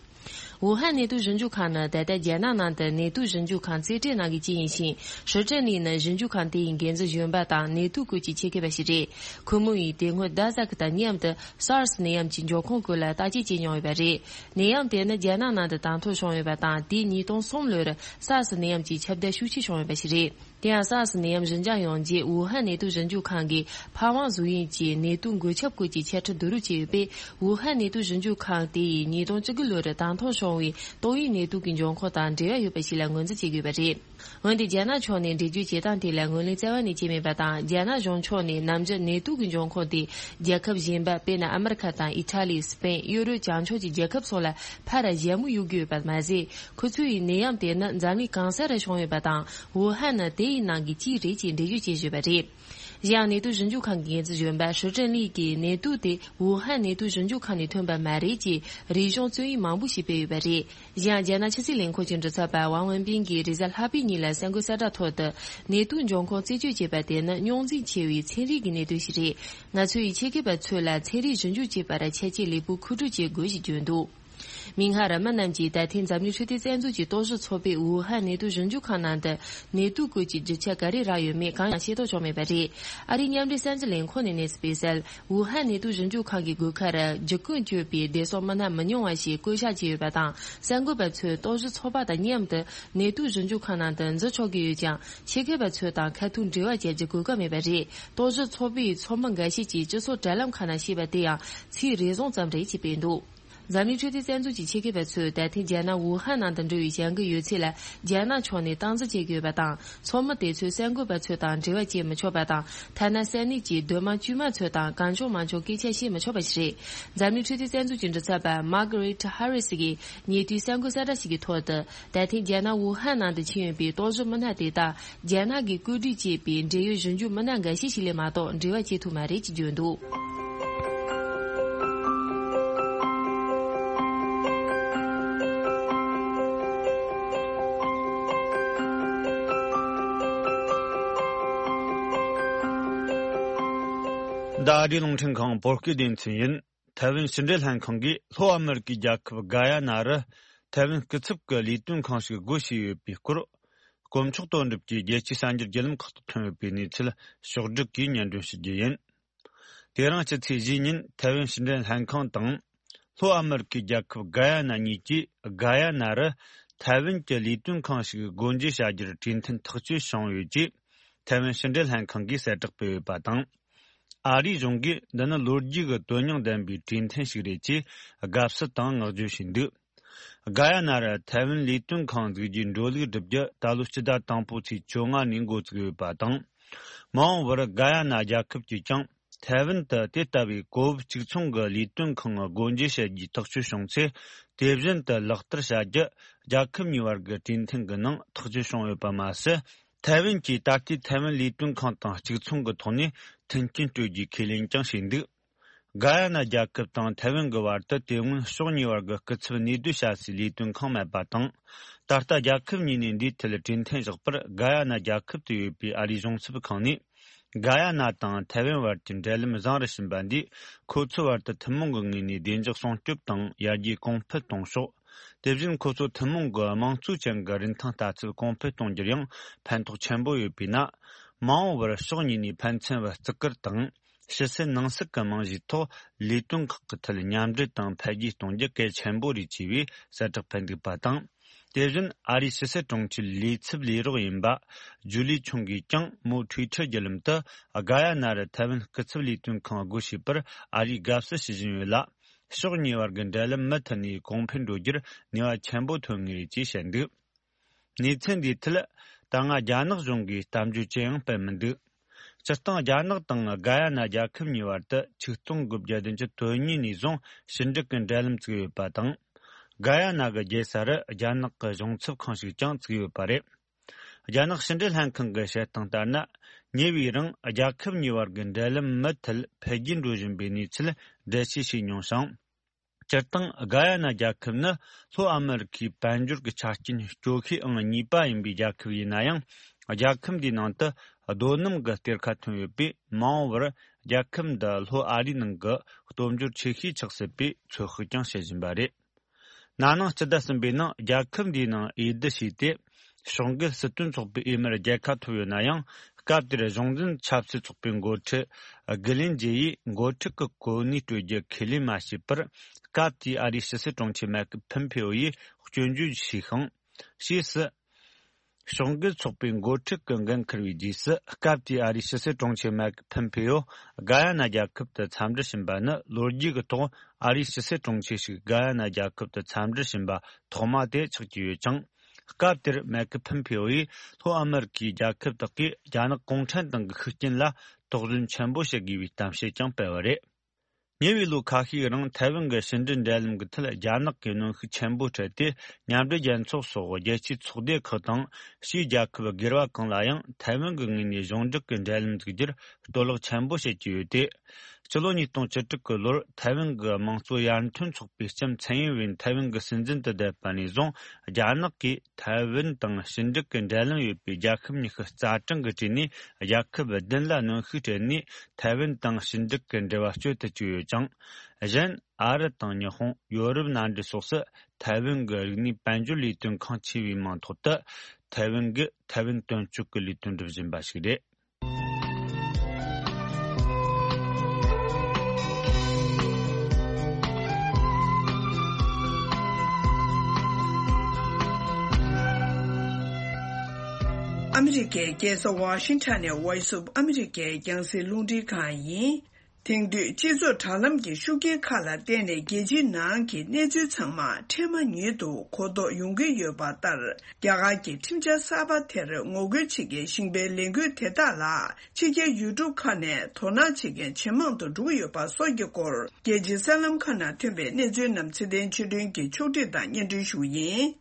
ཝུ་ཧན་ནད་དུག་ཞིབ་འཇུག་ཁང་ནི་ད་ལྟ་རྒྱ་ནག་ནང་དུ་ནད་དུག་ཞིབ་འཇུག་ཁང་རྩེ་གྲས་ནང་གི་གཅིག་ཡིན་ཞིང་། ཧྲི་ཀྲིན་ལི་ནི་ཞིབ་འཇུག་ཁང་དེ་ཡི་འགན་འཛིན་གཞོན་པ་དང་ནད་དུག་སྐོར་གྱི་ཆེད་མཁས་པ་ཞིག་རེད། ཁོ་མོ་ཡིས་དེ་སྔོན་ཌ་ཟག་གི་དང་མཉམ་དུ་སཱར་སི་ནད་ཡམས་ཀྱི་འབྱུང་ཁུངས་སྐོར་ལ་བརྟག་དཔྱད་བྱས་མྱོང་ཡོད་པ་རེད། ནད་ཡམས་དེ་ནི་རྒྱ་ནག་ནང་དུ་དང་ཐོག་བྱུང་ཡོད་པ་དང་། དེ་ཉིས་སྟོང་གསུམ་ལོར་སཱར་སི་ནད་ཡམས་ཀྱི་ཁྱབ་གདལ་ཤུགས་ཆེ་བྱུང་ཡོད་པ་ཞིག་རེད། དེ་ཡང་སཱར་སི་ནད་ཡམས་ཞི་འཇགས་ཡོང་རྗེས་ཝུ་ཧན་ནད་དུག་ཞིབ་འཇུག་ཁང་གིས་ཕ་ཝང་གཟུགས་དབྱིབས་ཀྱི་ནད་དུག་འགོས་ཁྱབ་སྐོར་གྱི་འཆད་ཁྲིད་བསྡུ་རུབ་བྱས་ཡོད་པས། ཝུ་ཧན་ནད་དུག་ཞིབ་འཇུག་ཁང་དེ་ཡིས་ཉིས་སྟོང་བཅུ་དགུ་ལོར་དང་ཐོག་བྱུང་བའི་ཏོག་དབྱིབས་ནད་དུག་གི་འབྱུང་ཁུངས་དང་འབྲེལ་བ་ཡོད་པ་ཞིག་ལ་ངོས་འཛིན་བྱེད་དགོས་པ་རེད། འོན་ཏེ་རྒྱ་ནག་ཕྱོགས་ནས་འགྲེལ་བརྗོད་བྱེད་སྟངས་དེ་ལ་ངོས་ལེན་རྩ་བ་ནས་བྱས་མེད་པ་དང་། རྒྱ་ནག་གཞུང་ཕྱོགས་ནས་ནམ་རྒྱུན་ནད་དུག་གི་འབྱུང་ཁུངས་དེ་རྒྱལ་ཁབ་གཞན་པ། དཔེར་ན་ཨ་མི་རི་ཁ་དང་ཨི་ཊ་ལི། སི་པེན། ཡུ་རོབ་བྱང་ཕྱོགས་ཀྱི་རྒྱལ་ཁབ་སོགས་ལ་ཕར་ཞལ་མོ་གཡུག་གི་ཡོད་པ་མ་ཟད། ཁོ་ཚོ་ཡིས་ནད་ཡམས་དེ་ནི་འཛམ་གླིང་གང་ས་རུ་བྱུང་ཡོད་པ་དང་། ཝུ་ཧན་ནི་དེ་ཡི་ནང་གི་གཅིག་རེད་ཅེས་འགྲེལ་བརྗོད་བྱས་ཡོད་པ་རེད། གཞན་ཡང་ནད་དུག་ཞིབ་འཇུག་ཁང་གི་འགན་འཛིན་གཞོན་པ་ཧྲི་ཀྲིན་ལི་གིས་ནད་དུག་དེ་ཝུ་ཧན་ནད་དུག་ཞིབ་འཇུག་ཁང་ནས་ཐོན་པ་མ་རེད་ཅེས་རིག་གཞུང་རྩོམ་ཡིག་མང་པོ་ཞིག་སྤེལ་ཡོད་པ་རེད། གཞན་ཡང་རྒྱ་ནག་ཕྱི་སྲིད་ལས་ཁུངས་ཀྱི་མགྲིན་ཚབ་པ་ཝང་ཝུན་པིན་གྱིས་རེས་གཟའ་ལྷག་པའི་ཉིན་ལ་གསར་འགོད་གསལ་བསྒྲགས་ཐོག་ཏུ། ནད་དུག་འབྱུང་ཁུངས་རྩད་གཅོད་བྱེད་པ་དེ་ནི་རྙོག་འཛིང་ཆེ་བའི་ཚན་རིག་གི་གནད་དོན་ཞིག་རེད། ང་ཚོ་ཡིས་ཆེད་མཁས་པ་ཚོ་ལ་ཚན་རིག་ཞིབ་འཇུག་བྱེད་པར་ཆ་རྐྱེན་ལེགས་པོ་མཁོ་སྤྲོད་བྱེད་དགོས་ཞེས་བརྗོད་འདུག་མིག་སྔར་མི་རྣམས་ཀྱིས་ད་ཐེངས་འཛམ་གླིང་འཕྲོད་བསྟེན་རྩ་འཛུགས་ཀྱི་རྟོག་ཞིབ་ཚོགས་པས་ཝུ་ཧན་ནད་དུག་ཞིབ་འཇུག་ཁང་ནང་དུ་ནད་དུག་སྐོར་གྱི་རྒྱུ་ཆ་ག་རེ་རག་ཡོད་མེད་གང་ཡང་ཤེས་རྟོགས་བྱུང་མེད་པ་རེད། ཨ་རིའི་མཉམ་འབྲེལ་གསར་འགྱུར་ལས་ཁུངས་ནས་གནས་ཚུལ་སྤེལ་གསལ། ཝུ་ཧན་ནད་དུག་ཞིབ་འཇུག་ཁང་གི་སྒོ་ཁར་རྒྱུ་ཀུན་སྤྱོད་པའི་བདེ་སྲུང་མི་སྣ་མི་ཉུང་བ་ཞིག་བསྐོ་བཞག་བྱས་ཡོད་པ་དང་། གསར་འགོད་པ་ཚོས་རྟོག་ཞིབ་ཚོགས་པ་དང་མཉམ་དུ་ནད་དུག་ཞིབ་འཇུག་ཁང་ནང་དུ་འཛུལ་ཆོག་གི་ཡོད་ཀྱང་། ཆེད་མཁས་པ་ཚོ་དང་ཁ་ཐུག་འབྲེལ་བ་བྱ་རྒྱུ་གོ་སྐབས་མེད་པ་རེད། རྟོག་ཞིབ་ཚོགས་པའི་ཚོགས་མི་འགའ་ཤས་ཀྱིས་སྤྱི་ཚོགས་དྲ་ལམ་ཁག་ནང་བཤད་པ་དེ་ཡང་ཚིག་རེ་ཟུང་ཙམ་རེད་ཅེས་སྤེལ་འདུག་འཛམ་གླིང་འཕྲོད་བསྟེན་རྩ་འཛུགས་ཀྱི་ཆེད་མཁས་པ་ཚོས་ད་ཐེངས་རྒྱ་ནག་ཝུ་ཧན་ནང་དུ་འགྲོ་བའི་བྱ་འགུལ་ཡོད་ཚད་ལ་རྒྱ་ནག་ཕྱོགས་ནས་སྟངས་འཛིན་བྱེད་ཀྱི་ཡོད་པ་དང་། ཚོགས་མི་དེ་ཚོས་གསར་འགོད་པ་ཚོ་དང་འབྲེལ་བ་བྱེད་མི་ཆོག་པ་དང་། ཐ་ན་ས་གནས་ཀྱི་སྡོད་དམངས་དཀྱུས་མ་ཚོ་དང་གང་བྱུང་མང་བྱུང་སྐད་ཆ་བཤད་མི་ཆོག་པ་ཞིག་རེད། འཛམ་གླིང་འཕྲོད་བསྟེན་རྩ་འཛུགས་ཀྱི་མགྲིན་ཚབ་པ་Margaret Harris གིས་ཉེ་དུས་གསར་འགོད་གསལ་བསྒྲགས་ཤིག་གི་ཐོག་ཏུ། ད་ཐེངས་རྒྱ་ནག་ཝུ་ཧན་ནང་དུ་ཕྱིན་ཡོད་པའི་རྟོག་ཞིབ་མི་སྣ་དེ་དག་རྒྱ་ནག་གིས་བཀོད་སྒྲིག་བྱས་པའི་འབྲེལ་ཡོད་ཞིབ་འཇུག་མི་སྣ་འགའ་ཤས་ཤིག་ལས་མ་གཏོགས་འབྲེལ་བ་བྱེད་ཐུབ་མ་རེད་ཅེས་བརྗོད་འདུག་འདི་ཨ་རིའི་རླུང་འཕྲིན་ཁང་བོད་སྐད་སྡེ་ཚན་ཡིན། ཐའེ་ཝན་ཕྱི་འབྲེལ་ལྷན་ཁང་གིས་ལྷོ་ཨ་མེ་རི་ཀའི་རྒྱལ་ཁབ་ག་ཡ་ན་རུ་ཐའེ་ཝན་སྐུ་ཚབ་ཀྱི་ལས་དོན་ཁང་ཞིག་སྒོ་ཕྱེས་ཡོད་པའི་སྐོར། དཀོན་མཆོག་དོན་གྲུབ་ཀྱིས་རྒྱལ་སྤྱིའི་གསར་འགྱུར་བརྒྱུད་ལམ་ཁག་ཏུ་ཐོན་ཡོད་པའི་གནས་ཚུལ་ཕྱོགས་བསྒྲིགས་ཀྱིས་སྙན་སྒྲོན་ཞུ་རྒྱུ་ཡིན། དེ་རིང་ཕྱི་ཚེས་བཞིའི་ཉིན་ཐའེ་ཝན་ཕྱི་འབྲེལ་ལྷན་ཁང་དང་། ལྷོ་ཨ་མེ་རི་ཀའི་རྒྱལ་ཁབ་ག་ཡ་ན་གཉིས་ཀྱིས་ག་ཡ་ན་རུ་ཐའེ་ཝན་གྱི་ལས་དོན་ཁང་ཞིག་སྒོ་འབྱེད་བྱ་རྒྱུར་གྲོས་མཐུན་ཐག་གཅོད་བྱུང་ཡོད་ཅེས་ཐའེ་ཝན་ཕྱི་འབྲེལ་ལྷན་ཁང་གིས་གསལ་བསྒྲགས་སྤེལ་ཡོད་པ་དང་། ཨ་རིའི་གཞུང་གིས་འདི་ནི་ལོ་རྒྱུས་ཀྱི་དོན་སྙིང་ལྡན་པའི་གྲོས་མཐུན་ཞིག་རེད་ཅེས་དགའ་བསུ་དང་བསྔགས་བརྗོད་བྱས་འདུག་ག་ཡ་ན་རུ་ཐའེ་ཝན་ལས་དོན་ཁང་འཛུགས་རྒྱུའི་འགྲོ་ལུགས་བསྒྲུབ་རྒྱུ་ད་ལོ་སྤྱི་ཟླ་དང་པོའི་ཚེས་བཅོ་ལྔ་ནས་འགོ་བཙུགས་ཡོད་པ་དང་། མ་འོངས་པར་ག་ཡ་ན་རྒྱལ་ཁབ་ཀྱིས་ཀྱང་ཐའེ་ཝན་དུ་དེ་ལྟ་བུའི་གོ་བབ་གཅིག་མཚུངས་ཀྱི་ལས་དོན་ཁང་སྒོ་འབྱེད་བྱེད་རྒྱུའི་ཐག་གཅོད་བྱུང་ཚེ། དེ་བཞིན་དུ་ལག་བསྟར་བྱ་རྒྱུ་རྒྱལ་ཁབ་གཉིས་བར་གྱི་གྲོས་མཐུན་གྱི་ནང་ཐག་གཅོད་བྱུང་ཡོད་པ་མ་ཟད། ཐའེ་ཝན་གྱིས་ད་ལྟའི་ཐའེ་ཝན་ལས་དོན་ཁང་དང་གཅིག་མཚུངས་ཀྱི་ཐོག་ནས་མཐུན་རྐྱེན་སྤྲོད་རྒྱུའི་ཁས་ལེན་ཀྱང་བྱས་འདུག་ག་ཡ་ན་རྒྱལ་ཁབ་དང་ཐའེ་ཝན་གྱི་བར་དུ་དེ་སྔོན་ཕྱོགས་གཉིས་བར་གྱི་སྐུ་ཚབ་གནས་སྡོད་བྱ་སའི་ལས་དོན་ཁང་མེད་པ་དང་། ད་ལྟ་རྒྱལ་ཁབ་གཉིས་ནས་འདིའི་ཐད་གྲོས་མཐུན་བཞག་པར་ག་ཡ་ན་རྒྱལ་ཁབ་ཏུ་ཡོད་པའི་ཨ་རིའི་གཞུང་ཚབ་ཁང་ནས། ག་ཡ་ན་དང་ཐའེ་ཝན་བར་གྱི་འབྲེལ་ལམ་བཟང་རུ་ཕྱིན་པ་འདིས་ཁོ་ཚོའི་བར་དུ་ཐུན་མོང་གི་ངོས་ནས་བདེ་འཇགས་སྲུང་སྐྱོབ་དང་ཡར་རྒྱས་གོང་འཕེལ་གཏོང་ཕྱོགས། དེ་བཞིན་ཁོ་ཚོ་ཐུན་མོང་གི་དམངས་གཙོའི་ཅན་གྱི་རིན་ཐང་ལྟ་ཚུལ་གོང་འཕེལ་གཏོང་རྒྱུར་ཡང་ཕན་ཐོགས་ཆེན་པོ་ཡོད་པས་ན། མ་འོངས་པར་ཕྱོགས་གཉིས་ནས་ཕན་ཚུན་བར་བརྩི་བཀུར་དང་། ཕྱི་སྲིད་ནང་སྲིད་ཀྱི་རྨང་གཞིའི་ཐོག་ལས་དོན་ཁག་གི་ཐད་མཉམ་འབྲེལ་དང་འཕེལ་རྒྱས་གཏོང་རྒྱུ་གལ་ཆེན་པོ་རེད་ཅེས་པའི་གསལ་བསྒྲགས་ཕེབས་འདུག་པ་དང་། དེ་བཞིན་ཨ་རིའི་ཕྱི་སྲིད་དྲུང་ཆེའི་ལས་ཚབ་ལས་རོགས་ཡིན་པ་ཇུ་ལི་ཆུང་གིས་ཀྱང་མོའི་ཊུའི་ཊར་བརྒྱུད་ལམ་དུ། ག་ཡ་ན་རུ་ཐའེ་ཝན་སྐུ་ཚབ་ལས་དོན་ཁང་སྒོ་ཕྱེས་པར་ཨ་རིས་དགའ་བསུ་ཞུ་བཞིན་ཡོད་ལ། ཕྱོགས་གཉིས་བར་གྱི་འབྲེལ་ལམ་མུ་མཐུད་ནས་གོང་འཕེལ་འགྲོ་རྒྱུར་ནུས་པ་ཆེན་པོ་ཐོན་ངེས་རེད་ཅེས་བཤད་འདུག་གནས་ཚུལ་འདིའི་ཐད་ད་སྔ་རྒྱ་ནག་གཞུང་གིས་གཏམ་བརྗོད་ཅི་ཡང་སྤེལ་མི་འདུག་སྤྱིར་བཏང་རྒྱ་ནག་དང་ག་ཡ་ན་རྒྱལ་ཁབ་གཉིས་བར་དུ་ཆིག་སྟོང་དགུ་བརྒྱ་བདུན་ཅུ་དོན་གཉིས་ནས་བཟུང་ཕྱི་འབྲེལ་གྱི་འབྲེལ་ལམ་བཙུགས་ཡོད་པ་དང་། ག་ཡ་ན་གི་རྒྱལ་ས་རུ་རྒྱ་ནག་གི་གཞུང་ཚབ་ཁང་ཞིག་ཀྱང་བཙུགས་ཡོད་པ་རེད། རྒྱ་ནག་ཕྱི་འབྲེལ་ལྷན་ཁང་གི་བཤད་སྟངས་ལྟར་ན། ཉེ་བའི་རིང་རྒྱལ་ཁབ་གཉིས་བར་གྱི་འབྲེལ་ལམ་མུ་མཐུད་འཕེལ་རྒྱས་འགྲོ་བཞིན་པའི་གནས་ཚུལ་འགྲེལ་བཤད་བྱས་མྱོང་ཞིང་། སྤྱིར་བཏང་ག་ཡ་ན་རྒྱལ་ཁབ་ནི་ལྷོ་ཨ་མེ་རི་ཁའི་དཔལ་འབྱོར་གྱི་ཆ་རྐྱེན་སྐྱོ་ཤོས་ཨང་གཉིས་པ་ཡིན་པའི་རྒྱལ་ཁབ་ཡིན་ན་ཡང་། རྒྱལ་ཁབ་འདིའི་ནང་དུ་རྡོ་སྣུམ་གྱི་གཏེར་ཁ་ཐོན་ཡོད་པས། མ་འོངས་པར་རྒྱལ་ཁབ་འདི་ལྷོ་ཨ་རིའི་ནང་གི་སྟོབས་འབྱོར་ཆེ་ཤོས་ཆགས་སྲིད་པའི་ཚོད་དཔག་ཀྱང་བྱེད་བཞིན་པ་རེད། ན་ནིང་སྤྱི་ཟླ་གསུམ་པའི་ནང་རྒྱལ་ཁབ་འདིའི་ནང་འོས་བསྡུ་བྱས་ཏེ། ཕྱོགས་འགལ་སྲིད་དོན་ཚོགས་པའི་འོས་མིར་རྒྱལ་ཁ་ཐོབ་ཡོད་ན་ཡང་། སྐབས་དེར་གཞུང་འཛིན་ཆབ་སྲིད་ཚོགས་པའི་འགོ་ཁྲིད་གྷི་ལིན་ཇེ་ཡིས་འགོ་ཁྲིད་ཀྱི་གོ་གནས་སྤྲོད་རྒྱུ་ཁས་ལེན་མ་བྱས་པར། སྐབས་དེའི་ཨ་རིའི་ཕྱི་སྲིད་དྲུང་ཆེ་མེག་ཕིམ་ཕེའོ་ཡིས་སྐྱོན་བརྗོད་བྱས་ཤིང་། ཕྱིས་སུ། ཕྱོགས་འགལ་ཚོགས་པའི་འགོ་ཁྲིད་ཀྱི་འགན་འཁུར་བའི་རྗེས་སུ། སྐབས་དེའི་ཨ་རིའི་ཕྱི་སྲིད་དྲུང་ཆེ་མེག་ཕིམ་ཕེའོ་གྷ་ཡ་ན་རྒྱལ་ཁབ་ཏུ་འཚམས་འདྲི་ཕྱིན་པ་ནི། ལོ་རྒྱུས་ཀྱི་ཐོག་ཨ་རིའི་ཕྱི་སྲིད་དྲུང་ཆེ་ཞིག་གྷ་ཡ་ན་རྒྱལ་ཁབ་ཏུ་འཚམས་འདྲི་ཕྱིན་པ་ཐོག་མ་དེ་ཆགས་ཀྱི་ཡོད་ཅིང་། སྐབས་དེར་མེག་ཕིམ་ཕེའོ་ཡིས་ལྷོ་ཨ་མེ་རི་ཁའི་རྒྱལ་ཁབ་དག་གིས་རྒྱ་ནག་གུང་ཁྲན་ཏང་གི་ཤུགས་རྐྱེན་ལ་དོགས་ཟོན་ཆེན་པོ་བྱེད་དགོས་པའི་གཏམ་བཤད་ཀྱང་སྤེལ་བ་རེད། ཉེ་བའི་ལོ་ཁ་ཤས་རིང་ཐའེ་ཝན་གྱི་ཕྱི་འབྲེལ་འབྲེལ་ལམ་གྱི་ཐད་རྒྱ་ནག་གིས་གནོན་ཤུགས་ཆེན་པོ་སྤྲད་དེ། མཉམ་འབྲེལ་རྒྱལ་ཚོགས་སོགས་རྒྱལ་སྤྱིའི་ཚོགས་སྡེ་ཁག་དང་། ཕྱིའི་རྒྱལ་ཁབ་སྒེར་བ་གང་ལ་ཡང་ཐའེ་ཝན་གྱི་ངོས་ནས་གཞུང་འབྲེལ་གྱི་འབྲེལ་ལམ་འཛུགས་རྒྱུར་གཏོར་བརླག་ཆེན་པོ་བྱེད་ཀྱི་ཡོད་དེ། ཕྱི་ལོ་ཉིས་སྟོང་བཅུ་དྲུག་གི་ལོར་ཐའེ་ཝན་གྱི་དམངས་གཙོ་ཡར་ཐོན་ཚོགས་པའི་ལྕམ་ཚན་ཡིན་ཝེན་ཐའེ་ཝན་གྱི་སྲིད་འཛིན་དུ་བསྡད་པ་ནས་བཟུང་། རྒྱ་ནག་གིས་ཐའེ་ཝན་དང་ཕྱི་འབྲེལ་གྱི་འབྲེལ་ལམ་ཡོད་པའི་རྒྱལ་ཁབ་ཉི་ཤུ་རྩ་གྲངས་ཀྱི་གྲས་ནས་རྒྱལ་ཁབ་བདུན་ལ་གནོན་ཤུགས་སྤྲད་ནས། ཐའེ་ཝན་དང་ཕྱི་འབྲེལ་གྱི་འབྲེལ་བ་གཅོད་དུ་བཅུག་ཡོད་ཅིང་། གཞན། ཨ་རི་དང་ཉི་ཧོང་། ཡོ་རོབ་མནའ་འབྲེལ་སོགས་སུ་ཐའེ་ཝན་གྱི་རིག་གནས་དཔལ་འབྱོར་ལས་དོན་ཁང་ཆེ་བའི་མིང་ཐོག་ཏུ། ཐའེ་ཝན་གྱིས་ཐའེ་ཝན་དོན་གཅོད་ཀྱི་ལས་དོན་སྒྲུབ་བཞིན་པ་ཞིག་རེད། ཨ་མི་རི་ཀའི་རྒྱལ་ས་ཝ་ཤིང་ཊོན་ནས་Voice of America རྒྱང་སྲིང་རླུང་འཕྲིན་ཁང་ཡིན། དེང་དུས་སྤྱི་ཚོགས་དྲ་ལམ་གྱི་ཤུགས་རྐྱེན་ཁག་ལ་བརྟེན་ནས་རྒྱལ་སྤྱིའི་ནང་གི་གནས་ཚུལ་ཚང་མ་འཕྲལ་མ་ཉིད་དུ་གོ་རྟོགས་ཡོང་གི་ཡོད་པ་ལྟར། རྒྱ་གར་གྱི་ཁྲིམས་འཆར་གསར་པ་དེར་ངོ་རྒོལ་བྱེད་མཁན་ཞིང་པའི་ལས་འགུལ་དེ་དག་ལ་ཕྱི་རྒྱལ་ཡུལ་གྲུ་ཁག་ནས་དོ་སྣང་བྱེད་མཁན་ཇེ་མང་དུ་འགྲོ་གི་ཡོད་པ་སོགས་ཀྱི་སྐོར། རྒྱལ་སྤྱིའི་གསར་ལམ་ཁག་ནང་ཐོན་པའི་གནས་ཚུལ་རྣམས་ཚེ་བརྟན་ཆོས་སྒྲོན་གྱིས་ཕྱོགས་སྒྲིག་དང་སྙན་སྒྲོན་ཞུ་གི་ཡིན།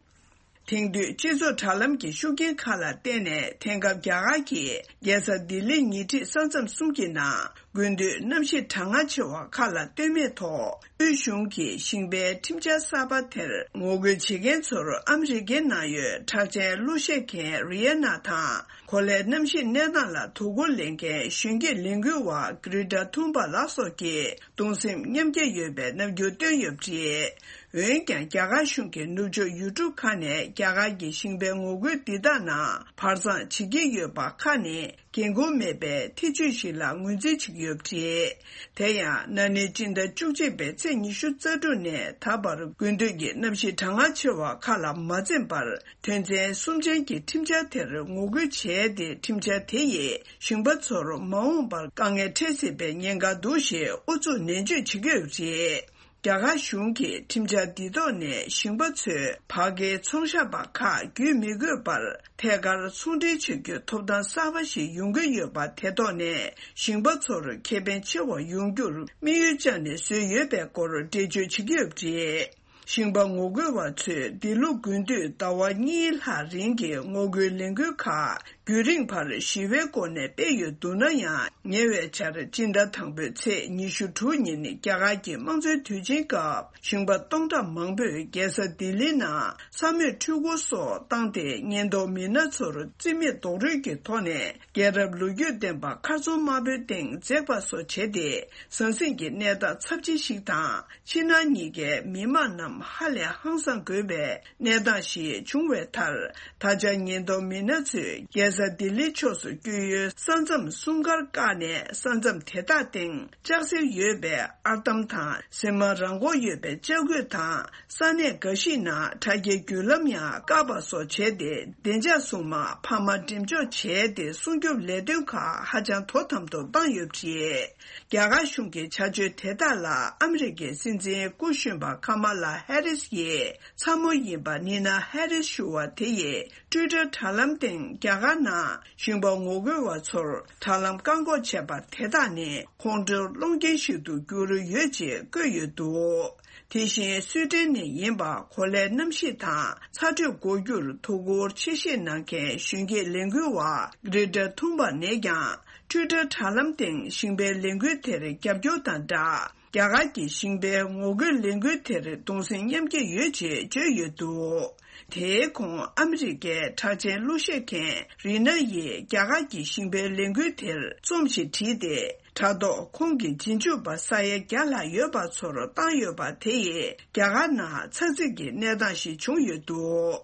དེང་དུས་སྤྱི་ཚོགས་དྲ་ལམ་གྱི་ཤུགས་རྐྱེན་ཁག་ལ་བརྟེན་ནས། དེང་སྐབས་རྒྱ་གར་གྱི་རྒྱལ་ས་ལྡི་ལིའི་ཉེ་འཁྲིས་ས་མཚམས་གསུམ་གྱི་ནང་། དགུན་དུས་གནམ་གཤིས་གྲང་ངར་ཆེ་བ་ཁག་ལ་ལྟོས་མེད་ཐོག་དབུས་གཞུང་གིས་ཞིང་པའི་ཁྲིམས་འཆར་གསར་པ་དེར་ངོ་རྒོལ་བྱེད་མཁན་ཚོར་ཨ་མི་རི་ཀའི་ནང་ཡོད་གྲགས་ཅན་གླུ་གཞས་མཁན་རི་ཡ་ན་དང་། གོ་ལའི་གནམ་གཤིས་གནས་སྟངས་ལ་དོ་ཁུར་ལེན་མཁན་གཞོན་སྐྱེས་ལས་འགུལ་བ་གྷི་རེ་ཊ་ཐུན་བྷ་ལགས་སོགས་ཀྱིས་གདུང་སེམས་མཉམ་སྐྱེད་ཡོད་པའི་རྣམ་འགྱུར་བཏོན་ཡོད་པ་རེད། འོན་ཀྱང་། རྒྱ་གར་གཞུང་གི་ནུབ་ཕྱོགས་ཡུལ་གྲུ་ཁག་ནས་རྒྱ་གར་གྱི་ཞིང་པའི་ངོ་རྒོལ་འདི་དག་ནང་བར་མཚམས་བྱེད་ཀྱི་ཡོད་པ་ཁག་ནི། འགན་ཁུར་མེད་པའི་ཐེ་བྱུས་ཤིག་ལ་ངོས་འཛིན་བྱེད་ཀྱི་ཡོད་པ་རེད། དེ་ཡང་། ན་ནིང་སྤྱི་ཟླ་བཅུ་གཅིག་པའི་ཚེས་ཉི་ཤུ་རྩ་དྲུག་ནས་ད་བར། དགུན་དུས་ཀྱི་གནམ་གཤིས་གྲང་ངར་ཆེ་བ་ཁག་ལ་མ་འཛེམས་པར། དོན་ཚན་གསུམ་ཅན་གྱི་ཁྲིམས་འཆར་དེར་ངོ་རྒོལ་བྱས་ཏེ། ཁྲིམས་འཆར་དེ་ཡིས་ཞིང་པ་ཚོར་མ་འོངས་པར་དཀའ་ངལ་འཕྲད་སྲིད་པའི་ཉེན་ཁ་འདུག་ཞེས་ཨུ་ཚུགས་ནན་བརྗོད་བྱེད་ཀྱི་ཡོད་པ་རེད། རྒྱ་གར་གཞུང་གིས་ཁྲིམས་འཆར་འདི་ཐོག་ནས་ཞིང་པ་ཚོས་བར་བརྒལ་ཚོང་ཤག་པ་ཁག་བརྒྱུད་མི་དགོས་པར། ཐད་ཀར་ཚོང་འབྲེལ་བྱ་རྒྱུའི་ཐོབ་ཐང་གསར་པ་ཞིག་ཡོང་གི་ཡོད་པ། དེ་ཐོག་ནས་ཞིང་པ་ཚོར་ཁེ་ཕན་ཆེ་བ་ཡོང་རྒྱུར་དམིགས་ཡུལ་བཅངས་ནས་བཟོས་ཡོད་པའི་སྐོར་འགྲེལ་བརྗོད་བྱེད་ཀྱི་ཡོད་པ་རེད། ཞིང་པ་ངོ་རྒོལ་བ་ཚོས་འདི་ལོ་དགུན་དུས་ཟླ་བ་གཉིས་ལྷག་རིང་གི་ངོ་རྒོལ་ལས་འགུལ་ཁག་རྒྱུན་རིང་བར་ཞི་བའི་སྒོ་ནས་སྤེལ་ཡོད་འདུག་ན་ཡང་། ཉེ་བའི་ཆར་སྤྱི་ཟླ་དང་པོའི་ཚེས་ཉི་ཤུ་དྲུག་ཉིན་རྒྱ་གར་གྱི་དམངས་གཙོའི་དུས་ཆེན་སྐབས། ཞིང་པ་སྟོང་ཕྲག་མང་པོས་རྒྱལ་ས་ལྡི་ལི་ནང་ས་མོས་འཕྲུལ་འཁོར་སོགས་བཏང་སྟེ། ཉེན་རྟོག་མི་སྣ་ཚོར་རྩིས་མེད་རྡོག་རོལ་གྱི་ཐོག་ནས། རྒྱལ་རབས་ལོ་རྒྱུས་ལྡན་པ་མཁར་རྫོང་དམར་པོའི་སྟེང་འཛེགས་པ་སོགས་བྱས་ཏེ། ཟང་ཟིང་གི་གནས་སྟངས་ཚབས་ཆེ་ཞིག་དང་། ཕྱི་ནང་གཉིས་ཀའི་མི་མང་རྣམས་ཧ་ལས་ཧང་སངས་དགོས་པའི་གནས་སྟངས་ཤིག་བྱུང་བའི་མཐར། ད་ཆ་ཉེན་རྟོག་མི་སྣ་ཚོས་རྒྱལ་ས་ལྡི་ལི་ཕྱོགས་སུ་བསྐྱོད་ཡུལ་ས་མཚམས་གསུམ་ཀར་བཀག་ནས། ས་མཚམས་དེ་དག་སྟེང་ལྕགས་གཟེར་ཡོད་པའི་ཨར་འདམ་དང་། གཟེར་མ་རང་འཁོར་ཡོད་པའི་ལྕགས་སྐུད་དང་། ས་གནས་འགའ་ཞིག་ནང་དྲ་རྒྱའི་བརྒྱུད་ལམ་ཡང་བཀག་པ་སོགས་བྱས་ཏེ། བདེ་འཇགས་སྲུང་དམག་འཕར་མ་འགྲེམས་འཇོག་བྱས་ཏེ། སྲུང་སྐྱོབ་ལས་དོན་ཁག་ཧ་ཅང་དོ་དམ་དུ་བཏང་ཡོད་པ་རེད། རྒྱ་གར་གཞུང་གི་བྱ་སྤྱོད་དེ་དག་ལ་ཨ་མི་རི་ཀའི་སྲིད་འཛིན་སྐུ་གཞོན་པ་ཁ་མ་ལ་ཧེ་རིས་ཡི་ཚ་མོ་ཡིན་པ་ནི་ན་ཧེ་རིས་ཞུ་བ་དེ་ཡིས། ཊུའི་ཊར་དྲ་ལམ་སྟེང་རྒྱ་གར་ནང་ཞིང་པ་ངོ་རྒོལ་བ་ཚོར་དྲ་ལམ་བཀག་འགོག་བྱས་པ་དེ་དག་ནི་ཁོང་ཁྲོའི་སློང་རྐྱེན་ཞིག་ཏུ་གྱུར་ཡོད་ཅེས་བཀོད་ཡོད་འདུག་དེ་བཞིན་སུའེ་ཏེན་ནས་ཡིན་པ། གོ་ལའི་གནམ་གཤིས་དང་ཚ་དྲོད་འགོག་རྒྱུར་དོ་ཁུར་ཆེ་བཞེས་གནང་མཁན་གཞོན་སྐྱེས་ལས་འགུལ་བ་གྷི་རེ་ཊ་ཐུན་བྷ་ནས་ཀྱང་། ཊུའི་ཊར་དྲ་ལམ་སྟེང་ཞིང་པའི་ལས་འགུལ་དེར་རྒྱབ་སྐྱོར་དང་སྦྲགས། རྒྱ་གར་གྱི་ཞིང་པའི་ངོ་རྒོལ་ལས་འགུལ་དེར་གདུང་སེམས་མཉམ་སྐྱེད་ཡོད་ཅེས་བརྗོད་ཡོད་འདུག་དེའི་གོང་ཨ་མི་རི་ཀའི་གྲགས་ཅན་གླུ་གཞས་མཁན་རི་ན་ཡིས་རྒྱ་གར་གྱི་ཞིང་པའི་ལས་འགུལ་དེར་རྩོམ་ཞིག་བྲིས་ཏེ། དྲ་ཐོག་ཁོང་གི་རྗེས་འཇུག་པ་ས་ཡ་བརྒྱ་ལྷག་ཡོད་པ་ཚོར་བཏང་ཡོད་པ་དེ་ཡིས་རྒྱ་གར་ནང་ཚགས་ཚུད་ཀྱི་གནས་སྟངས་ཤིག་བྱུང་ཡོད་འདུག་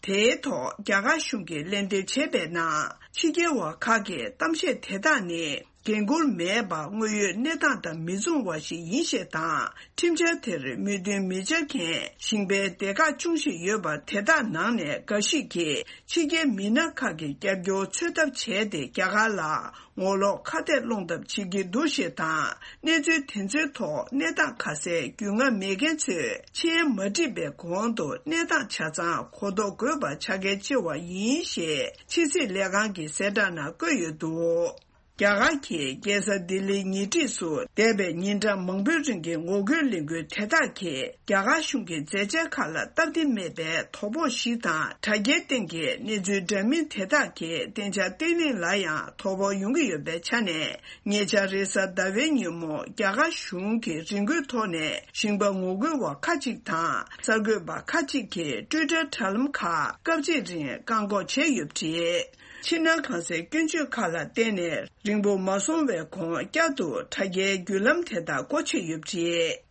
དེའི་ཐོག་རྒྱ་གར་གཞུང་གིས་ལན་འདེབས་བྱས་པའི་ནང་། ཕྱི་རྒྱལ་བ་ཁག་གི་གཏམ་བཤད་དེ་དག་ནི་འགན་འཁུར་མེད་པ། དངོས་ཡོད་གནས་སྟངས་དང་མི་མཚུངས་པ་ཞིག་ཡིན་ཞེས་དང་། ཁྲིམས་འཆར་དེར་མོས་མཐུན་མི་བྱ་མཁན་ཞིང་པའི་སྡེ་ཁག་ཅུང་ཞིག་ཡོད་པ་དེ་དག་ནང་ནས་འགའ་ཞིག་གིས་ཕྱི་རྒྱལ་མི་སྣ་ཁག་གི་རྒྱབ་སྐྱོར་འཚོལ་ཐབས་བྱས་ཏེ། རྒྱ་གར་ལ་ངོ་ལོག་ཁ་གཏད་སློང་ཐབས་བྱེད་ཀྱི་འདུག་ཞེས་དང་། གནས་ཚུལ་དེ་ཚོའི་ཐོག་གནས་སྟངས་ཁ་གསལ་རྒྱུས་མངའ་མེད་མཁན་ཚོས་མཆན་མ་བྲིས་པའི་གོང་དུ་གནས་སྟངས་ཆ་ཚང་གོ་རྟོགས་དགོས་པ་ཆ་རྐྱེན་ཆེ་བ་ཡིན་ཞེས་ཕྱི་སྲིད་ལས་ཁང་གི་གསལ་བསྒྲགས་ནང་བཀོད་ཡོད་འདུག་རྒྱ་གར་གྱི་རྒྱལ་ས་ལྡི་ལིའི་ཉེ་འཁྲིས་སུ་འདས་པའི་ཉིན་གྲངས་མང་པོའི་རིང་གི་ངོ་རྒོལ་ལས་འགུལ་དེ་དག་གིས། རྒྱ་གར་གཞུང་གི་མཛད་འཆར་ཁག་ལ་སྟབས་བདེ་མེད་པའི་དོ་ཕོག་ཞིག་དང་། དྲ་རྒྱའི་སྟེང་གི་གནས་ཚུལ་འདྲ་མིན་དེ་དག་གིས་བདེ་འཇགས་བརྟན་ལྷིང་ལ་ཡང་དོ་ཕོག་ཡོང་གི་ཡོད་པའི་ཆ་ནས། ཉེ་ཆར་རེས་གཟའ་ཟླ་བའི་ཉིན་མོ་རྒྱ་གར་གཞུང་གི་རི་འགོའི་ཐོག་ནས་ཞིང་པ་ངོ་རྒོལ་བ་ཁག་ཅིག་དང་། གསར་འགོད་པ་ཁག་ཅིག་གིས་ཊུའི་ཊར་དྲ་ལམ་ཁག་སྐབས་གཅིག་རིང་བཀག་འགོག་བྱས་ཡོད་པ་རེད། ཕྱི་ནང་གང་སའི་སྐྱོན་བརྗོད་ཁག་ལ་བརྟེན་ནས། རིང་པོ་མ་སོང་བའི་གོང་། བསྐྱར་དུ་དྲ་རྒྱའི་བརྒྱུད་ལམ་དེ་དག་སྒོ་ཕྱེ་ཡོད་པ་རེད།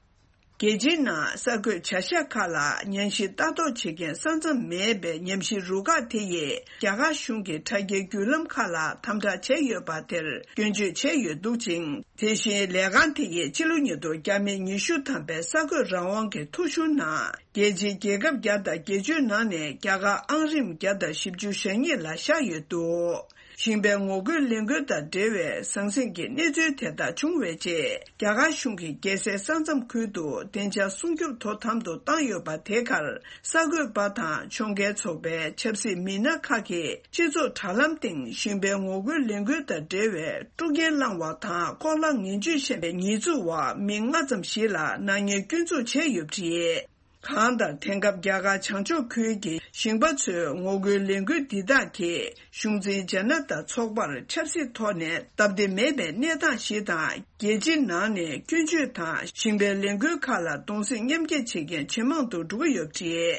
རྒྱལ་སྤྱིའི་ནང་གསར་འགོད་བྱ་གཞག་ཁག་ལ་ཉམས་ཞིབ་ལྟ་རྟོག་བྱེད་མཁན་ས་མཚམས་མེད་པའི་ཉམས་ཞིབ་རུ་ཁག་དེ་ཡིས། རྒྱ་གར་གཞུང་གིས་དྲ་རྒྱའི་བརྒྱུད་ལམ་ཁག་ལ་དམ་དྲག་བྱས་ཡོད་པ་དེར་སྐྱོན་བརྗོད་བྱས་ཡོད་འདུག་ཅིང་། དེ་བཞིན་ལས་ཁང་དེ་ཡིས་ཕྱི་ལོ་ཉིས་སྟོང་བརྒྱ་མེད་ཉི་ཤུ་ཐམ་པའི་གསར་འགོད་རང་དབང་གི་ཐོ་གཞུང་ནང་། རྒྱལ་སྤྱིའི་རྒྱལ་ཁབ་བརྒྱ་དང་བརྒྱད་ཅུའི་ནང་ནས་རྒྱ་གར་ཨང་རིམ་བརྒྱ་དང་བཞི་བཅུ་ཞེ་གཉིས་ལ་བཞག་ཡོད་འདུག་ཞིང་པའི་ངོ་རྒོལ་ལས་འགུལ་དང་འབྲེལ་བའི་ཟང་ཟིང་གི་གནས་ཚུལ་དེ་དག་བྱུང་བའི་རྗེས། རྒྱ་གར་གཞུང་གིས་རྒྱལ་སའི་ས་མཚམས་ཁུལ་དུ་བདེ་འཇགས་སྲུང་སྐྱོབ་དོ་དམ་དུ་བཏང་ཡོད་པ་དེ་གར། གསར་འགོད་པ་དང་ཕྱོགས་འགལ་ཚོགས་པའི་ཆབ་སྲིད་མི་སྣ་ཁག་གིས་སྤྱི་ཚོགས་དྲ་ལམ་སྟེང་ཞིང་པའི་ངོ་རྒོལ་ལས་འགུལ་དང་འབྲེལ་བའི་དཀྲུག་རྐྱེན་བསླངས་པ་དང་། ལྐོག་ལག་ངན་ཇུས་བཤད་པའི་ཉེས་འཛུགས་འོག་མི་ལྔ་ཙམ་ཞིག་ལ་ནག་ཉེས་སྐྱོན་འཛུགས་བྱས་ཡོད་པ་རེད། གང་ལྟར། དེང་སྐབས་རྒྱ་གར་བྱང་ཕྱོགས་ཁུལ་གྱི་ཞིང་པ་ཚོའི་ངོ་རྒོལ་ལས་འགུལ་འདི་དག་གིས་གཞུང་འཛིན་ཇ་ན་ཏ་ཚོགས་པར་ཆབ་སྲིད་ཐོག་ནས་སྟབས་བདེ་མེད་པའི་གནས་སྟངས་ཤིག་དང་། རྒྱལ་སྤྱིའི་ནང་ནས་སྐྱོན་བརྗོད་དང་ཞིང་པའི་ལས་འགུལ་ཁག་ལ་གདུང་སེམས་མཉམ་སྐྱེད་བྱེད་མཁན་ཇེ་མང་དུ་འགྲོ་གི་ཡོད་པ་རེད།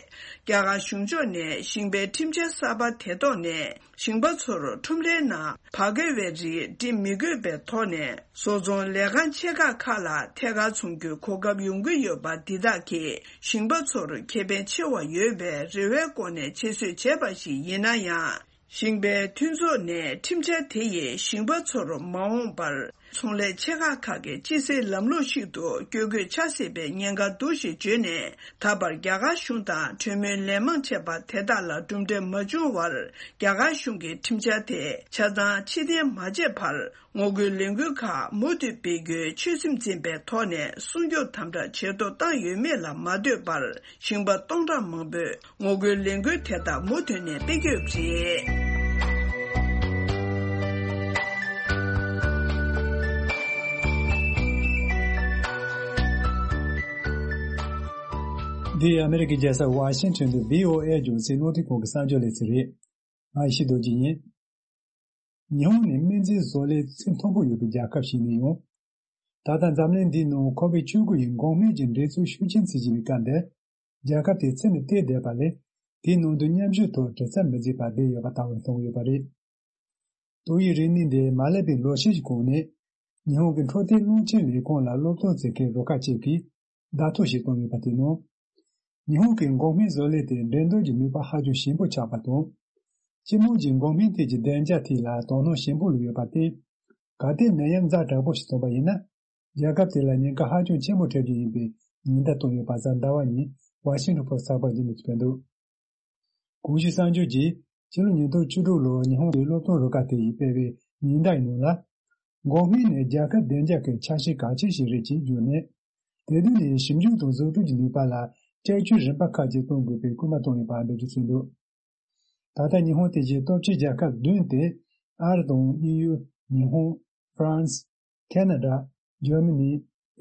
རྒྱ་གར་གཞུང་ཕྱོགས་ནས་ཞིང་པའི་ཁྲིམས་འཆར་གསར་པ་དེ་ཐོག་ནས། ཞིང་པ་ཚོར་ཁྲོམ་རའི་ནང་བ་ག་བའི་རིགས་སྒྲིག་མི་དགོས་པའི་ཐོག་ནས། བཟོ་ཚོང་ལས་ཁང་ཆེ་ཁག་ཁག་ལ་ཐད་ཀར་ཚོང་རྒྱུའི་གོ་སྐབས་ཡོང་གི་ཡོད་པ་འདི་དག་གིས་ཞིང་པ་ཚོར་ཁེ་ཕན་ཆེ་བ་ཡོད་པའི་རེ་བའི་སྒོ་ནས་ཆེད་བཟོས་བྱས་པ་ཞིག་ཡིན་ན་ཡང་། ཞིང་པའི་མཐུན་ཚོགས་ནས་ཁྲིམས་འཆར་དེ་ཡིས་ཞིང་པ་ཚོར་མ་འོངས་པར་ཚོང་ལས་ཆེ་ཁག་ཁག་གི་སྤྱི་སེལ་ལམ་ལུགས་ཤིག་ཏུ་བསྐྱོད་དགོས་ཆགས་སྲིད་པའི་ཉེན་ཁ་འདུག་ཞེས་བརྗོད་ནས། ད་བར་རྒྱ་གར་གཞུང་དང་གྲོས་མོལ་ལན་མང་བྱས་པ་དེ་དག་ལ་གྲུབ་འབྲས་མ་བྱུང་བར། རྒྱ་གར་གཞུང་གིས་ཁྲིམས་འཆར་དེ་ཆ་ཚང་ཕྱིར་འཐེན་མ་བྱས་བར། ངོ་རྒོལ་ལས་འགུལ་ཁག་མུ་མཐུད་སྤེལ་རྒྱུའི་ཆོད་སེམས་འཛིན་པའི་ཐོག་ནས། སྲུང་སྐྱོབ་དམ་དྲག་ཇེ་མཐོར་བཏང་ཡོད་མེད་ལ་མ་ལྟོས་པར། ཞིང་པ་སྟོང་ཕྲག་མང་པོས་ངོ་རྒོལ་ལས་འགུལ་དེ་དག་མུ་མཐུད་ནས་སྤེལ་གྱི་ཡོད་པ་རེད། འདི་ཨ་མེ་རི་ཀའི་རྒྱལ་ས་ཝ་ཤིང་ཊོན་དུ་བྷི་ཨོ་ཨེ་རྒྱང་སྲིང་རླུང་འཕྲིན་ཁང་གི་གསར་འགྱུར་ལེ་ཚན་རེད། ང་ཡེ་ཤེས་རྡོ་རྗེ་ཡིན། ཉི་ཧོང་ནི་སྨན་རྫས་བཟོ་ལས་ཚད་མཐོན་པོ་ཡོད་པའི་རྒྱལ་ཁབ་ཞིག་ནས་ཡོང་། ད་ལྟ་འཛམ་གླིང་འདིའི་ནང་ཁོ་བིཌ་བཅུ་དགུ་ཡི་འགོག་སྨན་གྱི་འགྲན་རྩོད་ཤུགས་ཆེན་བྱེད་བཞིན་པའི་སྐབས་འདིར། རྒྱལ་ཁབ་དེའི་ཚད་ནི་བལྟས་བསྡད་པ་ལས། དེའི་ནང་དུ་མཉམ་ཞུགས་ཐོག་དྲི་རྩད་མི་མཛད་པར་བསྡད་ཡོད་པ་ལྟ་བུར་མཐོང་གི་ཡོད་པ་རེད། ཏོག་དབྱིབས་རིམས་ནད་འདི་མ་སླེབས་པའི་ལོ་ཤས་ཤིག་གོང་ནས། ཉི་ཧོང་གི་འཕྲོད་བསྟེན་རླུང་འཕྲིན་ལས་ཁུངས་ལ་སློབ་སྟོན་མཛད་མཁན་རུ་ཁག་ཅིག་གིས་བརྡ་ཐོ་ཞིག་བཏོན་ཡོད་པ་དེའི་ནང་། ཉི་ཧོང་གི་འགོག་སྨན་བཟོ་ལས་དེ་འགྲན་བསྡུར་གྱི་ནུས་པ་ཧ་ཅང་ཞན་པོ་ཆགས་པ་དང་། སྤྱི་དམངས་ཀྱི་འགོག་སྨན་ཐད་ཀྱི་བདེ་འཇགས་ཐད་ལ་དོ་སྣང་ཞན་པོ་ལུས་ཡོད་པར་བརྟེན། གལ་ཏེ་ནད་ཡམས་ཛ་དྲག་པོ་ཞིག་ཐོན་པ་ཡིན་ན། རྒྱལ་ཁབ་དེ་ལ་ཉེན་ཁ་ཧ་ཅང་ཆེན་པོ་འཕྲད་རྒྱུ་ཡིན་པའི་ཉེན་བརྡ་བཏོན་ཡོད་པ་གཟའ་ཟླ་བ་ཉིན་ཝ་ཤིང་ཊོན་པོ་སི་ཊི་ཚགས་པར་གྱི་ནས་སྤེལ་འདུག། གོང་ཞུས་གསར་འགྱུར་གྱིས་ཕྱི་ལོ་ཉིས་སྟོང་བཅུ་དྲུག་ལོར་ཉི་ཧོང་གི་སློབ་སྟོན་རུ་ཁག་དེ་ཡིས་སྤེལ་བའི་ཉེན་བརྡ་ཡི་ནང་ལ། འགོག་སྨན་ནི་རྒྱལ་ཁབ་བདེ་འཇགས་ཀྱི་ཆ་ཤས་གལ་ཆེ་ཞིག་རེད་ཅེས་བརྗོད་ནས། དེ་དོན་ནི་ཞིབ་འཇུག་དང་བཟོ་སྐྲུན་གྱི་ནུས་པ་ལ་བསྐྱར་བཅོས་རིམ་པ་ཁག་ཅིག་གཏོང་དགོས་པའི་སྐུལ་མ་བཏང་ཡོད་པ་འགྲེལ་བརྗོད་བྱས་འདུག། ད་ལྟ་ཉི་ཧོང་དེ་བཞིན་སྟོབས་ཆེའི་རྒྱལ་ཁབ་བདུན་ཏེ། ཨ་རི་དང་དབྱིན་ཡུལ། ཉི་ཧོང་། ཧྥ་རན་སི། ཁེ་ན་ཌ། འཇར་མ་ནི།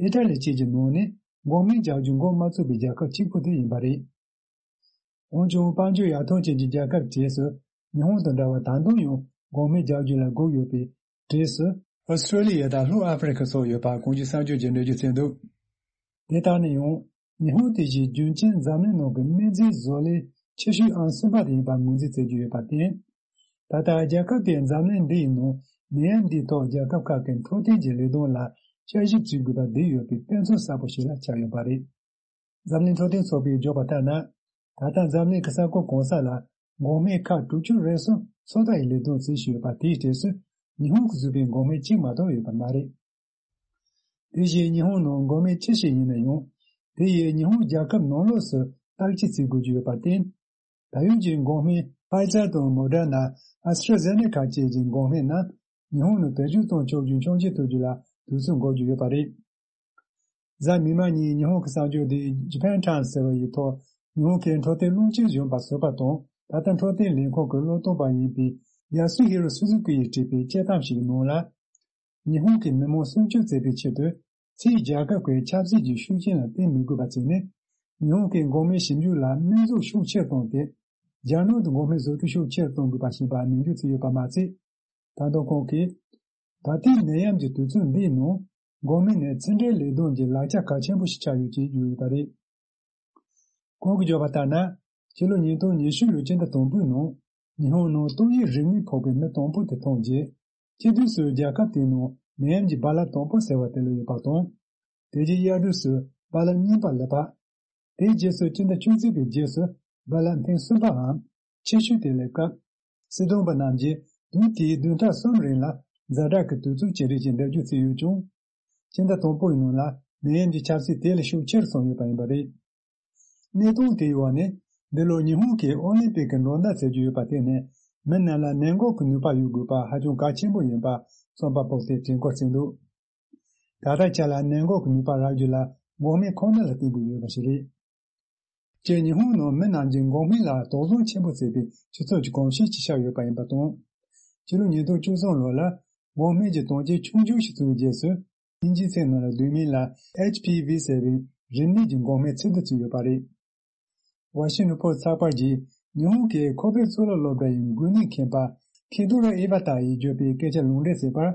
ཨི་ཊ་ལི་བཅས་ཀྱི་ནང་ནས་འགོག་སྨན་རྒྱག་རྒྱུ་འགོ་མ་བཙུགས་པའི་རྒྱལ་ཁབ་གཅིག་པུ་དེ་ཡིན་པ་རེད། འོན་ཀྱང་དཔལ་འབྱོར་ཡར་ཐོན་ཅན་གྱི་རྒྱལ་ཁབ་གྲས་སུ་ཉི་ཧོང་དང་འདྲ་བར་ད་དུང་ཡང་འགོག་སྨན་རྒྱག་རྒྱུ་ལ་སྒུག་ཡོད་པའི་གྲས་སུ། ཨོ་སི་ཀྲོ་ལི་ཡ་དང་ལྷོ་ཨ་ཧྥེ་རི་ཁ་སོགས་ཡོད་པ་གོང་ཞུས་གསར་འགྱུར་གྱིས་འགྲེལ་བརྗོད་བྱས་འདུག། དེ་ལྟར་ན་ཡང་། ཉི་ཧོང་དེ་བཞིན་རྒྱུན་གཅན་འཛམ་གླིང་ནང་གི་སྨན་རྫས་བཟོ་ལས་ཆེ་ཤོས་ཨང་གསུམ་པ་དེ་ཡིན་པར་ངོས་འཛིན་མཛད་ཀྱི་ཡོད་པར་བརྟེན། ད་ལྟ་རྒྱལ་ཁབ་དེས་འཛམ་གླིང་འདི་ཡི་ནང་ནད་ཡམས་འདིའི་ཐོག་རྒྱལ་ཁབ་ཁག་གི་འཕྲོད་བསྟེན་གྱི་ལས་དོན་ལ་དཔྱད་ཞིབ་བྱེད་དགོས་པ་བསྡད་ཡོད་པའི་དཔེ་མཚོན་གསར་པ་ཞིག་ལ་ཆགས་ཡོད་པ་རེད། འཛམ་གླིང་འཕྲོད་བསྟེན་ཚོགས་པས་བརྗོད་པ་ལྟར་ན། ད་ལྟ་འཛམ་གླིང་གི་ས་ཁུལ་གང་ས་ལ་འགོག་སྨན་ཁག་དྲུག་ཅུ་རེ་གསུམ་ཚོད་ལྟ་ཡི་ལས་དོན་བྱེད་བཞིན་ཡོད་པ་དེའི་གྲས་སུ་ཉི་ཧོང་གིས་བཟོས་པའི་འགོག་སྨན་གཅིག་མ་གཏོགས་ཡོད་པ་མ་རེད། དེ་བཞིན་ཉི་ཧོང་ནང་འགོག་སྨན་ཅི་ཞིག་ཡིན་ན་ཡང་། དེ་ཡིས་ཉི་ཧོང་རྒྱལ་ཁབ་ནང་ལོགས་སུ་བརྟག་དཔྱད་བྱེད་དགོས་ཀྱི་ཡོད་པར་བརྟེན། ད་ཡོད་ཀྱི་འགོག་སྨན་ཕའི་ཛར་དང་མོ་ཌར་ན། ཨ་སི་ཊྲ་ཛེ་ནེ་ཀ་བཅས་ཀྱི་འགོག་སྨན་རྣམས་ཉི་ཧོང་ནང་བེད་སྤྱོད་གཏོང་ཆོག་རྒྱུའི་ཆོག་མཆན་ཐོབ་རྒྱུ་ལ་དུས་ཚོད་འགོར་རྒྱུ་ཡོད་པ་རེད། གཟའ་མིག་དམར་ཉིན་ཉི་ཧོང་གི་གསར་འགྱུར་དེ་Japan Times ཟེར་བ་ཡི་ཐོག་ཉི་ཧོང་གི་འཕྲོད་བསྟེན་བློན་ཆེན་གཞོན་པ་ཟུར་པ་དང་ད་ལྟ་འཕྲོད་བསྟེན་ལས་ཁུངས་ཀྱི་བློ་སྟོན་པ་ཡིན་པའི་ཡ་སུ་ཧི་རོ་སུ་ཛུ་ཀི་ཡིས་བྲིས་པའི་དཔྱད་གཏམ་ཞིག་གི་ནང་ལ། ཉི་ཧོང་གི་མི་མང་སྲུང་སྐྱོབ་བྱེད་པའི་ཆེད་དུ་ཕྱིའི་རྒྱལ་ཁབ་ཀྱི་ཆབ་སྲིད་ཀྱི་ཤུགས་རྐྱེན་ལ་བརྟེན་མི་དགོས་པ་བྱས་ནས། ཉི་ཧོང་གི་འགོག་སྨན་ཞིབ་འཇུག་ལ་དམིགས་འཛུགས་ཤུགས་ཆེར་བཏང་སྟེ། རྒྱ་ནག་ཏུ་འགོག་སྨན་བཟོ་སྐྲུན་ཤུགས་ཆེར་གཏོང་དགོས་པ་ཞེས་པ་ནན་བརྗོད་བྱས་ཡོད་པ་མ་ཚད། ད་དུང་ཁོང་གིས། ད་ལྟའི་ནད་ཡམས་ཀྱི་དུས་ཚོད་འདིའི་ནང་འགོག་སྨན་ནི་ཕྱི་འབྲེལ་ལས་དོན་གྱི་ལག་ཆ་གལ་ཆེན་པོ་ཞིག་ཆགས་ཡོད་ཅེས་བརྗོད་ཡོད་པ་རེད། ཁོང་གིས་བརྗོད་པ་ལྟར་ན། ཕྱི་ལོ་ཉིས་སྟོང་ཉི་ཤུ་ལོའི་སྤྱི་ཟླ་དང་པོའི་ནང་ཉི་ཧོང་ནང་ཏོག་དབྱིབས་རིམས་ནད་ཕོག་པའི་མི་དང་པོ་དེ་མཐོང་རྗེས། སྤྱི་དུས་སུ་རྒྱལ་ཁབ་དེའི་ནང་ནད་ཡམས་ཀྱི་རྦ་རླབས་དང་པོ་ཟེར་བ་དེ་སླེབས་ཡོད་པ་དང་། དེ་རྗེས་དབྱར་དུས་སུ་རྦ་རླབས་གཉིས་པ་སླེབས་པ། དེའི་རྗེས་སུ་སྤྱི་ཟླ་བཅུ་གཅིག་པའི་རྗེས་སུ་རྦ་རླབས་ཐེངས་གསུམ་པའམ་ཆེ་ཤོས་དེ་སླེབས་སྐབས། སྲིད་དོན་པ་རྣམས་ཀྱིས་དུས་དེའི་བདུན་ཕྲག་གསུམ་རིང་ལ་ཛ་དྲག་གི་དུས་ཚོད་ཅིག་རེད་ཅེས་འགྲེལ་བརྗོད་བྱས་ཡོད་ཀྱང་། སྤྱི་ཟླ་དང་པོའི་ནང་ལ་ནད་ཡམས་ཀྱི་ཁྱབ་ཚད་དེ་ལས་ཤུགས་ཆེར་སོང་ཡོད་པ་ཡིན་པ་རེད། གནས་སྟངས་དེའི་འོག་ནས་འདི་ལོ་ཉི་ཧོང་གིས་ཨོ་ལིམ་པིག་གི་འགྲོ་ཟླ་བྱེད་རྒྱུ་ཡོད་པ་དེ་ནི་མི་རྣམས་ལ་ནད་འགོག་གི་ནུས་པ་ཡོད་དགོས་པ་ཧ་ཅང་གལ་ཆེན་པོ་ཡིན་པ་རྩོམ་པ་པོ་དེས་དྲན་སྐུལ་བྱས་འདུག། ད་ལྟའི་ཆ་ལ་ནད་འགོག་གི་ནུས་པ་རག་རྒྱུ་ལ་འགོག་སྨན་ཁོ་ན་ལ་བརྟེན་དགོས་ཡོད་པ་ཞིག་རེད། སྤྱིར་ཉི་ཧོང་ནང་མི་རྣམས་ཀྱིས་འགོག་སྨན་ལ་དོགས་ཟོན་ཆེན་པོ་བྱེད་པའི་སྤྱི་ཚོགས་ཀྱི་གོམས་གཤིས་ཤིག་ཆགས་ཡོད་པ་ཡིན་པ་དང་། ཕྱི་ལོ་ཉིས་སྟོང་བཅུ་གསུམ་ལོ་ལ་འགོག་སྨན་གྱི་དོན་རྐྱེན་ཆུང་ཆུང་ཞིག་བྱུང་བའི་རྗེས་སུ། དབྱིན་ཇིའི་ཚིག་ནང་ལ་བསྡུས་མིང་ལ་ཨེཆ་ཕི་ཝི་ཟེར་བའི་རིམས་ནད་ཀྱི་འགོག་སྨན་ཚིག་ཏུ་བརྩིས་ཡོད་པ་རེད། ཝ་ཤིང་ཊོན་ཕོ་སི་ཚགས་པར་གྱིས་ཉི་ཧོང་གི་ཁོ་པེ་གཙུག་ལག་སློབ་གྲྭ་ཡི་འགོས་ནད་མཁྱེན་པ་ཁི་དོ་རོ་ཨེ་བྷ་ཏ་ཡིས་བརྗོད་པའི་སྐད་ཆ་ལུང་འདྲེན་བྱས་པར།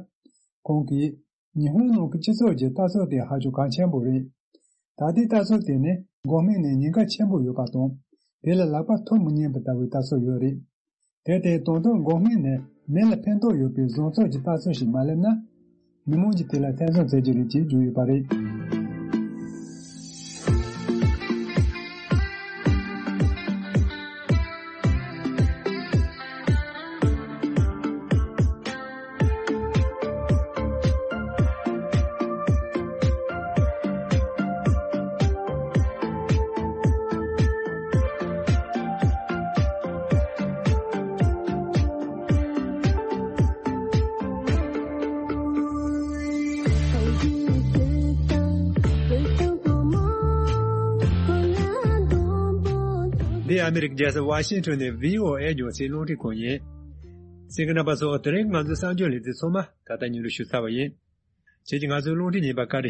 ཁོང་གིས་ཉི་ཧོང་ནང་གི་སྤྱི་ཚོགས་ཀྱི་ལྟ་ཚུལ་དེ་ཧ་ཅང་གལ་ཆེན་པོ་རེད། ད་ལྟའི་ལྟ་ཚུལ་དེ་ནི་འགོག་སྨན་ནི་ཉེན་ཁ་ཆེན་པོ་ཡོད་པ་དང་། དེ་ལ་ལག་པ་འཐུང་མི་ཉན་པ་ལྟ་བུའི་ལྟ་ཚུལ་ཡོད་རེད། དེར་བརྟེན་ད་དུང་འགོག་སྨན་ནི་མི་ལ་ཕན་ཐོགས་ཡོད་པའི་བཟང་ཕྱོགས་ཀྱི་ལྟ་ཚུལ་ཞིག་མ་སླེབས་ན། མི་མང་གིས་དེ་ལ་ཐེ་ཚོམ་བྱེད་ཀྱི་རེད་ཅེས་བརྗོད་ཡོད་པ་རེད། འདི་ཨ་མི་རི་ཀའི་རྒྱལ་ས་ཝ་ཤིང་ཊོན་ནས་བྷི་ཨོ་ཨེ་རྒྱང་སྲིང་རླུང་འཕྲིན་ཁང་ཡིན། གསན་མཁན་རྣམ་པ་ཚོ། དེ་རིང་ང་ཚོའི་གསར་འགྱུར་ལེ་ཚན་ཚང་མ་ད་ལྟ་སྙན་སྒྲོན་ཞུས་ཚར་བ་ཡིན། ཁྱེད་ཀྱིས་ང་ཚོའི་རླུང་འཕྲིན་རྙིང་པ་ཀ་ཊི་